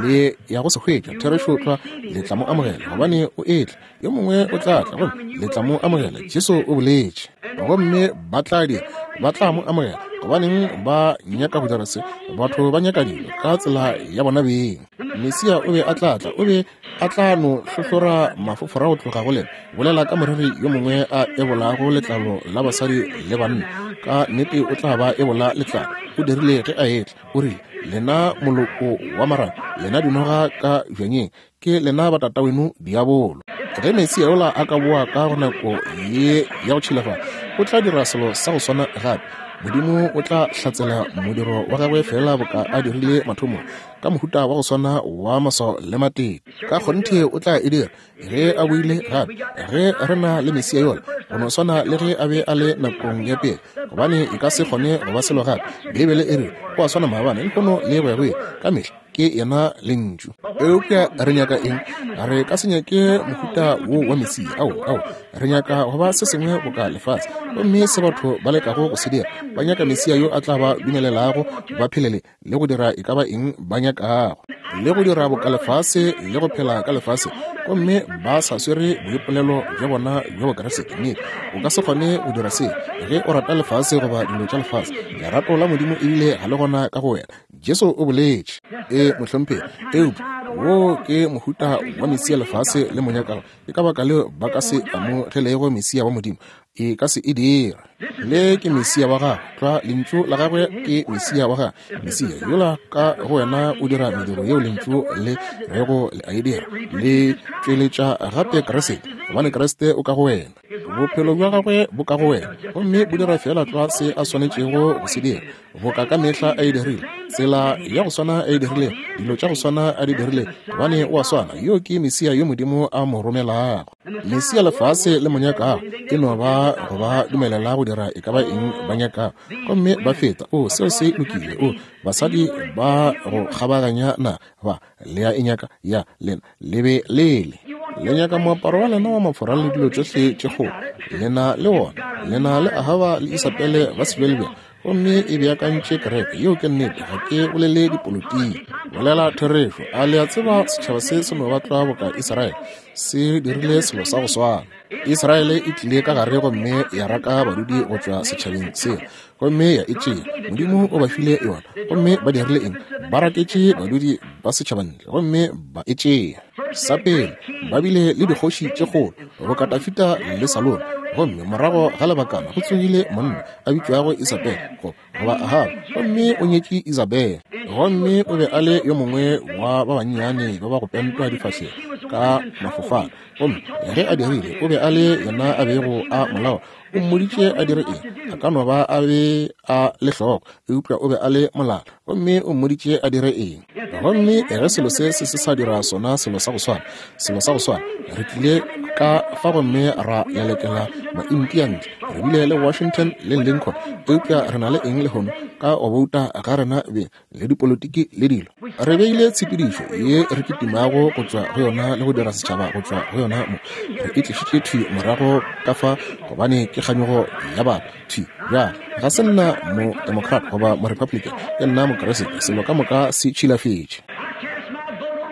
Le ya go se hwetša therešo tlwa, le tla mo amogela, gobane o etla. Yo mongwe o tla tla gomme le tla mo amogela. Jesu o boletše. Gomme ba tla dira, ba tla mo amogela. Gobaneng ba nyaka go dira se? Batho ba nyaka dilo ka tsela ya bona beng. Mesia o be a tla tla, o be a tla no hlohlora mafofora go tloga go lena. Bolela ka moreri yo mongwe a ebolago letlalo la basadi le banna. Ka nnete o tla ba ebola letlalo. O dirile ge a etla. O rile, lena moloko wa marang, lena dinoga ka bjanyeng, ke lena ba tataweno diabolo. Ge Mesia yola a ka boa ka go nako ye ya go tšhilafala, o tla dira selo sa go swana gape. Modimo o tla hlatsela modiro wa gagwe fela boka a dirile mathomong, ka mohuta wa go swana wa maswao le matete. Ka kgonthe o tla e dira ge a boile gape. Ge re na le Mesia yola, go no swana le ge a be a le nakong ya pele, gobane e ka se kgone go ba selo gape. Beibele e re o a swana maabane, lehono le go ya go ile, ka mehla ke yena lentšu. Eupša re nyaka eng? Re ka se nyake mohuta wo wa Mesia. Ao, ao, re nyaka go ba se sengwe boka lefase. Gomme se batho ba lekago go se dira, ba nyaka Mesia yo a tla ba dumelelago ba phelele le go dira e ka ba eng ba nyakago, le go dira boka lefase le go phela ka lefase, gomme ba sa swere boipolelo bja bona bja Bokriste. Nnete, o ka se kgone go dira se ge o rata lefase goba dilo tša lefase. Lerato la Modimo ebile ga le gona ka go wena. Jesu o boletše. E mohlomphegi, eupša wo ke mohuta wa Mesia lefase le mo nyakago. Ke ka baka leo ba ka se amogelego Mesia wa Modimo. E ka se e dira. Le ke Mesia wa gagwe. Tlwa lentšu la gagwe ke Mesia wa gagwe. Mesia yola ka go wena o dira mediro yeo lentšu le rego le a e dira. Le tšweletša gape Kriste, gobane Kriste o ka go wena. Bophelo bja gagwe bo ka go wena, gomme bo dira fela tlwa se a swanetšego go se dira, boka ka mehla a e dirile, tsela ya go swana a e dirile, dilo tša go swana a di dirile, gobane o a swana. Yo ke Mesia yo Modimo a mo romelago. Mesia lefase le mo nyakago e no ba go ba dumelela go dira e ka ba eng ba nyakago, gomme ba feta. O, seo se lokile. O, basadi ba go kgabaganya na ba le ya e nyaka ya lena le be lele. Le nyaka moaparo wa lena wa mafora le dilo tšohle tše kgolo. Lena le wona. Lena le Ahaba le Isabele ba sebjalebjale. Gomme e beakantše kereke. Yeo ke nnete. Ga ke bolele dipolotiki. Bolela therešo. A le a tseba setšhaba se se no ba tlwa boka Israele? Se dirile selo sa go swana. Israele e tlile ka gare gomme ya raka badudi go tšwa setšhabeng seo, gomme ya e tšea. Modimo o ba file yona, gomme ba dirile eng? Ba raketše badudi ba setšhaba ntle gomme ba e tšea. Sa pele, ba bile le dikgoši tše kgolo, boka Dafida le Salomo, gomme morago ga lebakana go tsogile monna a bitšwago Isabele goba Ahaba, gomme o nyetše Isabele. Gomme o be a le yo mongwe wa ba bannyane ba ba go pentwa difahlego ka mafofana. Gomme ge a dirile, o be a le yena a bego a molao. O mmoditše a dire eng? A ka no ba a be a le hloko, eupša o be a le molala. Gomme o mmoditše a dire eng? Gomme ge selo se se se sa dira sona selo sa go swana, selo sa go swana, re tlile ka fa gomme ra lelekela maintia ntle. Re bile le Washington le Lincoln, eupša re na le eng lehono ka go bouta ga rena beng le dipolotiki le dilo? Re beile tshepedišo ye re kitimago go tšwa go yona le go dira setšhaba go tšwa go yona mo. Re e tlišitše thwi morago ka fa, gobane ke kganyogo ya batho. Thwi bjale, ga se nna mo Democrat goba mo Republican, ke nna Mokriste. Selo ka moka se tšhilafetše.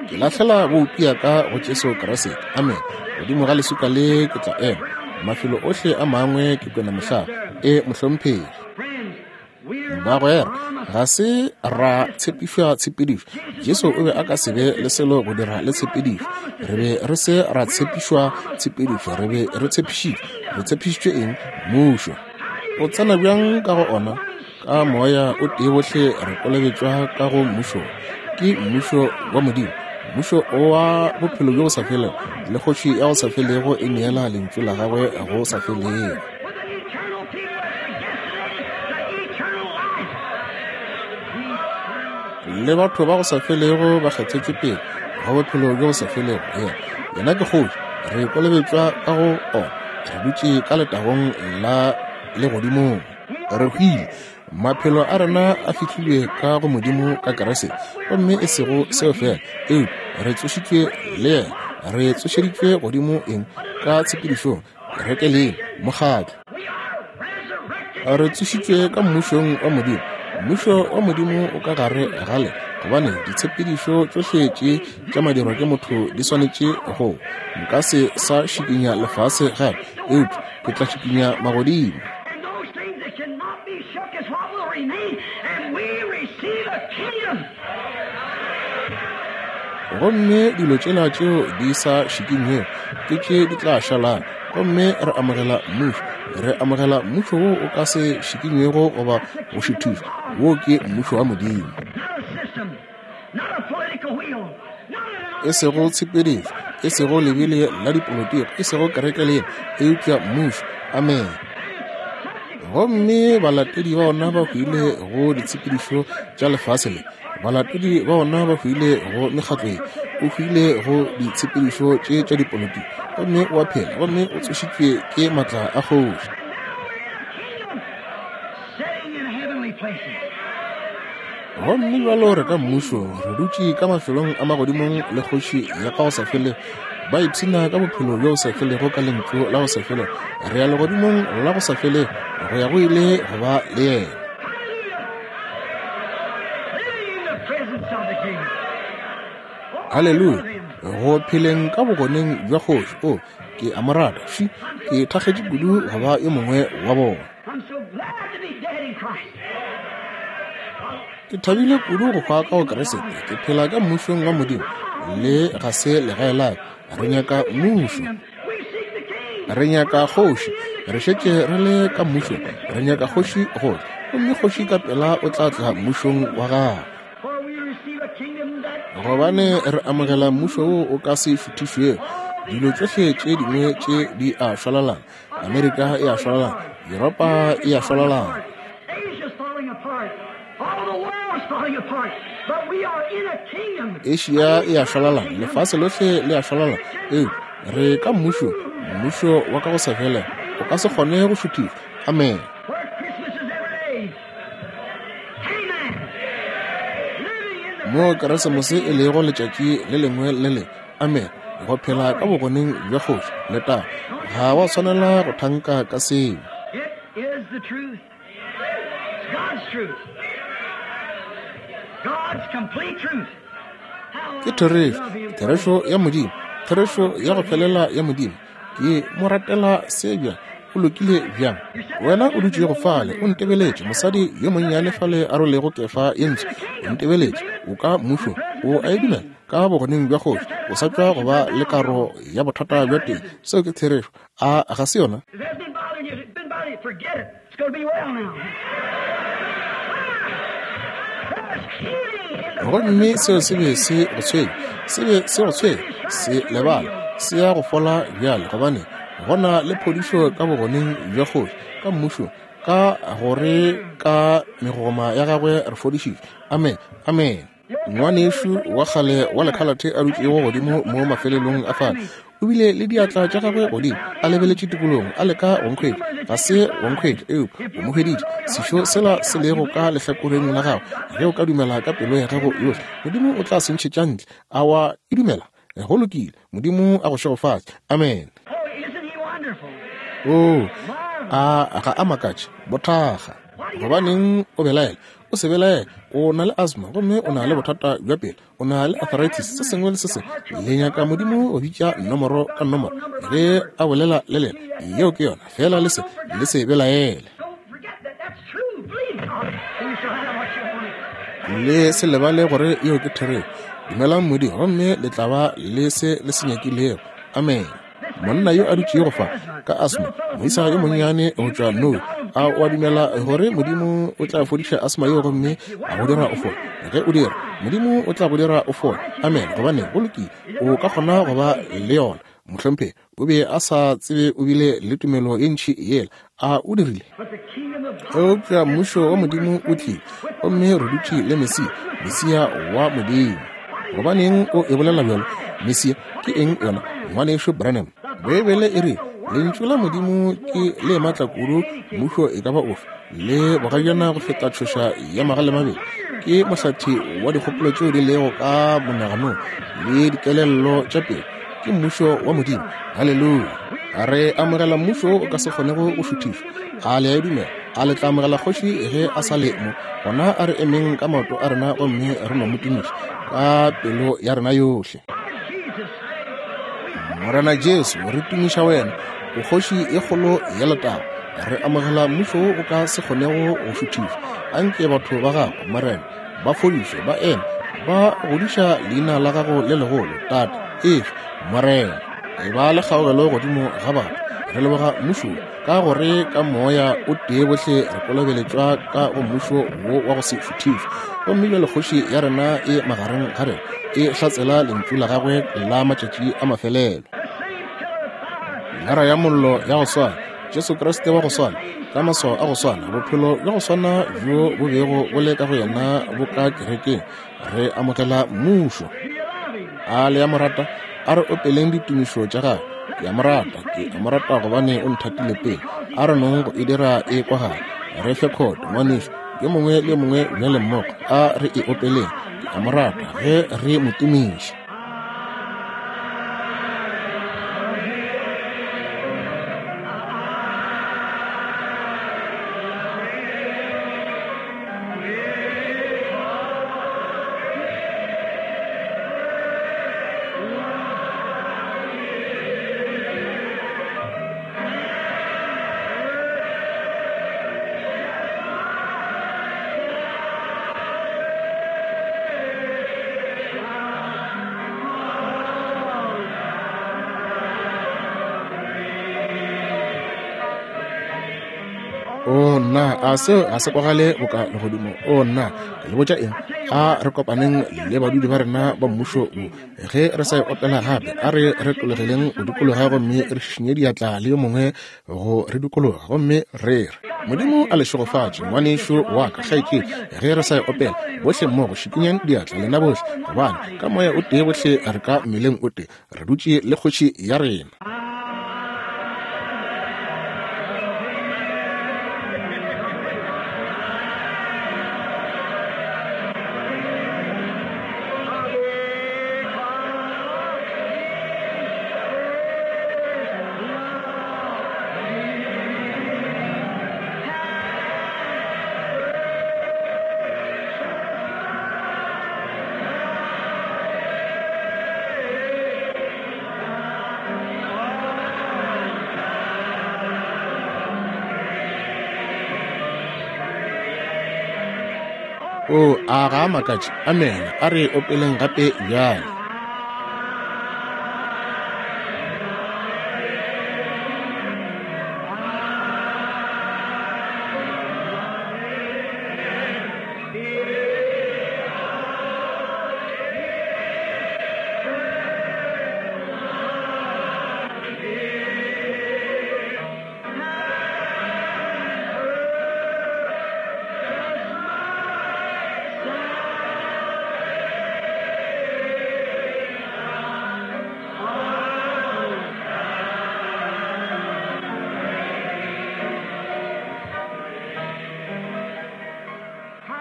Ke lahlela boutu ya ka go Jesu Kriste. Amen. Godimo ga leswika le ke tla ema. Mafelo ohle a mangwe ke kwena mohlaba. E mohlomphegi. Bagwera, ga se ra tshepišwa tshepedišo. Jesu o be a ka se be le selo go dira le tshepedišo. Re be re se ra tshepišwa tshepedišo, re be re tshepišitšwe. Re tshepišitšwe eng? Mmušo. O tsena bjang ka go ona? Ka moya o tee bohle re kolobetšwa ka go mmušo. Ke mmušo wa Modimo. Mmušo wa bophelo bjo bo sa felego, le kgoši ya go sa felego e neela lentšu la gagwe go sa felego. Le batho ba go sa felego ba kgethetšwe pele go bophelo bjo bo sa felego. Yena, yena ke kgoši. Re kolobetšwa ka go ona. Re dutše ka letagong la legodimong. Re hwile. Maphelo a rena a fihlilwe ka go Modimo ka Kriste, gomme e sego seo fela, eupša re tsošitšwe le yena. Re tsošeditšwe godimo eng ka tshepedišong, kerekeleng, mokgatlo. Re tsošitšwe ka mmušong wa Modimo. Mmušo wa Modimo o ka gare ga le, gobane ditshepedišo tšohle tše tša madirwa ke motho di swanetše go. Nka se sa šikinya lefase gape, eupša ke tla šikinya magodimo. Gomme dilo tšela tšeo di sa šikinywego ke tše di tla šalang, gomme re amogela mmušo. Re amogela mmušo wo o ka se šikinywego goba go šuthišwa. Wo ke mmušo wa Modimo. E sego tshepedišo, e sego lebele la dipolotiki, e sego kereke le yena, eupša mmušo. Amen. Gomme balatedi ba ona ba hwile go ditshepedišo tša lefase le. Balatedi ba ona ba hwile go mekgatlo ye. O hwile go ditshepedišo tše tša dipolotiki, gomme o a phela, gomme o tsošitšwe ke matla a kgoši. Gomme bjalo re ka mmušo, re dutše ka mafelong a magodimong le kgoši ya ka go sa felego. Ba ipshina ka bophelo bjo bo sa felego ka lentšu la go sa felego. Re ya legodimong la go sa felego go ya go ile go ba le yena. Haleluya! Go pheleng ka bogoneng bja kgoši. O, ke a mo rata. Ši, ke thakgetše kudu go ba yo mongwe wa bona. Ke thabile kudu go hwa ka go Kriste. Ke phela ka mmušong wa Modimo. Le ga se legae la ka. Re nyaka mmušo. Re nyaka kgoši. Re šetše re le ka mmušong. Re nyaka kgoši go tla. Gomme kgoši ka pela o tla tla mmušong wa gagwe. Gobane re amogela mmušo wo o ka se šuthišwego. Dilo tšohle tše dingwe tše di a šwalalana. Amerika e a šwalalana. Yuropa e a šwalalana. Asia e a šwalalana. Lefase lohle le a šwalalana. Eupša re ka mmušong, mmušo wa ka go sa felego. O ka se kgone go šuthišwa. Amen. Mo Keresemose e lego letšatši le lengwe le le. Amen. Go phela ka bogoneng bja kgoši, letago. Ga wa swanela go thanka ka seo. Ke therešo, therešo ya Modimo, therešo ya go felela ya Modimo. Ke mo ratela se bjang, o lokile bjang. Wena o dutšego fale, o ntebeletše, mosadi yo monnyane fale a rolego kefa ye ntsho, o ntebeletše, o ka mmušong, o a e dumela ka bogoneng bja kgoši, o sa tšwa go ba le karo ya bothata bja teng. Seo ke therešo. A ga se yona? Gomme seo se be se go tshwenya, se be se go tshwenya, se lebala, se ya go fola bjale, gobane gona le phodišo ka bogoneng bja kgoši, ka mmušong, ka gore ka megogoma ya gagwe re fodišitšwe. Amen. Amen. Ngwanešu wa kgale wa lekhalate a dutšego godimo mo mafelelong a fale, o bile le diatla tša gagwe godimo, a lebeletše tikologong, a leka go nkhwetša. Ga se go nkhwetša, eupša o mo hweditše. Sešo sela se lego ka lehlakoreng la gagwe, ge o ka dumela ka pelo ya gago yohle, Modimo o tla se ntšhetša ntle. A wa e dumela? Go lokile. Modimo a go šegofatše. Amen. O, a ga a makatše, bothakga. Gobaneng o belaela? O se belaele. O na le asthma, gomme o na le bothata bja pelo, o na le arthritis, se sengwe le se sengwe. Le nyaka Modimo go bitša nomoro ka nomoro ge a bolela le lena. Yeo ke yona. Fela le se, le se belaele. Le se lebale gore yeo ke therešo. Dumelang Modimo, gomme le tla ba le se le se nyakilego. Amen. Monna yo a dutšego fa ka asthma, moisa yo monnyane go tšwa Norway, A o a dumela gore Modimo o tla fodiša asma yeo gomme a go dira o fole? Ge o dira, Modimo o tla go dira o fole. Amen. Gobane go lokile, o ka kgona go ba le yona. Mohlomphegi o be a sa tsebe o bile le tumelo ye ntši yela. A o dirile? Eupša mmušo wa Modimo o tlile, gomme re dutše le Mesia, Mesia wa Modimo. Gobaneng o e bolela bjalo? Mesia ke eng yona, ngwanešu Branham? Beibele e re lentšu la Modimo ke le matla kudu mmušo e ka ba ofe, le bogajana go feta tšhoša ya magalemabedi. Ke mohlathi wa dikgopolo tšeo di lego ka monaganong le dikelello tša pelo. Ke mmušo wa Modimo. Haleluya. Re amogela mmušo o ka se kgonego go šuthišwa. A le a e dumela? A le tla amogela kgoši ge a sa le mo? Gona a re emeng ka maoto a rena gomme re no mo tumiša ka pelo ya rena yohle. Morena Jesu, re tumiša wena, o kgoši e kgolo ya letago. Re amogela mmušo o ka se kgonego go šuthišwa. Anke batho ba gago, Morena, ba fodišwe, ba eme, ba godiša leina la gago le legolo, Tate. Efe, Morena, e ba le kgaogelo godimo ga batho. Re leboga mmušo ka gore ka moya o tee bohle re kolobeletšwa ka go mmušo wo wa go se šuthišwe. Gomme bjale kgoši ya rena e magareng ga rena, e hlatsela lentšu la gagwe la matšatši a mafelelo. Lara ya mollo ya go swana, Jesu Kriste wa go swana, ka maswao a go swana, bophelo bja go swana bjo bo bego bo le ka go yena bo ka kerekeng. Re amogela mmušo. A le ya mo rata? A re opeleng ditumišo tša gagwe. Ke a mo rata, ke a mo rata gobane o nthatile pele. A re nong go e dira e kwagala. Re fe khoto, ngwanešu, yo mongwe le yo mongwe bjale mmogo. A re e opeleng. Ke a mo rata ge re mo tumiša. O nna, a seo a se kwagale boka legodimo? O nna, ke le botša eng? A re kopaneng le badudi ba rena ba mmušo wo. Ge re sa e opela gape, a re re tlogeleng go dikologa gomme re šišinye diatla le yo mongwe go re dikologa gomme re re Modimo a le šegofatše, ngwanešu wa ka, kgaetšedi. Ge re sa e opela bohle mmogo, šikinyang diatla lena bohle, gobane ka moya o tee bohle re ka mmeleng o tee, re dutše le kgoši ya rena. O a ga makatše. Amen. A re opeleng gape bjale.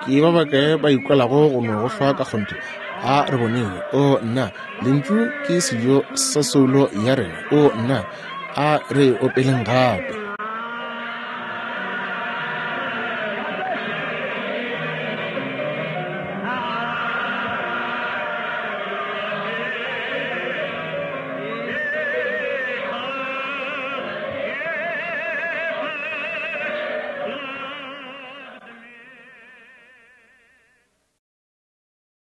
Ke ba bakae ba ikwelago go no go hlwa ka kgonthe? A re boneng. O nna, lentšu ke sejo sa soulo ya rena. O nna, a re opeleng gape.